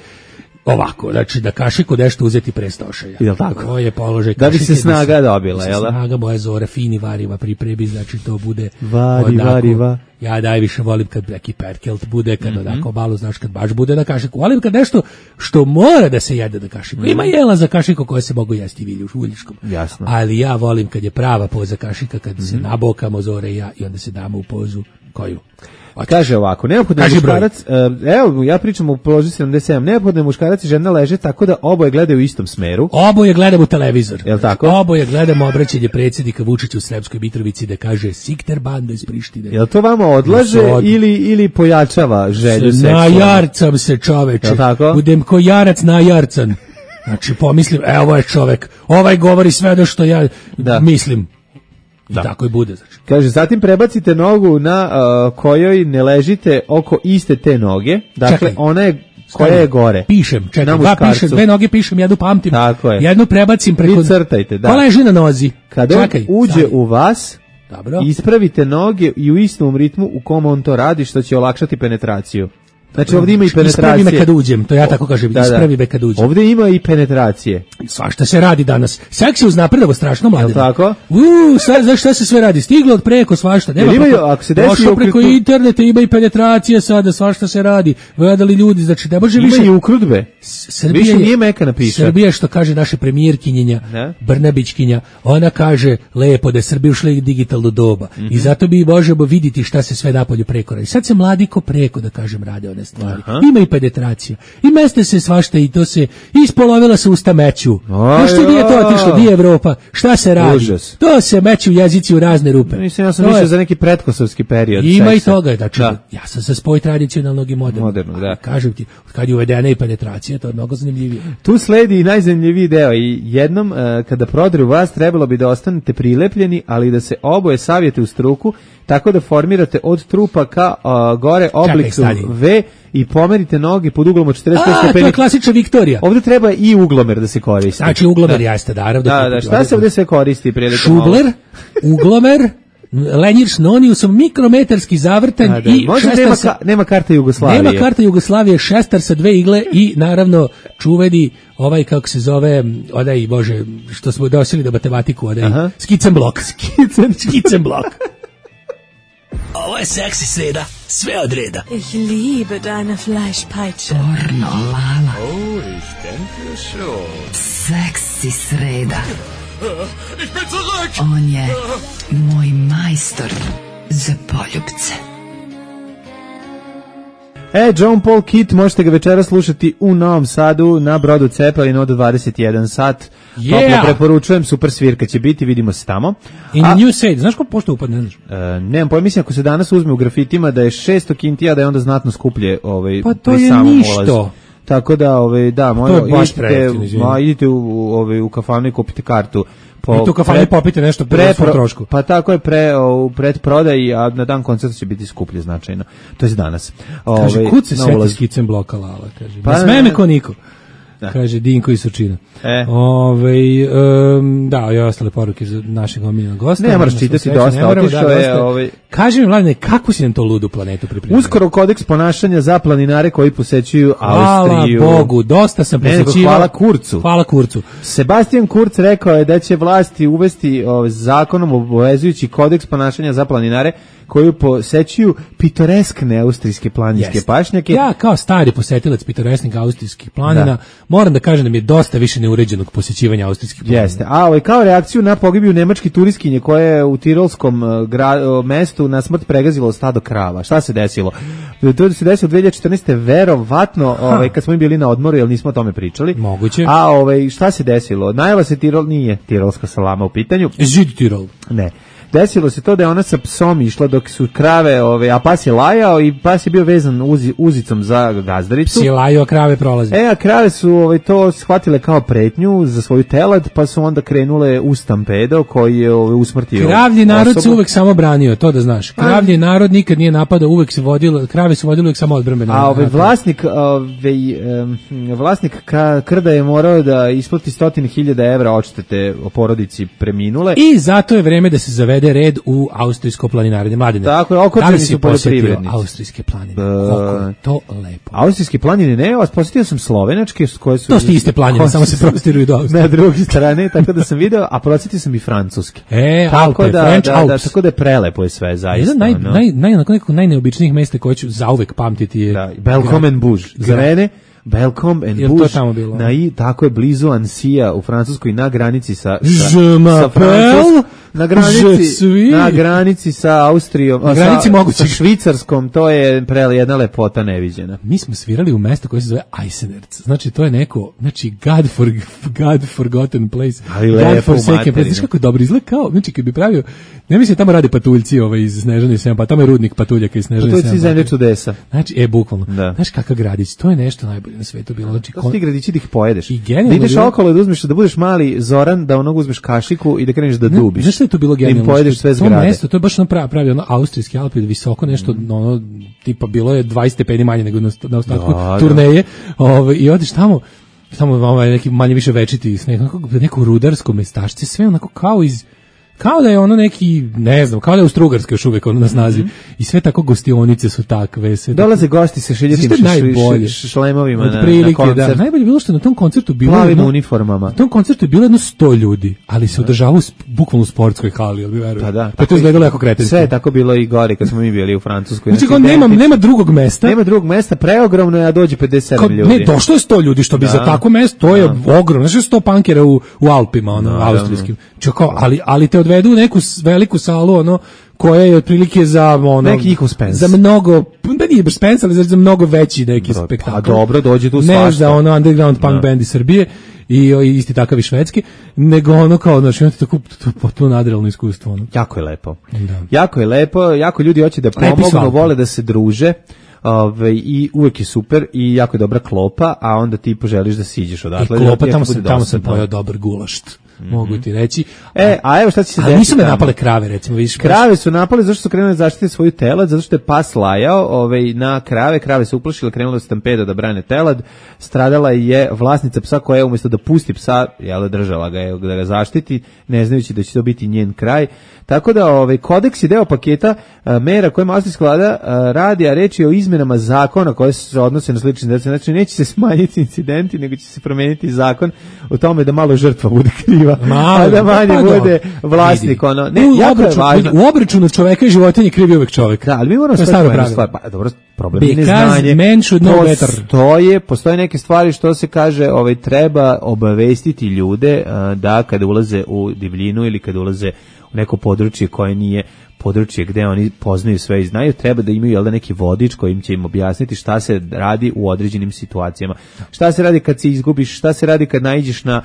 S7: Ovako, znači da kašiku nešto uzeti pre stošaja.
S6: Jel tako?
S7: To je položaj
S6: kašike. Da bi se snaga dobila, jel da?
S7: Snaga moja zora, fini variva priprebi, znači to bude
S6: variva.
S7: Ja najviše volim kad neki perkelt bude, kad onako malo, znaš, kad baš bude na kašiku. Volim kad nešto što mora da se jede na kašiku. Ima jela za kašiku koje se mogu jesti uljiškom.
S6: Jasno.
S7: Ali ja volim kad je prava poza kašika, kad se nabokamo zore i ja i onda se damo u pozu koju.
S6: Kaže ovako, neophodno je muškarac, evo ja pričam o položi 77, neophodno je muškarac i žena leže tako da oboje gledaju u istom smeru.
S7: Oboje gledamo televizor.
S6: Jel tako?
S7: Oboje gledamo obraćanje predsjednika Vučića u Sremskoj Mitrovici da kaže Sikter banda iz Prištine.
S6: Jel to vama odlaže ili pojačava želju seksualnu?
S7: Najarcam se, čoveče.
S6: Jel tako?
S7: Budem ko jarac najarcan. Znači pomislim, ovo je čovek, ovaj govori sve ono što ja mislim. I tako i bude. Znači.
S6: Kaže, zatim prebacite nogu na kojoj ne ležite oko iste te noge. Dakle, čekaj, ona je koja je gore.
S7: Pišem, čekaj, dve noge pišem, jednu pamtim.
S6: Tako je.
S7: Jednu prebacim preko...
S6: Vi crtajte, da.
S7: Ko leži na nozi?
S6: Kad on uđe u vas,
S7: dobro,
S6: ispravite noge i u istom ritmu u kom on to radi, što će olakšati penetraciju. Znači ovdje ima i penetracije.
S7: Ispravi me kad uđem, to ja tako kažem, ispravi me kad uđem.
S6: Ovdje ima i penetracije.
S7: Svašta se radi danas. Seks je uznapredovo strašno, mladine.
S6: Jel tako?
S7: Znaš šta se sve radi? Stiglo od preko svašta. Nema došlo preko interneta, ima i penetracije sada, svašta se radi. Gledali ljudi, znači ne može više...
S6: Ima i ukrudbe. Više nije meka napiša.
S7: Srbija, što kaže naše premijerkinjenja, Brnabićkinja, ona kaže lepo da je Srbija ušla u digitalno doba. I zato bi možemo vidjeti šta se sve napolju preko radi. Sad se mladi ko preko, da kažem, rade stvari. Ima i penetracija. I meste se svašta i to se ispolovila se usta meću. Što nije to otišlo? Di je Evropa? Šta se radi?
S6: Užas.
S7: To se meću jezici u razne rupe.
S6: Mislim, ja sam više za neki pretkosovski period.
S7: Ima seksa. I toga. Znači, ja sam za spoj tradicionalnog i modernog.
S6: Da.
S7: Kažem ti, kad je uvedena i penetracija, to je mnogo zanimljivije.
S6: Tu sledi i najzanimljiviji deo. I jednom, kada prodru vas, trebalo bi da ostanete prilepljeni, ali da se oboje savijete u struku, tako da formirate od trupa ka gore oblik V i pomerite noge pod uglom od 45 stepeni.
S7: To je klasična Viktorija.
S6: Ovdje treba i uglomer da se koristi.
S7: Znači uglomer jeste, naravno.
S6: Da, šta se ovdje sve koristi?
S7: Šubler, uglomer, lenjir s noniusom, mikrometarski zavrtanj i
S6: Možda nema karta Jugoslavije.
S7: Nema karta Jugoslavije, šestar sa 2 igle i naravno čuveni ovaj, kako se zove, odaj, bože, što smo dosili do matematiku, odaj, skicenblok. Skicenblok.
S13: Ovo je seksi sreda, sve od reda.
S14: Ich liebe deine Fleischpeitsche.
S10: Pornolala.
S1: Oh, ich denke schon.
S10: Seksi sreda.
S1: Ich bin zurück!
S10: On je moj majstor za poljubce.
S6: John Paul Kit, možete ga večera slušati u Novom Sadu na brodu Cepelin od 21 sat. Toplo preporučujem, super svirka će biti, vidimo se tamo.
S7: In New Sade, znaš ko pošto upad, ne znaš?
S6: Nemam pojma, mislim ako se danas uzme u grafitima da je 600 kintija, da je onda znatno skuplje
S7: pa to je ništo.
S6: Ulazu. Tako da, da, idite u kafanu i kupite kartu.
S7: I tu kafanu popite nešto po svom trošku.
S6: Pa tako je u predprodaji, a na dan koncerta će biti skuplje značajno. To je danas.
S7: Kaže, kud se seti skicem bloka Lala, kaže. Pa sme me ko niko. Kaže Dinko iz Surčina. Da, i ostale poruke za našeg omiljenog gosta.
S6: Ne moraš čitati dosta, otišao je.
S7: Kaži mi, Mladine, kako si nam to ludu planetu pripremio?
S6: Uskoro kodeks ponašanja za planinare koji posećuju Austriju.
S7: Hvala Bogu, dosta sam posećivao.
S6: Hvala Kurcu.
S7: Hvala Kurcu.
S6: Sebastian Kurz rekao je da će vlasti uvesti zakonom obavezujući kodeks ponašanja za planinare koju posećuju pitoreskne austrijske planinske pašnjake.
S7: Ja kao stari posetilac pitoresknih austrijskih planina moram da kažem da mi je dosta više neuređenog posjećivanja austrijskih planina.
S6: Jeste. A kao reakciju na pogibiju nemačke turistkinje koja je u tirolskom mestu na smrt pregazilo stado krava. Šta se desilo? To se desilo 2014. verovatno kad smo bili na odmoru, jer nismo o tome pričali.
S7: Moguće.
S6: A šta se desilo? Najava se nije tirolska salama u pitanju.
S7: Žid Tirol.
S6: Ne. Desilo se to da je ona sa psom išla dok su krave, a pas je lajao i pas je bio vezan uzicom za gazdaricu.
S7: Psi lajao, a krave prolaze.
S6: A krave su to shvatile kao pretnju za svoju telad, pa su onda krenule u stampedo koji je usmrtio
S7: Kravlji narod se uvek samo branio, to da znaš. Kravlji narod nikad nije napadao, uvek se vodilo, krave su vodile uvek samo odbrambeno.
S6: A vlasnik krda je morao da isplati 100.000 evra odštete o porodici preminule.
S7: I zato je vreme da se zavede red u austrijsko planinarenje. Mladine,
S6: tako je, okočeni su poljoprivrednici.
S7: Austrijske planine. Koliko je to lepo.
S6: Austrijske planine ne, posjetio sam slovenačke koje su...
S7: To su iste planine, samo se prostiruju do Austrije.
S6: Na drugi strane, tako da sam video, a posjetio sam i francuske.
S7: Alpe, French Alps.
S6: Tako da je prelepo je sve, zaista.
S7: Najneobičnijih mesta koje ću zauvek pamtiti je...
S6: Belcom Bouge. Za mene... Belcom and Bouge, tako je blizu Ansija u Francuskoj na granici sa Francuskom, na granici sa Austrijom, sa Švicarskom, to je jedna lepota neviđena.
S7: Mi smo svirali u mesto koje se zove Eisenerz, znači to je neko, God forgotten place, God forsaken place, znači kako dobro izgleda kao, znači kad bi pravio, ne mislim tamo rade patuljci iz Snežane Sema, pa tamo je rudnik patuljaka iz Snežane Sema.
S6: Patuljci zemlje čudesa.
S7: Znači, bukvalno, znaš kakav gradić, to je nešto najbolje na svetu bilo. Znači,
S6: to su ti gradići da ih pojedeš. Da ideš okolo da uzmeš, da budeš mali Zoran, da onog uzmeš kašiku i da kreneš da dubiš.
S7: Znaš što je to bilo genijalno?
S6: Da im pojedeš sve zgrade.
S7: To mesto, to je baš pravi austrijski Alpi, visoko nešto, tipa bilo je 20 stepeni manje nego na ostatku turneje. I odeš tamo neki manje više večiti sneg, neko rudarsko mestašce, sve onako kao da je ono neki, ne znam, kao da je u Strugarskoj još uvijek ono na snazi. I sve tako gostionice su takve.
S6: Dolaze gosti sa šiljatim šlemovima na koncert.
S7: Najbolje bilo što na tom koncertu bilo
S6: plavim uniformama.
S7: Na tom koncertu je bilo 100 ljudi, ali se održavao bukvalno u sportskoj hali, jel bi verujem?
S6: Pa da.
S7: Pa to izgledalo jako kretenski.
S6: Sve je tako bilo i gore kad smo mi bili u Francuskoj.
S7: Znači, nema drugog mesta.
S6: Nema drugog mesta, preogromno je, a dođe 57 ljudi.
S7: Ne, došlo je 100 ljudi, što bi za tako mesto, to je ogromno. Znači, 100 pankera u Alpima, austrijskim. Ali te odvedu u neku veliku salu, koja je otprilike za
S6: neki njihov Spence.
S7: Za mnogo, da nije baš Spence, ali za mnogo veći neki spektakl.
S6: A dobro, dođe tu svašta.
S7: Ne za underground punk band iz Srbije i isti takav i švedski, nego kao, znači, imate tako potpuno nadrealno iskustvo.
S6: Jako je lepo. Jako je lepo, jako ljudi hoće da pomognu, vole da se druže. I uvek je super i jako je dobra klopa, a onda ti poželiš da siđeš odatle.
S7: I klopa, tamo sam pojao dobar gulašt. mogu ti reći.
S6: A evo šta će se desiti.
S7: Ali nisu me napale krave, recimo, vidiš.
S6: Krave su napale zašto su krenule zaštiti svoju telad, zato što je pas lajao na krave se uplašile, krenula se stampeda da brane telad, stradala je vlasnica psa koja je umjesto da pusti psa, držala ga je da ga zaštiti, ne znajući da će to biti njen kraj. Tako da kodeks je deo paketa mera kojima austrijska vlada radi, a reč je o izmenama zakona koje se odnose na slične dece. Znači, neće se smanjiti incidenti, nego će se promeniti zakon o tome da malo žrtva bude kriva, a da manje bude vlasnik.
S7: U obračunu čoveka i životinje krivi uvek čovek.
S6: Da, ali mi moramo problem je neznanje. Postoje neke stvari što se kaže, treba obavestiti ljude da kada ulaze u divljinu ili kada ulaze u neko područje koje nije područje gde oni poznaju sve i znaju, treba da imaju neki vodič kojim će im objasniti šta se radi u određenim situacijama. Šta se radi kad se izgubiš, šta se radi kad naiđeš na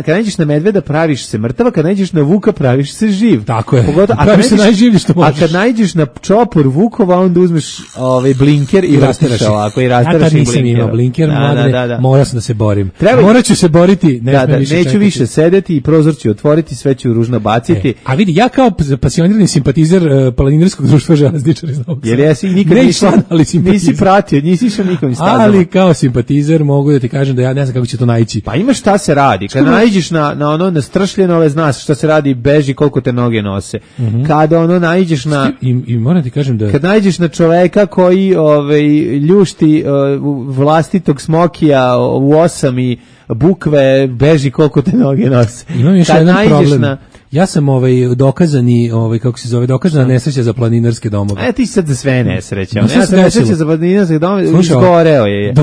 S6: kad naiđeš na medveda praviš se mrtava, kad naiđeš na vuka praviš se živ.
S7: Tako je. Praviš se najživlji što možeš.
S6: A kad naiđeš na čopor vukova, onda uzmeš blinker i rasteraš ovako i rasteraš.
S7: Ja tad nisam imao blinker, morao sam da se borim. Morat ću se boriti,
S6: neću više sedeti i prozor ću otvoriti, sve ću ružno baciti.
S7: A vidi, ja kao pasionirani simpatizer planinarskog društva železničara iz Novog Sada.
S6: Jer jesi nikad nisi pratio, nisi išao nikom iz stazama.
S7: Ali kao simpatizer mogu da ti kažem da ja ne znam kako će to naići.
S6: Pa imaš šta se radi. Kad naiđeš na stršljeno, znaš šta se radi, beži koliko te noge nose. Kada naiđeš na...
S7: I moram ti kažem da...
S6: Kad naiđeš na čoveka koji ljušti vlastitog smokija u 8 i bukve, beži koliko te noge nose.
S7: Imam još jedan problem. Ja sam dokazana nesreća za planinarske domove.
S6: Ti sad za sve nesreća. Nesreća za planinarske domove, izgoreo je.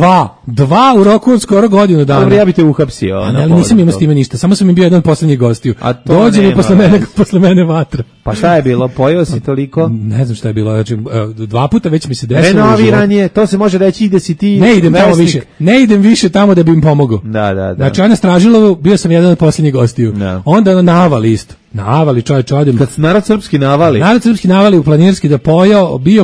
S7: Dva u roku od skoro godinu dana.
S6: Dobro, ja bi te uhapsio.
S7: Ali nisam imao s time ništa, samo sam im bio jedan od poslednjih gostiju. Dođe mi posle mene vatra.
S6: Pa šta je bilo? Pojeo si toliko?
S7: Ne znam šta je bilo. Znači, 2 puta već mi se desilo.
S6: Renoviranje, to se može reći da si ti...
S7: Ne idem više tamo da bi im pomogao.
S6: Da.
S7: Znači, na Stražilovu bio sam jedan od poslednjih gostiju. Onda navali isto. Navali, čovječ, odim.
S6: Kad narod srpski navali
S7: u planinarski da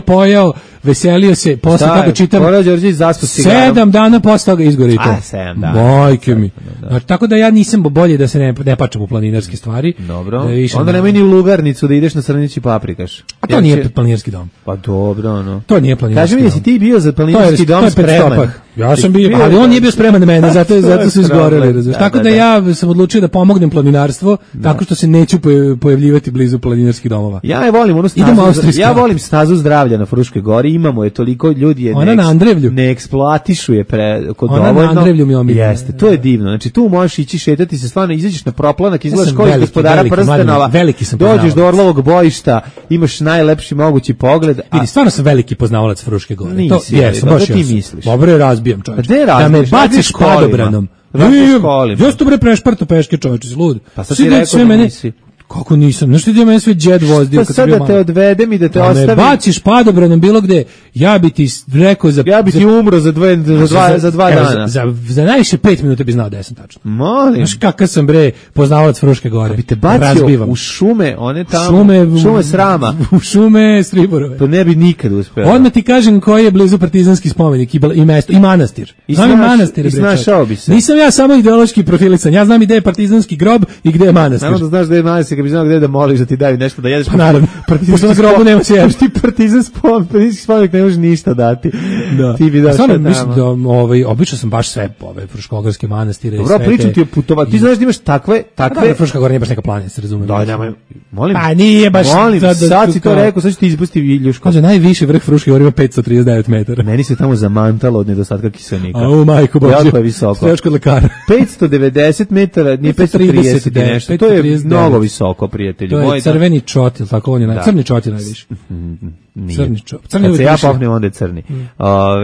S7: pojao, veselio se, posle kako čitam, 7 dana posle toga izgore i to.
S6: 7 dana.
S7: Bojke mi. Znači, tako da ja nisam bolje da se ne pačam u planinarske stvari.
S6: Dobro, onda nemoj ni u lugarnicu da ideš na Srnić i paprikaš.
S7: A to nije planinarski dom.
S6: Pa dobro,
S7: To nije planinarski dom.
S6: Kaži mi, jesi ti bio za planinarski dom spreman?
S7: Ja sam bio, ali on nije bio spreman na mene, zato su izgoreli. Tako da ja sam odlučio da pomognem planinarstvo, tako što se neću pojavljivati blizu planinarskih domova.
S6: Ja volim onu stazu, ja volim stazu zdravlja na Fruškoj gori, imamo je toliko ljudi je ne eksploatišu je kod dovoljno.
S7: Na Andrevlju mi omiljena.
S6: Jeste, to je divno. Znači tu možeš ići šetati se, stvarno izađeš na proplanak, izgledaš kao iz Gospodara prstenova. Dođeš do Orlovog bojišta, imaš najlepši mogući pogled.
S7: Vidi, stvarno sam veliki poznavalac Fruške gore.
S6: Nisi, ti misliš.
S7: Dobro je, razbijam, čovječe. Da me baciš padobranom. Ja sam bre prešparto peške, čovječe, lud.
S6: Pa sad ti rekao da nisi.
S7: Kako nisam? Znaš ti da meni sve džed vozdio?
S6: Pa sad da te odvedem i da te ostavim.
S7: Me baciš padobranom bilo gde, ja bi ti rekao
S6: ja bi ti umro za 2 dana.
S7: Za najviše 5 minuta bi znao da sam tačno.
S6: Molim.
S7: Znaš kakav sam bre poznavalac Fruške gore.
S6: Bi te bacio u šume, one tamo, šume srama.
S7: U šume Striborove.
S6: To ne bi nikad uspeo.
S7: Odmah ti kažem koji je blizu partizanski spomenik i mesto, i manastir. Znam i manastir.
S6: I snašao bi se.
S7: Nisam ja samo ideološki profilisan, ja znam i gde je partizanski grob i gde je manastir.
S6: Samo da znaš gde je manastir, kad bi znao gde da moliš da ti daju nešto da jedeš.
S7: Pa naravno, pošto na grobu nema se ješ.
S6: Ti partizanski spomenik ne može ništa dati. Ti bi daš tamo.
S7: Mislim da obično sam baš sve fruškogorske manastire.
S6: Dobro, pričam ti o putovanju. Ti znaš da imaš takve...
S7: Da, Fruška gora nije baš neka planina, se razume.
S6: Molim.
S7: Pa nije baš...
S6: Molim, sad si to rekao, sad ću ti izpustiti Viljuško.
S7: Kaže, najviši vrh Fruške gore ima 539 metara.
S6: Meni se tamo zamantalo od nedostatka kiselnika.
S7: A, majko Bože.
S6: Jako je visoko.
S7: Stojaš kod lekara.
S6: 590 metara, nije 530 i nešto. To je mnogo visoko, prijatelju.
S7: To je crveni čotil, tako on je crni čotil najviše. Crni čotil.
S6: Kad se ja popnem, onda je crni.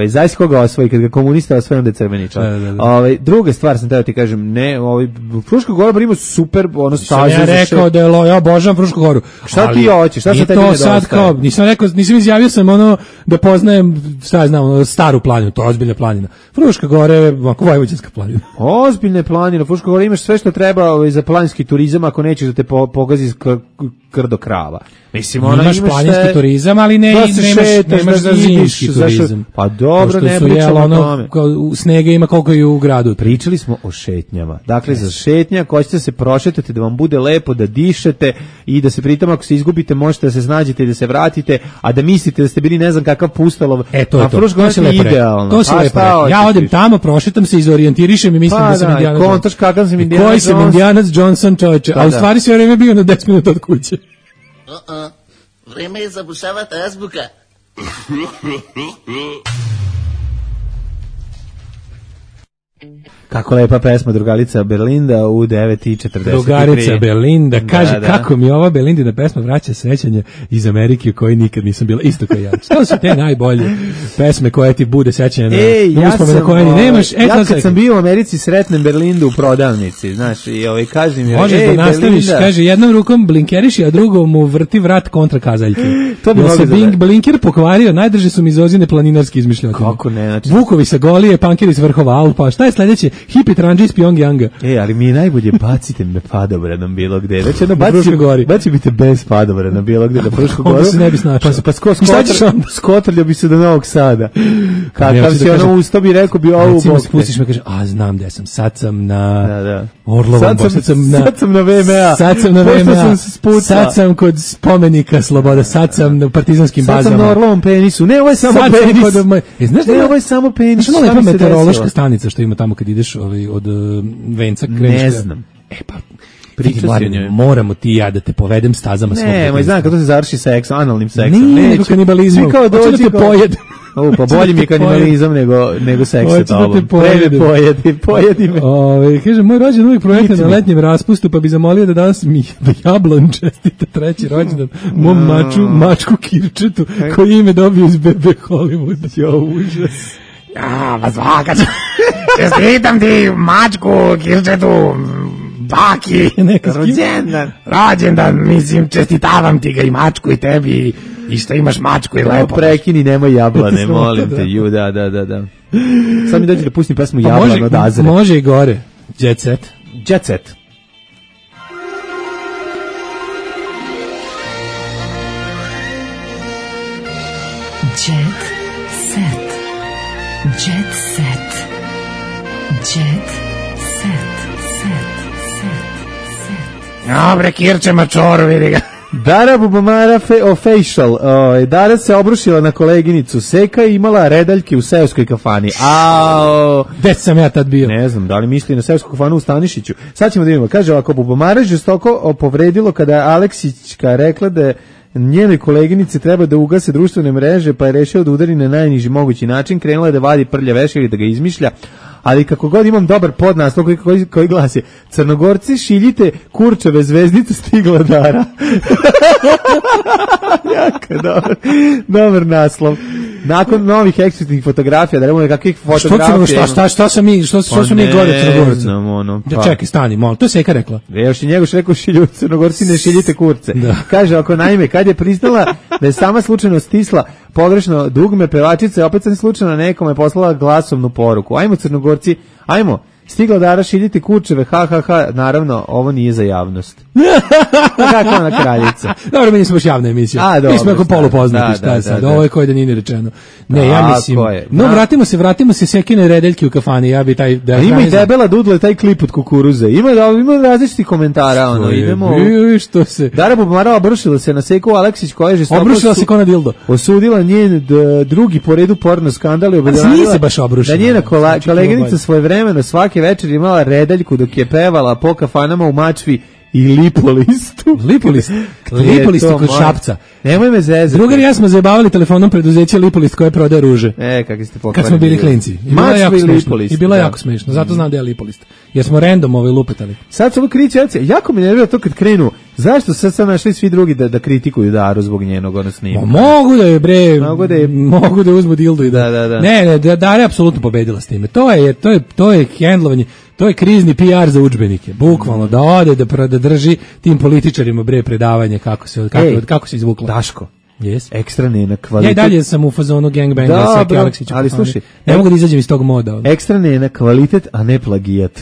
S6: Zaista koga osvoji, kad ga komunista osvoji, onda je crveni čotil. Druga stvar sam teo ti kažem, ne, Fruška gora ima super staze.
S7: Ja rekao da je ja obožavam Frušku goru.
S6: Šta ti hoćeš? Šta se tebi nedostaje?
S7: Nisam izjavio sam da poznajem, šta ja znam, staru planinu, to je ozbiljna planina. Fruška gora je vojvođanska planina.
S6: Ozbiljna planina, Fruška gora imaš sve što treba za planinski turizam, ako nećeš da te pogazi krdo krava. Mislim, ona
S7: imaš planinski turizam, ali nemaš za zimski turizam.
S6: Pa dobro, ne pričamo o tome.
S7: Snega ima koliko i u gradu.
S6: Pričali smo o šetnjama. Dakle, za šetnja, ako ćete se prošetati, da vam bude lepo, da dišete i da se pritom, ako se izgubite, možete da se snađete i da se vratite, a da mislite da ste bili ne znam kakav pustalov.
S7: To je to. To se lepo
S6: idealno.
S7: To se lepo. Ja odem tamo, prošetam se, izorijentirišem i mislim da sam Indiana Jones.
S6: Kontaš kakav sam Indiana
S7: Jones. Koji sam Indiana Johnson, čoveče. A u stvari sve vreme bio na 10 minuta od kuće.
S15: Vreme je zabušavati azbuka.
S6: Kako lepa pesma Drugarica Belinda u 9:43.
S7: Drugarica Belinda, kaže kako mi ova Belindina pesma vraća sećanje iz Amerike koji nikad nisam bila, isto kao ja. Što su te najbolje pesme koje ti bude sećanje na uspomene koje ni nemaš.
S6: Ja kad sam bio u Americi sretnem Belindu u prodavnici, znaš, i kažem mi,
S7: možeš da nastaviš, kaže, jednom rukom blinkeriši, a drugom mu vrti vrat kontra kazaljke.
S6: To bi
S7: se blinker pokvario, najdrže su mi izozine planinarski izmišljotine.
S6: Kako ne, znači
S7: Vukovi sa Golije, pankeri s vrhova Alpa. Šta je sledeće? Hipi tranđi iz Pyongyanga.
S6: Ali mi je najbolje bacite me padobranom bilo gde. Već jedno baci mi te bez padobrana bilo gde na Frušku goru.
S7: Onda se ne bi snašao.
S6: Pa skotrljio bi se do Novog Sada. Kakav si ono usto bi rekao bi ovu bok.
S7: Spustiš me, kaže, znam gde sam. Sad sam na Orlovom.
S6: Sad sam na VMA.
S7: Sad sam na VMA. Sad sam kod spomenika Sloboda. Sad sam na partizanskim bazama.
S6: Sad sam na Orlovom penisu. Ne, ovo je samo penis. Ne, ovo je samo penis.
S7: Znaš ono lepa meteorološka stanica što ima tamo kad ideš od Venca kreneš?
S6: Ne znam.
S7: Pa moramo ti ja da te povedem stazama svog.
S6: Ne, znam kako to se završi seksom, analnim seksom.
S7: Ne, nego kanibalizmom.
S6: Kao
S7: dođi da te pojedem.
S6: Pa bolji mi je kanibalizam nego seks sa tobom. Pojedi me.
S7: Kaže, moj rođen uvijek projekta na letnjem raspustu, pa bi zamolio da danas mi Jablan čestita 3. rođendan mom mačku Kirčetu, koji ime dobio iz Bebe Hollywooda.
S6: Jo, užas.
S16: Ja, pa svaka čestitam ti mačku Kirčetu, baki, rođendan, mislim, čestitavam ti ga i mačku i tebi i što imaš mačku i lepo.
S6: Prekini, nemoj jablane, molim te, da. Sad mi dođe da pustim pesmu Jablan od Azre.
S7: Može i gore. Jet set.
S6: Jet set.
S4: Jet set. Jet set. Jet set.
S16: Dobre, Kirče Mačoru, vidi ga.
S6: Dara Bubamara official. Dara se obrušila na koleginicu. Seka je imala redaljke u seoskoj kafani.
S7: Gde sam ja tad bio?
S6: Ne znam, da li misli na seosku kafanu u Stanišiću. Sad ćemo da vidimo. Kaže ovako, Bubamara žestoko povredilo kada je Aleksićka rekla da je njenoj koleginici treba da ugase društvene mreže, pa je rešio da udari na najniži mogući način. Krenula je da vadi prlja veš ili da ga izmišlja. Ali kako god imam dobar podnaslov koji glasi: Crnogorci šiljite kurčeve zvezdice, stigla Dara. Jako dobar naslov. Nakon novih eksplicitnih fotografija, da nemamo kakvih fotografija.
S7: Šta su mi gore Crnogorci?
S6: Pa.
S7: Čekaj, stani, molim, to je Seka rekla.
S6: Još i Njegoš rekao Crnogorci ne šiljite kurce.
S7: Da.
S6: Kaže, ako naime, kad je priznala da je sama slučajno stisla pogrešno dugme, pevačica je opet sam slučajno nekome poslala glasovnu poruku. Ajmo Crnogorci, ajmo. Stigla Dara šiljiti kurčeve, naravno, ovo nije za javnost. Kako ona kraljica?
S7: Dobro, mi nismo baš javna emisija. Mi smo jako polupoznati, šta je sad, ovo je koje da nije ni rečeno. Ne, ja mislim, no vratimo se Sekine redeljke u kafani, ja bi taj...
S6: Ima i debela dudla, taj klip od kukuruze, ima različitih komentara, idemo...
S7: Što se...
S6: Dara Bubamara obrušila se na Seku Aleksić, koja je žestoko...
S7: Obrušila se ko na dildo.
S6: Osudila njen drugi po redu porno skandal i
S7: obradila
S6: da njena koleginica svojevremeno svaki večer imala redaljku dok je pevala po kafanama u Mačvi i Lipolistu.
S7: Lipolist kod Šapca.
S6: Nemoj me zezati.
S7: Drugar i ja smo zajebavali telefonom preduzeće Lipolist koje prodaje ruže.
S6: Kakvi ste pokvarili.
S7: Kad smo bili klinci.
S6: Mačvi i Lipolist.
S7: I bilo jako smešno. Zato znam da je Lipolist. Jer smo random lupetali.
S6: Sad su ovo kričaci. Jako mi nervira to kad krenu. Zašto sad našli svi drugi da kritikuju Daru zbog njenog snima?
S7: Mogu da je mogu da uzmu dildu i
S6: da.
S7: Ne, Dara je apsolutno pobedila s time. To je hendlovanje. To je krizni PR za udžbenike. Bukvalno da ode da drži tim političarima predavanje kako se izvuklo.
S6: Daško.
S7: Yes.
S6: Ekstra nena kvalitet.
S7: Ja i dalje sam u fazonu gangbanga Seki Aleksića.
S6: Ali slušaj,
S7: ne mogu da izađem iz tog moda.
S6: Ekstra nena kvalitet, a ne plagijat.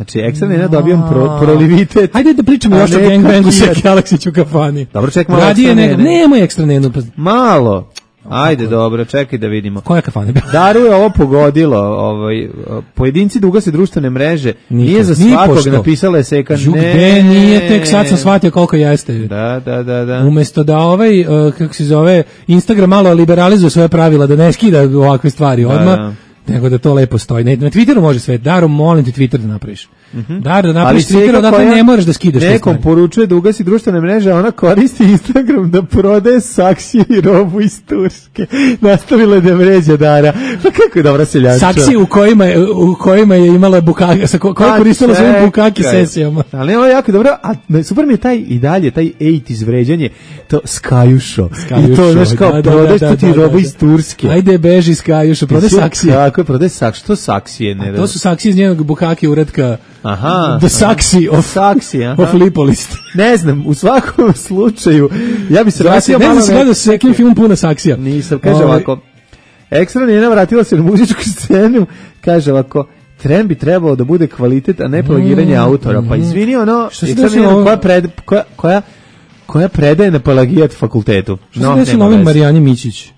S6: Znači, ekstra nena dobijam prolivitet.
S7: Hajde da pričamo još o gangbangu Seki Aleksić u kafani.
S6: Dobro, čekaj malo ekstra nene.
S7: Nemoj ekstra nenu.
S6: Malo. Ajde, dobro, čekaj da vidimo.
S7: Koja kafana?
S6: Daru je ovo pogodilo, pojedinci da ugase društvene mreže, nije za svakog, napisala je Seka.
S7: Ne, nije, tek sad sam shvatio koliko jeste.
S6: Da.
S7: Umesto da kako se zove, Instagram malo liberalizuje svoje pravila, da ne skida ovakve stvari odmah, nego da to lepo stoji. Na Twitteru može sve. Daro, molim te Twitter da napraviš. Dar da napraviš Twitter, odatle ne moraš da skidaš.
S6: Nekom poručuje da ugasi društvene mreže, a ona koristi Instagram da prodaje saksije i robu iz Turske. Nastavila da vređa Dara. Pa kako je dobra seljanča.
S7: Saksije u kojima je imala bukake, koja je koristila svojim bukaki sesijama.
S6: Ali ovo je jako dobro, a super mi je taj 80s vređanje, to Skajušo. I to, znaš, kao prodaješ tu ti robu iz Turske.
S7: Ajde, beži Skajušo, prodaj saksije.
S6: Tako je, prodaj saksije. Što saksije?
S7: To su saksije iz njenog bukake uredka.
S6: Aha.
S7: The Saxi of Lipolist.
S6: Ne znam, u svakom slučaju, ja bi se vratio malo...
S7: Ne znam se gledao s nekim filmom puno saksija.
S6: Nisam, kaže ovako, ekstra njena vratila se na muzičku scenu, kaže ovako, trend bi trebao da bude kvalitet, a ne plagiranje autora. Pa izvini, koja predaje na plagijat fakultetu.
S7: Što se desilo ovim Marijani Mićić?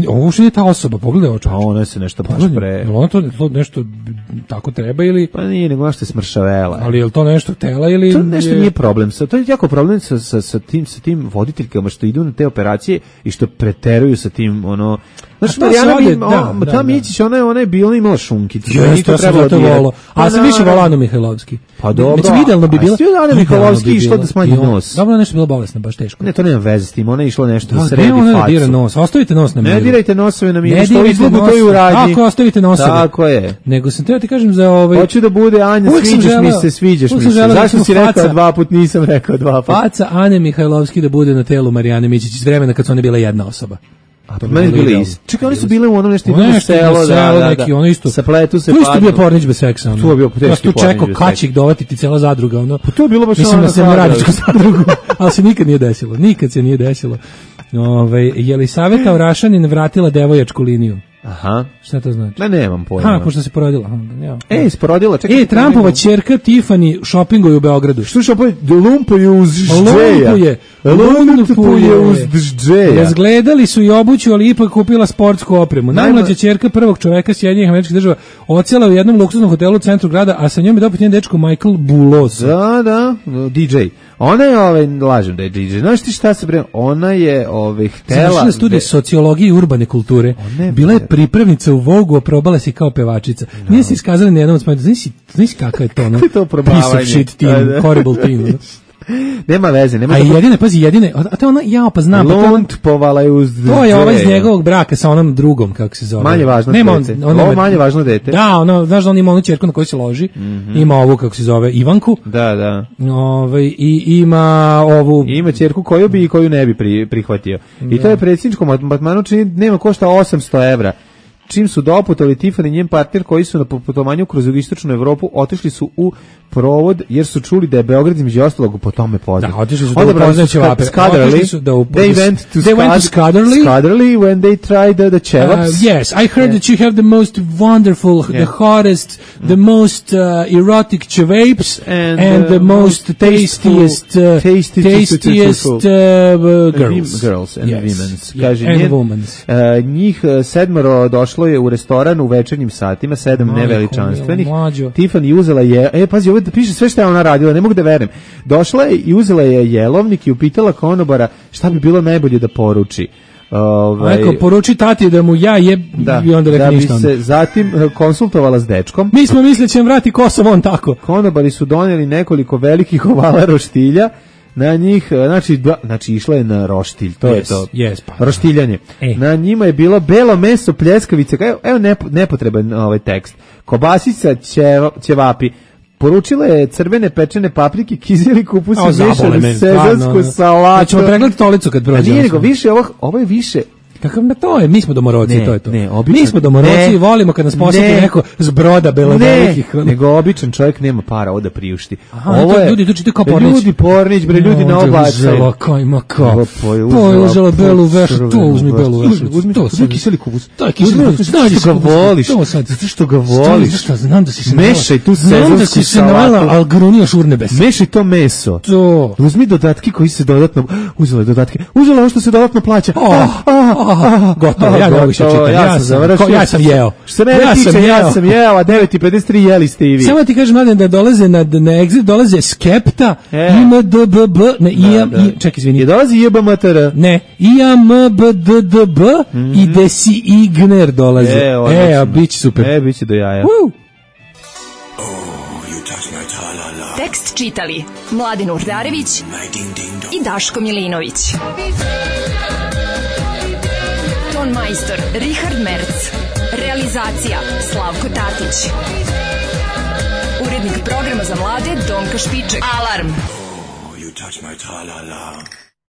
S7: Ovo što je ta osoba, pogledaj ovo čovječ.
S6: A ona se nešto baš pre...
S7: Ona to nešto tako treba ili...
S6: Pa nije, nego što je smršavela.
S7: Ali je li to nešto tela ili...
S6: To nešto nije problem. To je jako problem sa tim voditeljkama što idu na te operacije i što preteruju sa tim, ono... Znaš, Marijana Mićić, ona je bila imala šunkicu.
S7: To trebalo da volo. A sam više volao Anu Mihajlovski.
S6: Pa dobro.
S7: Idealno bi bila...
S6: A Anu Mihajlovski išla da smanji nos.
S7: Dobro, nešto bila bolesna, baš teško.
S6: Ne, to nema veze s tim, ona je išla nešto da sredi facu.
S7: Ne, dira nos, ostavite nos na miru.
S6: Ne dirajte nosove na miru, što izlogu to i uradnji.
S7: Ako ostavite nosove.
S6: Tako je.
S7: Nego sam teo ti kažem za
S6: Hoću da bude Anja, sviđaš mi se. Zašto si rekao 2 puta, nisam rekao 2 puta.
S7: Faca Ane Mihajlovski da bude na telu Marijane Mićić iz vremena kad su one bile jedna osoba.
S6: A to meni bili isti. Čekaj, oni su bile u onom nešto selo,
S7: neki, ono isto.
S6: Sapletu se
S7: padnu. To isto bio pornić bez seksa.
S6: To je bio teški pornić.
S7: Tu čekao kačik dovati ti cela zadruga. Ono.
S6: Pa to je bilo baš
S7: mislim na Semoradičku zadrugu, ali se nikad nije desilo. Jelisaveta Orašanin vratila devojačku liniju.
S6: Aha.
S7: Šta to znači?
S6: Da nemam pojma.
S7: Pošto se porodila.
S6: Sporodila. Čekaj.
S7: Trumpova ćerka Tiffany shoppinguje u Beogradu.
S6: Što lumpuje uz džeja? Lumpuje uz džeja.
S7: Razgledali su i obuću, ali ipak kupila sportsku opremu. Najmlađa ćerka prvog čoveka Sjedinjenih Američkih Država odsela u jednom luksuznom hotelu u centru grada, a sa njom je dopet njen dečko Michael Bulos.
S6: Da, DJ. Ona je, lažem da je DJ. Znaš ti šta se pre... Ona je htela...
S7: Završila studij sociologije i urbane kulture. Bila je pripravnica u Vogu, a probala se kao pevačica. Nije se iskazala ni jednom od spomenu. Znaš kakav je to, no? Piece of shit team, horrible team.
S6: Nema veze, nema.
S7: A jedine, a to ona pa znam,
S6: povala je uz džeja.
S7: To je ovaj iz njegovog braka sa onom drugom, kako se zove.
S6: Manje važno dete. Ovo manje važno dete.
S7: Da, znaš da on ima onu ćerku na koju se loži, ima ovu, kako se zove, Ivanku.
S6: Da.
S7: I ima ovu...
S6: Ima ćerku koju bi i koju ne bi prihvatio. I to je predsjedničko matmanu čini, nema košta 800 evra. Čim su doputali Tiffany i njen partner koji su na putovanju kroz jugoistočnu Evropu otišli su u provod jer su čuli da je Beograd između ostalog po tome poznat.
S7: Da, otišli su da upoznaju ćevape.
S6: They went to Skadarli when they tried the ćevaps.
S7: Yes, I heard that you have the most wonderful, the hottest, the most erotic ćevapes and the most tastiest
S6: girls and women's. Kaže, njih 7 došlo je u restoran u večernjim satima, 7 neveličanstvenih. Tiffany uzela je, pazi, ovo piše sve što je ona radila, ne mogu da verujem. Došla je i uzela je jelovnik i upitala konobara šta bi bilo najbolje da poruči.
S7: Rekao, poruči tati da mu ja i onda rekao ništa.
S6: Da bi se zatim konsultovala s dečkom.
S7: Mi smo mislili će vrati Kosovo on tako.
S6: Konobari su donijeli nekoliko velikih ovala roštilja. Na njih, znači išla je na roštilj, to je to. Roštiljanje. Na njima je bilo belo meso, pljeskavice, evo nepotreban tekst. Kobasica, ćevapi. Poručila je crvene pečene paprike, kizili kupus i mešanu sezansku salatu.
S7: Ćemo pregledati stolicu kad prođemo.
S6: Nije nego više, ovo je više
S7: Kakav na to je, mi smo domoroci,
S6: Ne,
S7: to je to.
S6: ne, obično-
S7: Mi smo domoroci
S6: ne,
S7: i volimo kad nas posjeti
S6: ne,
S7: neko s broda belovelikih.
S6: nego običan čovjek nema para ovo da priušti.
S7: Aha, to ljudi to čitaju kao Pornić.
S6: Ljudi Pornić, bre, ljudi na oblačaju.
S7: Uzela kajma kao. Uzela belu vešu, to uzmi belu vešu.
S6: Uzmi
S7: to
S6: uzmi kiseli kupus.
S7: To je kiseli kupus.
S6: Zato što ga voliš.
S7: To sad.
S6: Zato što ga voliš.
S7: Zašto znam da si se
S6: Mešaj tu
S7: Znam da
S6: sezonsku
S7: si se navela,
S6: salatu.
S7: al grunio šurnebes.
S6: Mešaj to meso.
S7: To.
S6: Uzmi dodatke koji se dodatno... Uzela je dodatke. Uzela ovo što se dodatno plaća.
S7: Gotovo, ja ne mogu više čitati. Ja sam jeo.
S6: Što se mene tiče, ja sam jeo, a 9:53 jeli ste i vi.
S7: Samo ti kažem, mladen, da dolaze na exit, dolaze Skepta, IMDBB, čekaj, izvini.
S6: Je dolazi JBMTR.
S7: Ne, IMBDDB i Desi Igner dolaze. A bit će super.
S6: Bit će do jaja.
S4: Tekst čitali Mladen Urdarević i Daško Milinović. Ton majstor Richard Merc. Realizacija Slavko Tatić. Urednik programa za mlade Donka Špiček. Alarm!
S1: You touch my tra-la-la.